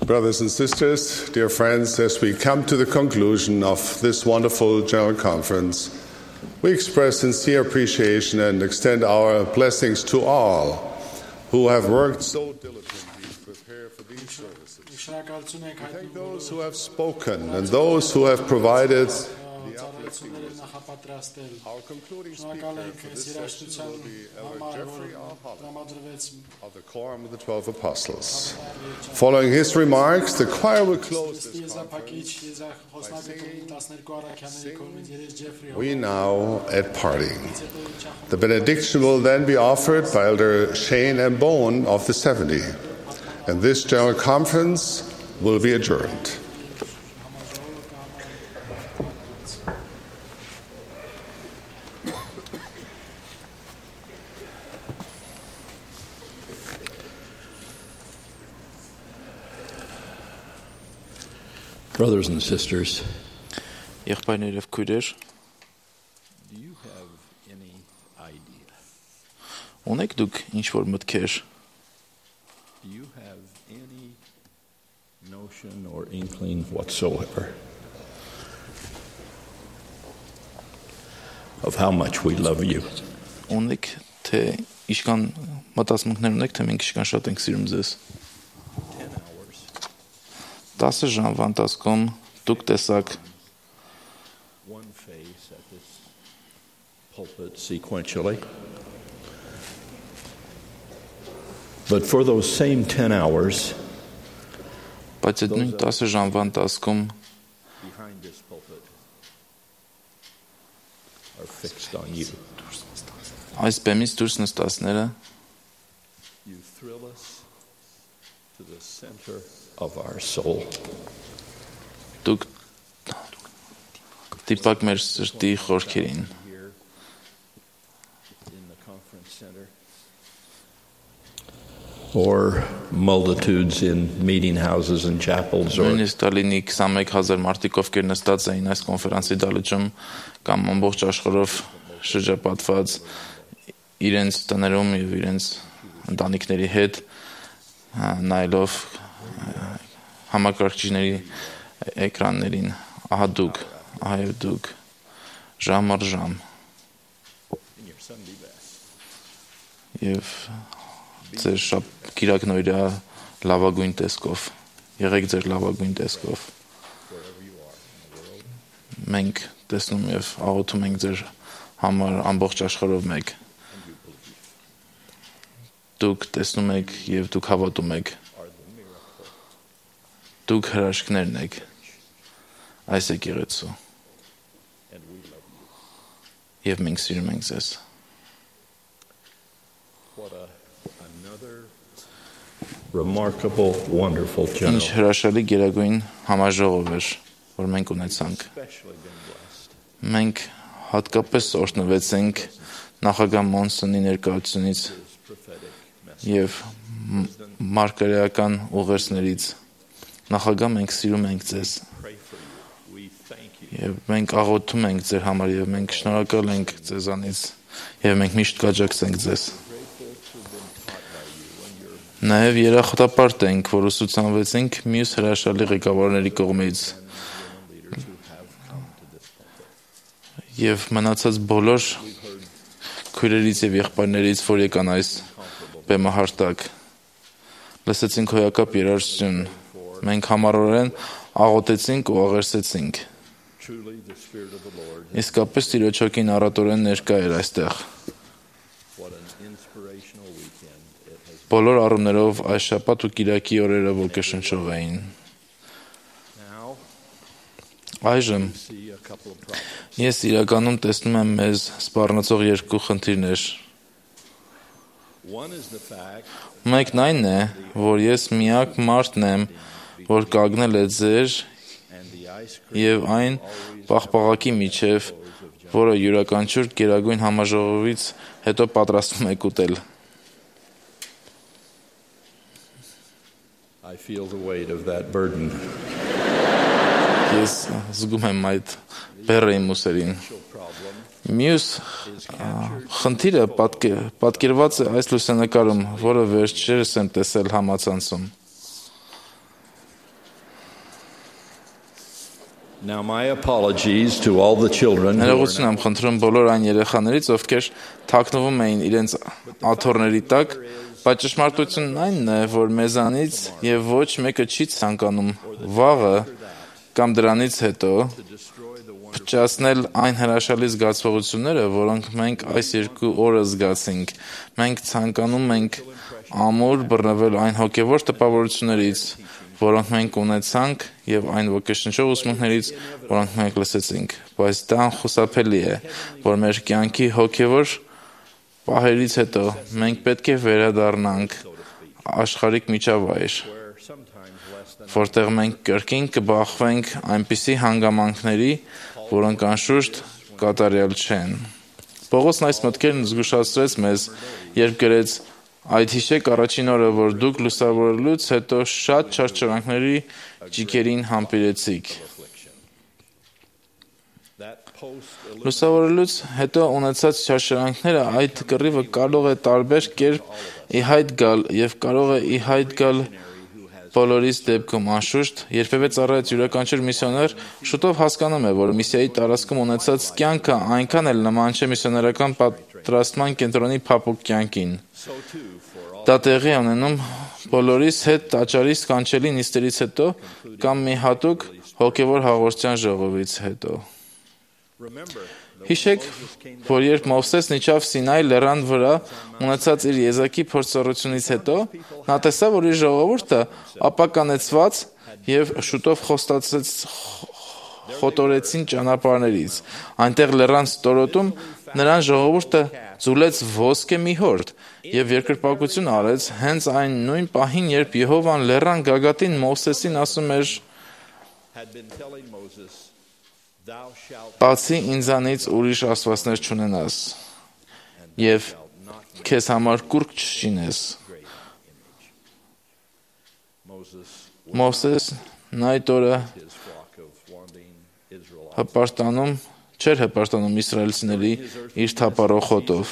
Brothers and sisters, dear friends, as we come to the conclusion of this wonderful General Conference, we express sincere appreciation and extend our blessings to all who have worked so diligently to prepare for these services. We thank those who have spoken and those who have provided the uplifting wisdom. Our concluding speaker for this session will be Elder Jeffrey R. Holland of the Quorum of the 12 Apostles. Following his remarks, the choir will close this conference by singing We Now at Parting. The benediction will then be offered by Elder Shane M. Bowen of the 70, and this General Conference will be adjourned. Brothers and sisters, Եղբայրներ եւ քույրեր, do you have any idea? Ունեք դուք ինչ որ մտքեր? Do you have any notion or inkling whatsoever of how much we love you? Ունեք թե իշքան մտածմունքներ ունեք թե մենք իշքան շատ ենք սիրում ձեզ? 10 ժամվա ընթացքում դուք տեսաք one face at this pulpit sequentially. But for those same 10 hours, բայց այդ նույն 10 ժամվա ընթացքում behind this pulpit are fixed on you. Այս բեմից դուրս նստածները You thrill us to the center of our soul. Դուք տիպակ մեր սրտի խորքերին. In the conference center, or multitudes in meeting houses and chapels, or Նույնիսկ Տալինի 21000 մարդիկ ովքեր նստած էին այս կոնֆերանսի դահլիճում կամ ամբողջ աշխարհով շրջապատված իրենց տներում եւ իրենց ընտանիքների հետ նայելով համակարգիչների էկրաններին, ահա դուք, ահա եւ դուք ժամ առ ժամ եւ ձեր կիրակնօրյա լավագույն տեսքով եղեք ձեր լավագույն տեսքով մենք տեսնում եւ աղոթում ենք ձեր համար ամբողջ աշխարհով մեկ դուք տեսնում եք եւ դուք հավատում եք դուք հրաշքներն եք այս եկեղեցու եւ մենք սիրում ենք ձեզ remarkable, wonderful general. Ինչ հրաշալի գերագույն համաժողով էր, որ մենք ունեցանք մենք հատկապես օրհնվեցինք նախագահ Մոնսոնի ներկայությունից եւ մարգարեական ուղերձներից նախագահ մենք սիրում ենք ձեզ եւ մենք աղոթում ենք ձեր համար եւ մենք շնորհակալ ենք ձեզանից եւ մենք միշտ կաջակցենք ձեզ նաեւ երախտապարտ ենք որ ուսուցանվեցինք մյուս հրաշալի ղեկավարների կողմից եւ մնացած բոլոր քույրերից եւ եղբայրներից որ եկան այս բեմահարտակ լսեցինք հոյակապ երաժշտություն մենք համառորեն աղոթեցինք ու աղերսեցինք իսկապես Տիրոջ հոգին առատորեն ներկա էր այստեղ բոլոր առումներով այս շաբաթ ու կիրակի օրերը ոգեշնչող էին այժմ ես իրականում տեսնում եմ մեզ սպառնացող երկու խնդիրներ մեկն այն է որ ես միակ մարդն եմ որ կանգնել է ձեր եւ այն պաղպաղակի միջև որը յուրաքանչյուր գերագույն համաժողովից հետո պատրաստվում եք ուտել I feel the weight of that burden. Ես զգում եմ այդ բեռը իմ ուսերին։ Մյուս խնդիրը պատկերված է այս լուսանկարում, որը վերջերս եմ տեսել համացանցում։ Now my apologies to all the children who are Ներողություն եմ խնդրում բոլոր այն երեխաներից, ովքեր թաքնվում էին իրենց աթոռների տակ, բայց ճշմարտությունն այնն է, որ մեզանից եւ ոչ մեկը չի ցանկանում վաղը կամ դրանից հետո փչացնել այն հրաշալի զգացողությունները, որոնք մենք այս 2 օրը զգացինք։ Մենք ցանկանում ենք ամուր բռնվել այն հոգևոր տպավորություններից, որոնք մենք ունեցանք եւ այն ոգեշնչող ուսմունքներից, որոնք մենք լսեցինք, բայց դա անխուսափելի է, որ մեր կյանքի հոգևոր պահերից հետո մենք պետք է վերադառնանք աշխարհիկ միջավայր, որտեղ մենք կրկին կբախվենք այնպիսի հանգամանքների, որոնք անշուշտ կատարյալ չեն։ Պողոսն այս մտքերն զգուշացրեց մեզ, երբ գրեց. Այդ հիշեք առաջին օրը, որ դուք լուսավորելուց հետո շատ չարչարանքների ճիգերին համբերեցիք։ Լուսավորելուց հետո ունեցած չարչարանքները այդ կռիվը կարող է տարբեր կերպ ի հայտ գալ եւ կարող է ի հայտ գալ բոլորիս դեպքում անշուշտ, երբևէ ծառայած յուրաքանչյուր միսիոներ շուտով հասկանում է, որ միսիայի տարածքում ունեցած կյանքը այնքան էլ նման չէ միսիոներական պատրաստման կենտրոնի փափուկ կյանքին։ Դա տեղի ունենում բոլորիս հետ տաճարի սքանչելի նիստերից հետո կամ մի հատուկ հոգևոր հաղորդության ժողովից հետո։ Հիշեք, որ երբ Մովսեսն իջավ Սինայի լեռան վրա, ունեցած իր եզակի փորձառությունից հետո, նա տեսավ, որ իր ժողովուրդը ապականեցված եւ շուտով խոտորեցին ճանապարհներից։ Այնտեղ լեռան ստորոտում նրան ժողովուրդը ձուլեց ոսկե մի հորդ եւ երկրպագություն արեց հենց այն նույն պահին, երբ Եհովան լեռան գագաթին Մովսեսին ասում էր. Բացի ինձանից ուրիշ աստվածներ չունենաս եւ քեզ համար կուրկ չշինես։ Մովսեսն այդ օրը չէր հպարտանում իսրայելցիների իր թափառող հոտով։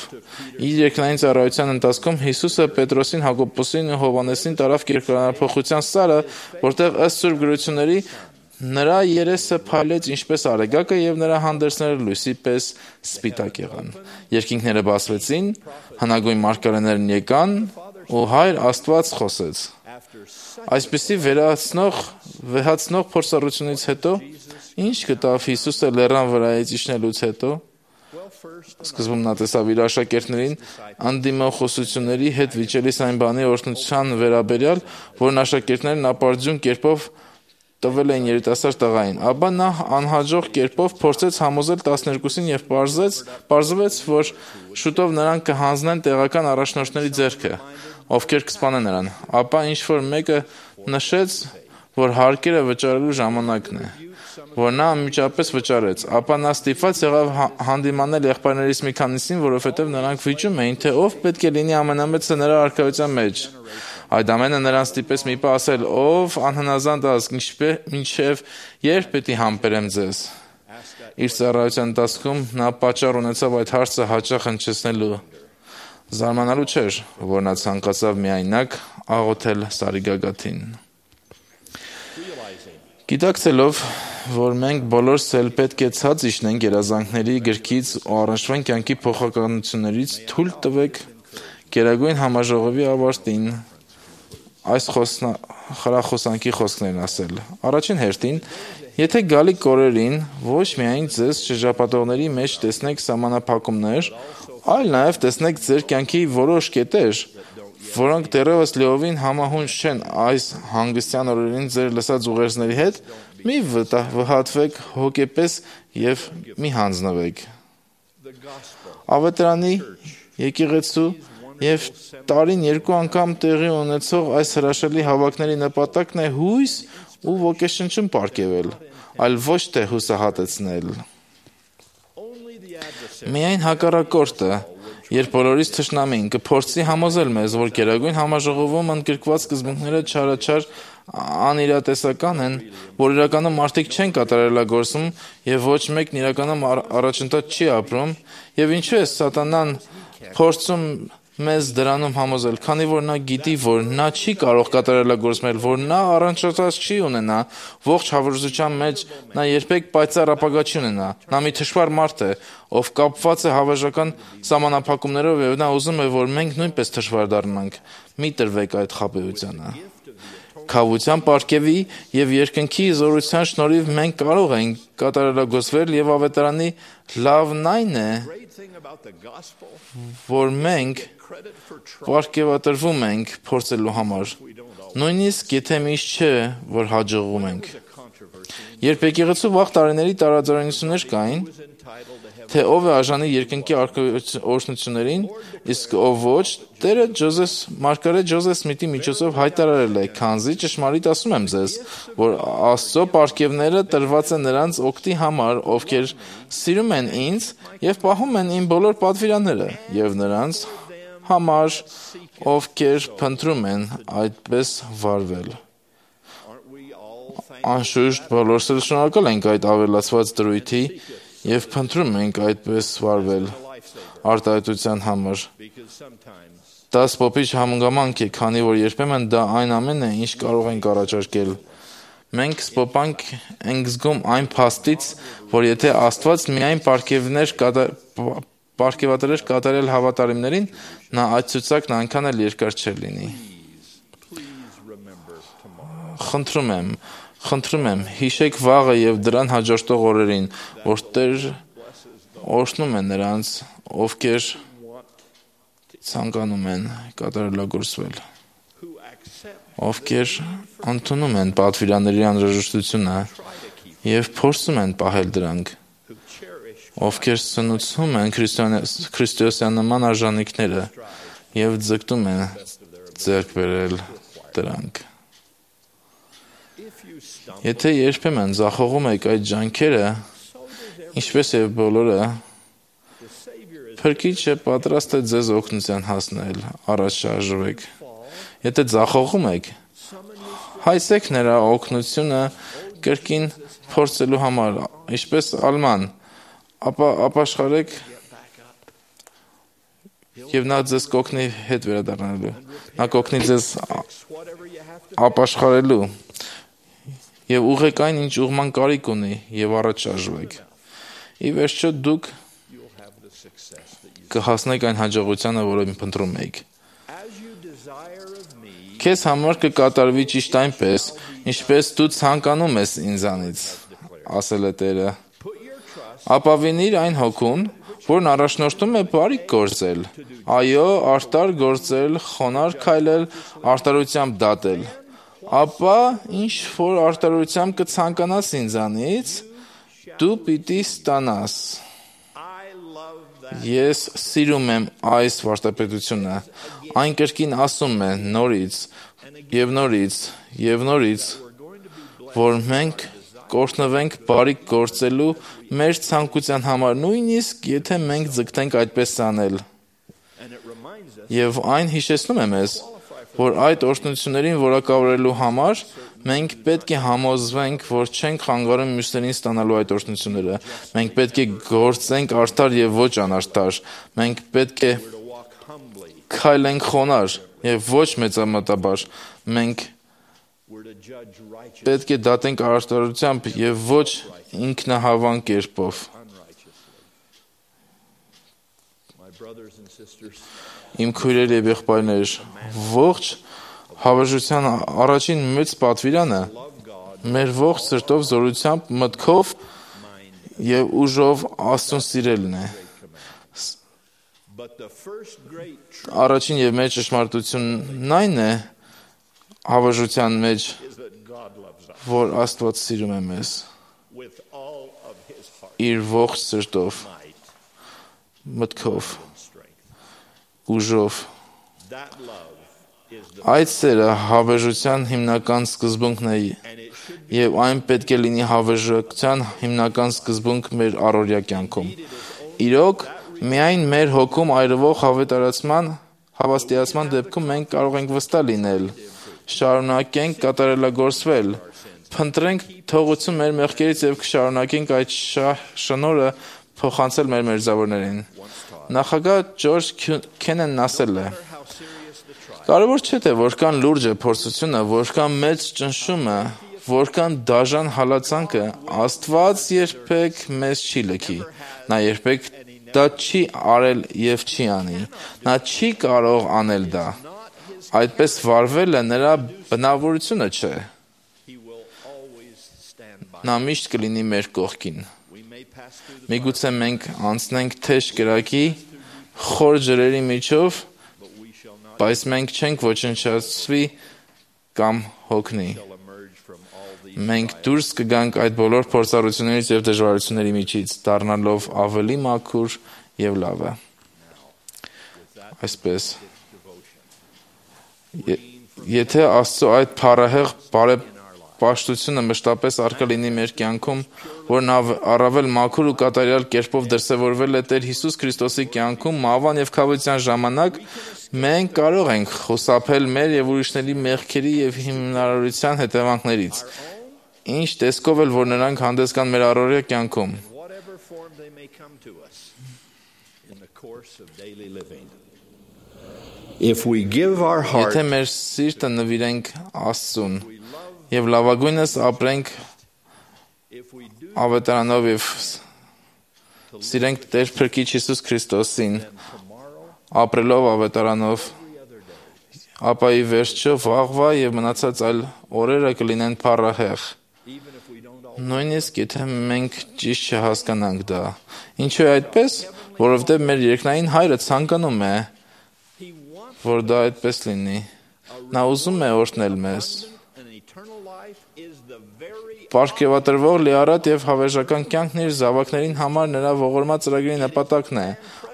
Իր երկնային ծառայության ընթացքում Հիսուսը Պետրոսին, Հակոբոսին ու Հովհաննեսին տարավ կերկրանափոխության սարը, որտեղ ըստ Սուրբ գրությունների նրա երեսը փայլեց ինչպես արեգակը եւ նրա հանդերձները լույսի պես սպիտակ եղան։ Երկինքները բացվեցին, հնագույն մարգարեներն եկան ու Հայր Աստված խոսեց։ Այսպիսի վեհացնող փորձառությունից հետո ինչ գտավ Հիսուսը լեռան վրայից իջնելուց հետո։ Սկզբում նա տեսավ իր աշակերտներին անդիմախոսությունների հետ վիճելիս այն բանի օրհնության վերաբերյալ, որն աշակերտներն ապարդյուն կերպով տվել էին երիտասարդ տղային, ապա նա անհաջող կերպով փորձեց համոզել 12-ին եւ պարզվեց, որ շուտով նրանք կհանձնեն տեղական առաջնորդների ձեռքը, ովքեր կսպանեն նրան, ապա ինչ-որ մեկը նշեց, որ հարկերը վճարելու ժամանակն է, որ նա անմիջապես վճարեց, ապա նա ստիպված եղավ հանդիմանել եղբայրներից մի քանիսին, որովհետև նրանք վիճում էին, թե ով պետք է լինի ամենամեծը նրա արքայության մեջ։ Այդ ամենը նրան ստիպեց մի պահ ասել, ով անհնազանդ ազգ, մինչև երբ պետք է համբերեմ ձեզ։ Իր ծառայության ընթացքում նա պատճառ ունեցավ այդ հարցը հաճախ հնչեցնելու։ Զարմանալու չէր, որ նա ցանկացավ միայնակ աղոթել Սարի գագաթին։ Գիտակցելով, որ մենք բոլորս էլ պետք է ցած իջնենք երազանքների գրքից ու առնչվեն կյանքի փոխականություններից, թույլ տվեք Գերագույն համաժողովի ավարտին այս խրախոսանքի խոսքներն ասել։ Առաջին հերթին, եթե գալիք օրերին ոչ միայն ձեզ շրջապատողների մեջ տեսնեք սահմանափակումներ, այլ նաև տեսնեք ձեր կյանքի որոշ կետեր, որոնք դեռևս լիովին համահունչ չեն այս հանգստյան օրերին ձեր լսած ուղերձների հետ, մի վհատվեք հոգեպես եւ մի հանձնվեք։ Ավետարանի եկեղեցու եւ տարին 2 անգամ տեղի ունեցող այս հրաշալի հավաքների նպատակն է հույս ու ոգեշնչում պարգևել, այլ ոչ թե հուսահատեցնել։ Միայն հակառակորդը, երբ բոլորից թշնամին կփորձի համոզել մեզ, որ Գերագույն համաժողովում ընդգրկված սկզբունքները չարաչար անիրատեսական են, որ իրականում մարդիկ չեն կատարելագործում եւ ոչ մեկն իրականում առաջընթաց չի ապրում, եւ ինչու է սատանան փորձում մեզ դրանում համոզել, քանի որ նա գիտի, որ նա չի կարող կատարելագործել, որ նա առանջատած չի ունենա ողջ հավերժության մեջ, նա երբեք պայծառ ապագա չի ունենա։ Նա մի թշվառ մարդ է, ով կապված է հավերժական սահմանափակումներով, եւ նա ուզում է, որ մենք նույնպես թշվառ դառնանք։ Մի տրվեք այդ խաբեությանը։ Քավության պարգևի եւ երկնքի զորության շնորհիվ մենք կարող ենք կատարելագործվել եւ ավետարանի լավն այն է, որ մենք պարգևատրվում ենք փորձելու համար, նույնիսկ եթե միշտ չէ, որ հաջողում ենք։ Երբ եկեղեցու վաղ տարիների տարաձայնություններ կային, թե ով է արժանի երկնքի օրհնություններին, իսկ ով ոչ, Տերը Մարգարետ Ջոզեֆ Սմիթի միջոցով հայտարարել է, քանզի ճշմարիտ ասում եմ ձեզ, որ Աստծո պարգևները տրված են նրանց օգտի համար, ովքեր սիրում են ինձ եւ պահում են իմ բոլոր պատվիրանները, եւ նրանց համար, ովքեր փնտրում են այդպես վարվել։ Անշուշտ բոլորս շնորհակալ ենք այդ ավելացված դրույթի եւ փնտրում ենք այդպես վարվել արտահայտության համար։ Դա սփոփիչ հանգամանք է, քանի որ երբեմն դա այն ամենն է, ինչ կարող ենք առաջարկել։ Մենք սփոփանք ենք զգում այն փաստից, որ եթե Աստված միայն պարգևատրեր կատարել հավատարիմներին, նա այդ ցուցակն այնքան էլ երկար չէր լինի։ Խնդրում եմ, հիշեք վաղը եւ դրան հաջորդող օրերին, որ Տեր օրհնում է նրանց, ովքեր ցանկանում են կատարելագործվել, ովքեր ընդունում են պատվիրանների անհրաժեշտությունը եւ փորձում են պահել դրանք, ովքեր սնուցում են քրիստոսյանական արժանինքները եւ ձգտում են ձեռք բերել դրանք։ Եթե երբեմն ձախողում եք այդ ջանքերը, ինչպես եւ բոլորը, Փրկիչը պատրաստ է ձեզ օգնության հասնել, առաջ շարժվեք։ Եթե ձախողում եք, հայցեք նրա օգնությունը կրկին փորձելու համար, ինչպես Ալման, ապա ապաշխարեք եւ նա ձեզ կօգնի հետ վերադառնալու։ Նա կօգնի ձեզ ապաշխարելու եւ ուղղեք այն, ինչ ուղղման կարիք ունի, եւ առաջ շարժվեք։ Ի վերջո դուք կհասնեք այն հաջողությանը, որը փնտրում եք։ Քեզ համար կկատարվի ճիշտ այնպես, ինչպես դու ցանկանում ես ինձանից, ասել է Տերը։ Ապավինիր այն հոգուն, որն առաջնորդում է բարիք գործել, այո, արդար գործել, խոնարհ քայլել, արտարությամբ դատել։ Ապա ինչ որ արտարությամբ կցանկանաս ինձանից, դու պիտի ստանաս։ Ես սիրում եմ այս վարդապետությունը, այն կրկին ասում է նորից եւ նորից եւ նորից, որ մենք կօրհնվենք բարիք գործելու մեր ցանկության համար, նույնիսկ եթե մենք ձգտենք այդպես անել։ Եվ այն հիշեցնում է մեզ, որ այդ օրհնություններին որակավորելու համար մենք պետք է համոզվենք, որ չենք խանգարում մյուսներին ստանալու այդ օրհնությունները։ Մենք պետք է գործենք արդար եւ ոչ անարդար։ Մենք պետք է քայլենք խոնարհ եւ ոչ մեծամտաբար։ Մենք պետք է դատենք արդարությամբ եւ ոչ ինքնահավան կերպով։ Իմ քույրեր եւ եղբայրներ, ողջ հավերժության առաջին մեծ պատվիրանը մեր ողջ սրտով, զորությամբ, մտքով եւ ուժով Աստծուն սիրելն է։ Առաջին եւ մեծ ճշմարտությունն այն է հավերժության մեջ, որ Աստված սիրում է մեզ իր ողջ սրտով, մտքով, ուժով։ Այդ սերը հավերժության հիմնական սկզբունքն է եւ այն պետք է լինի հավերժության հիմնական սկզբունք մեր առօրյա կյանքում։ Իրոք, միայն մեր հոգում այրվող հավաստիացման դեպքում մենք կարող ենք վստահ լինել, շարունակենք կատարելագործվել, փնտրենք թողություն մեր մեղքերից եւ կշարունակենք այդ շնորհը փոխանցել մեր մերձավորներին։ Նախագահ Ջորջ Քեննեն ասել է. Կարևոր չէ թե որքան լուրջ է փորձությունը, որքան մեծ ճնշումը, որքան դաժան հալածանքը, Աստված երբեք մեզ չի լքի։ Նա երբեք դա չի արել եւ չի անի։ Նա չի կարող անել դա։ Այդպես վարվելը նրա բնավորությունը չէ։ Նա միշտ կլինի մեր կողքին։ Միգուցե մենք անցնենք թեժ կրակի, խոր ջրերի միջով, բայց մենք չենք ոչնչացվի կամ հոգնի։ Մենք դուրս կգանք այդ բոլոր փորձառություններից եւ դժվարությունների միջից, դառնալով ավելի մաքուր եւ լավը։ Այսպես, եթե Աստծո այդ փառահեղ բարեպաշտությունը մշտապես արկա լինի մեր կյանքում, որն առավել մաքուր ու կատարյալ կերպով դրսևորվել է Տեր Հիսուս Քրիստոսի կյանքում մահվան եւ քավության ժամանակ, մենք կարող ենք խուսափել մեր եւ ուրիշների մեղքերի եւ հիմնարարության հետևանքներից, ինչ տեսքով էլ որ նրանք հանդես կան մեր առօրյա կյանքում։ Եթե մեր սիրտը նվիրենք Աստծուն եւ լավագույնս ապրենք ավետարանով եւ սիրենք Տեր Փրկիչ Հիսուս Քրիստոսին, ապրելով ավետարանով, ապա ի վերջո վաղվա եւ մնացած այլ օրերը կլինեն փառահեղ։ Նույնիսկ եթե մենք ճիշտ չհասկանանք դա։ Ինչու է այդպես? Որովհետեւ մեր երկնային Հայրը ցանկանում է, որ դա այդպես լինի։ Նա ուզում է օրհնել մեզ։ Պարգևատրվող լիառատ եւ հավերժական կյանքն իր զավակներին համար նրա ողորմած ծրագրի նպատակն է։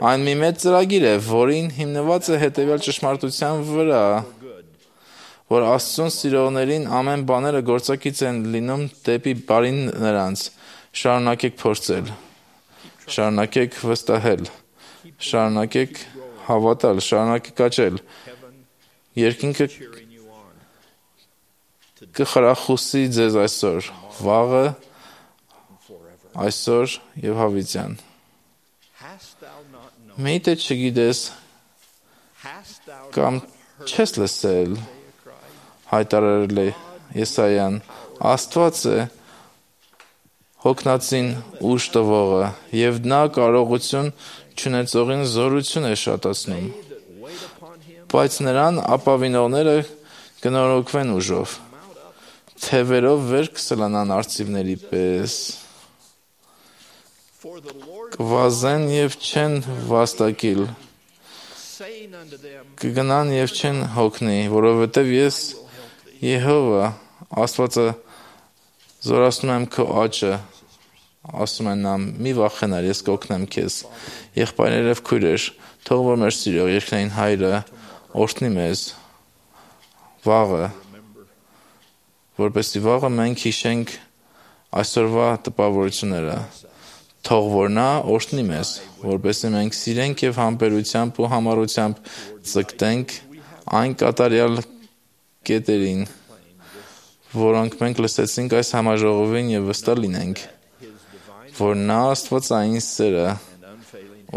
Այն մի մեծ ծրագիր է, որին հիմնված է հետեւյալ ճշմարտության վրա, որ Աստծուն սիրողներին ամեն բաները գործակից են լինում դեպի բարին նրանց։ Շարունակեք փորձել, շարունակեք վստահել, շարունակեք հավատալ, շարունակեք աճել։ Երկինքը կխրախուսի ձեզ այսօր, վաղը, այսօր եւ հավիտյան։ Միթե չգիտես կամ չես լսել, հայտարարել է Եսայան, Աստված է հոգնածին ուժ տվողը եւ նա կարողություն չունեցողին զորություն է շատացնում, բայց նրան ապավինողները կնորոգվեն ուժով, թևերով վեր կսլանան արծիվների պես, կվազեն եւ չեն վաստակիլ, կգնան եւ չեն հոգնի, որովհետեւ ես Եհովա Աստվածը զորացնում եմ քո աճը, ասում են նա, մի վախենար, ես կօգնեմ քեզ։ Եղբայրներ եւ քույրեր, թող որ մեր սիրող երկնային Հայրը օրհնի մեզ վաղը, որպեսզի վաղը մենք հիշենք այսօրվա տպավորությունները, թող որ նա օրհնի մեզ, որպեսզի մենք սիրենք եւ համբերությամբ ու համառությամբ ձգտենք այն կատարյալ կետերին, որոնք մենք լսեցինք այս համաժողովին եւ վստահ լինենք, որ նա Աստվածային սերը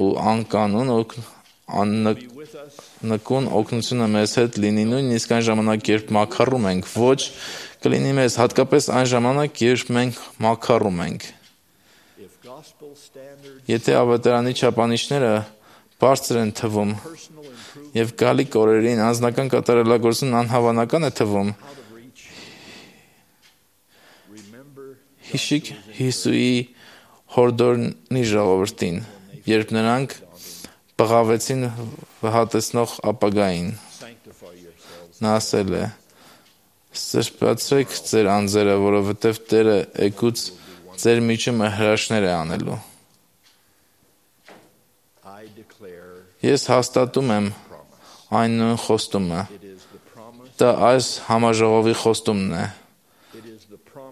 ու անկանոն նկուն օգնությունը մեզ հետ լինի նույնիսկ այն ժամանակ, երբ մաքարում ենք, ոչ կլինի մեզ հատկապես այն ժամանակ, երբ մենք մաքարում ենք։ Եթե ավետարանի չափանիշները բարձր են թվում եւ գալիք օրերին անձնական կատարելագործումն անհավանական է թվում, հիշիկ Հիսուի հորդորնի ժողովրդին, երբ նրանք բղավեցին վհատեցնող ապագային։ Նա ասել է. «Սրբացրեք ձեր անձերը, որովհետև Տերը էգուց ձեր միջումը հրաշքներ է անելու»։ Ես հաստատում եմ այն նույն խոստումը։ Դա այս համաժողովի խոստումն է։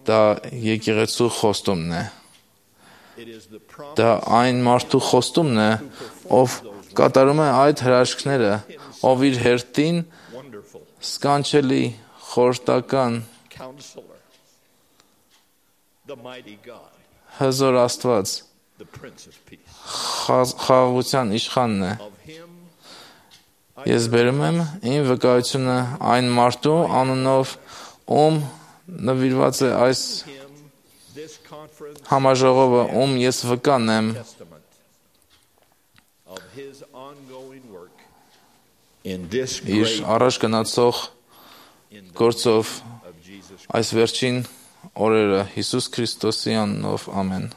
Դա եկեղեցու խոստումն է։ Դա այն մարդու խոստումն է, ով կատարում է այդ հրաշքները, ով իր հերթին սքանչելի խորհրդական հզոր Աստված, խաղաղության իշխանն է։ Ես բերում եմ իմ վկայությունը այն մարդու անունով, ում նվիրված է այս համաժողովը, ում ես վկան եմ իր առաջ գնացող գործով այս վերջին օրերը Հիսուս Քրիստոսի անունով, ամեն։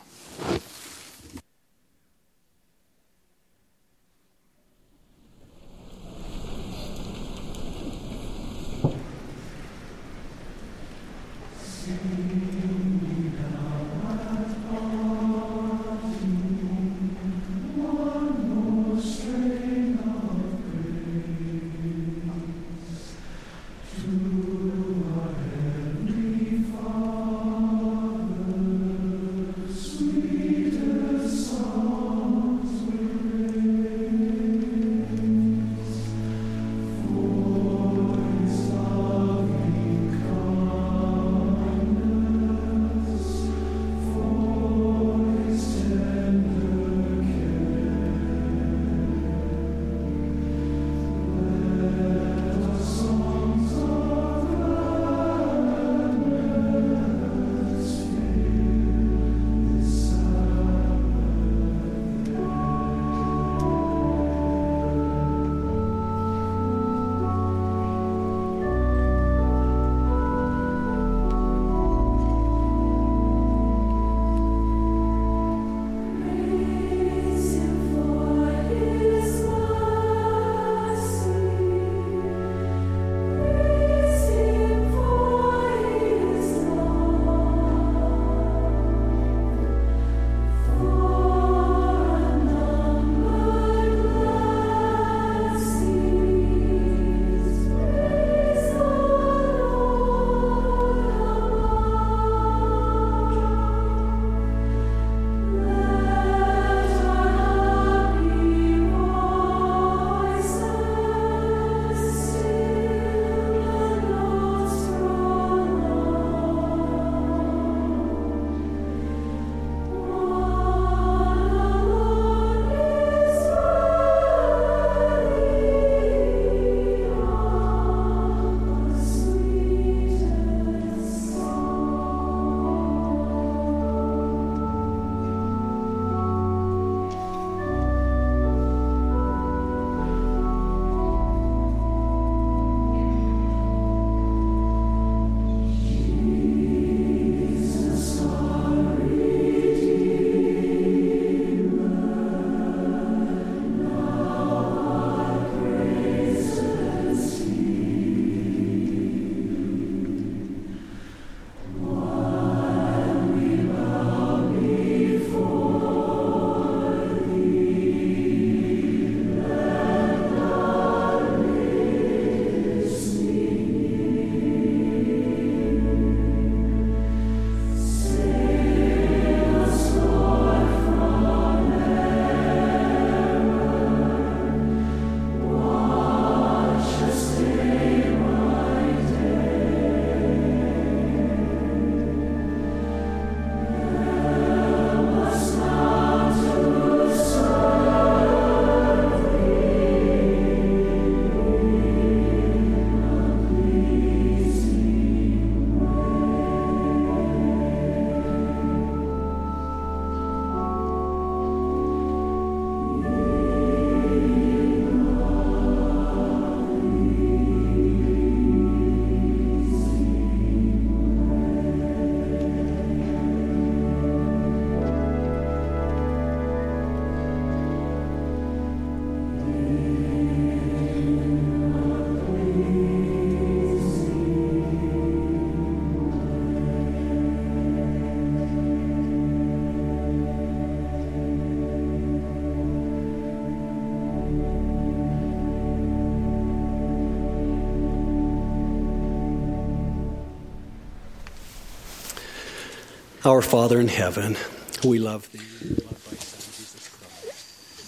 Our Father in heaven, we love thee.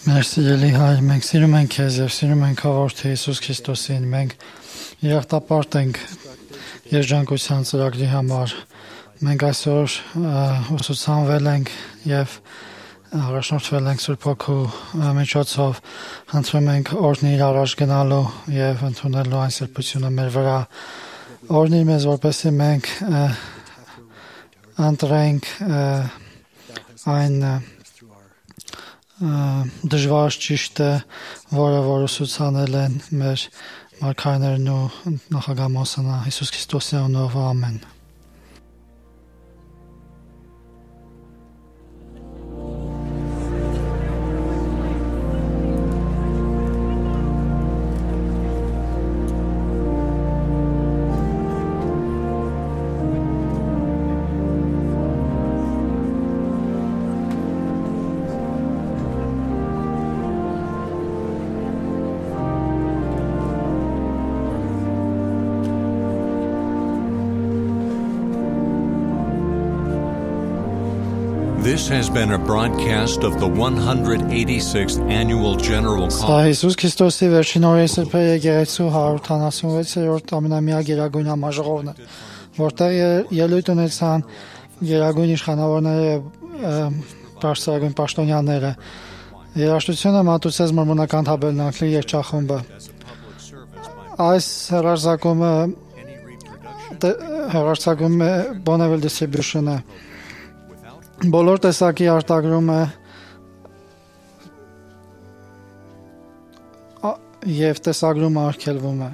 Merci Eli Հայր, մենք սիրում ենք քեզ եւ սիրում ենք Որդի Հիսուս Քրիստոսին։ Մենք երախտապարտ ենք երջանկության ծրագրի համար։ Մենք այսօր ուսուցանվել ենք եւ առաջնորդվել ենք Սուրբ Հոգու միջոցով, խնդրում ենք օրհնիր առաջ գնալու եւ ընդունելու այն սրբությունը մեր վրա, օրհնիր մեզ, որպեսզի մենք ընտրենք այն դժվար ճիշտը, որը ուսուցանել են մեր մարգարեներն ու նախագահ Մոսանա Հիսուս Քրիստոսի անունով, ամեն։ This has been a broadcast of the 186th Annual General Conference. Հիսուս Քրիստոսի վերջին օրերի սրբերի եկեղեցու 176-րդ ամենամյա գերագույն համաժողովն է, որտեղ ելույթ ունեցան գերագույն իշխանավորները եւ բարձրագույն պաշտոնյաները։ Երաժշտությունը մատուցեց մորմոնական թաբերնակլի երգչախումբը։ Այս հեռարձակումը Bonneville Distribution-ը բոլոր տեսակի արտագրումը եւ տեսագրումը արգելվում է։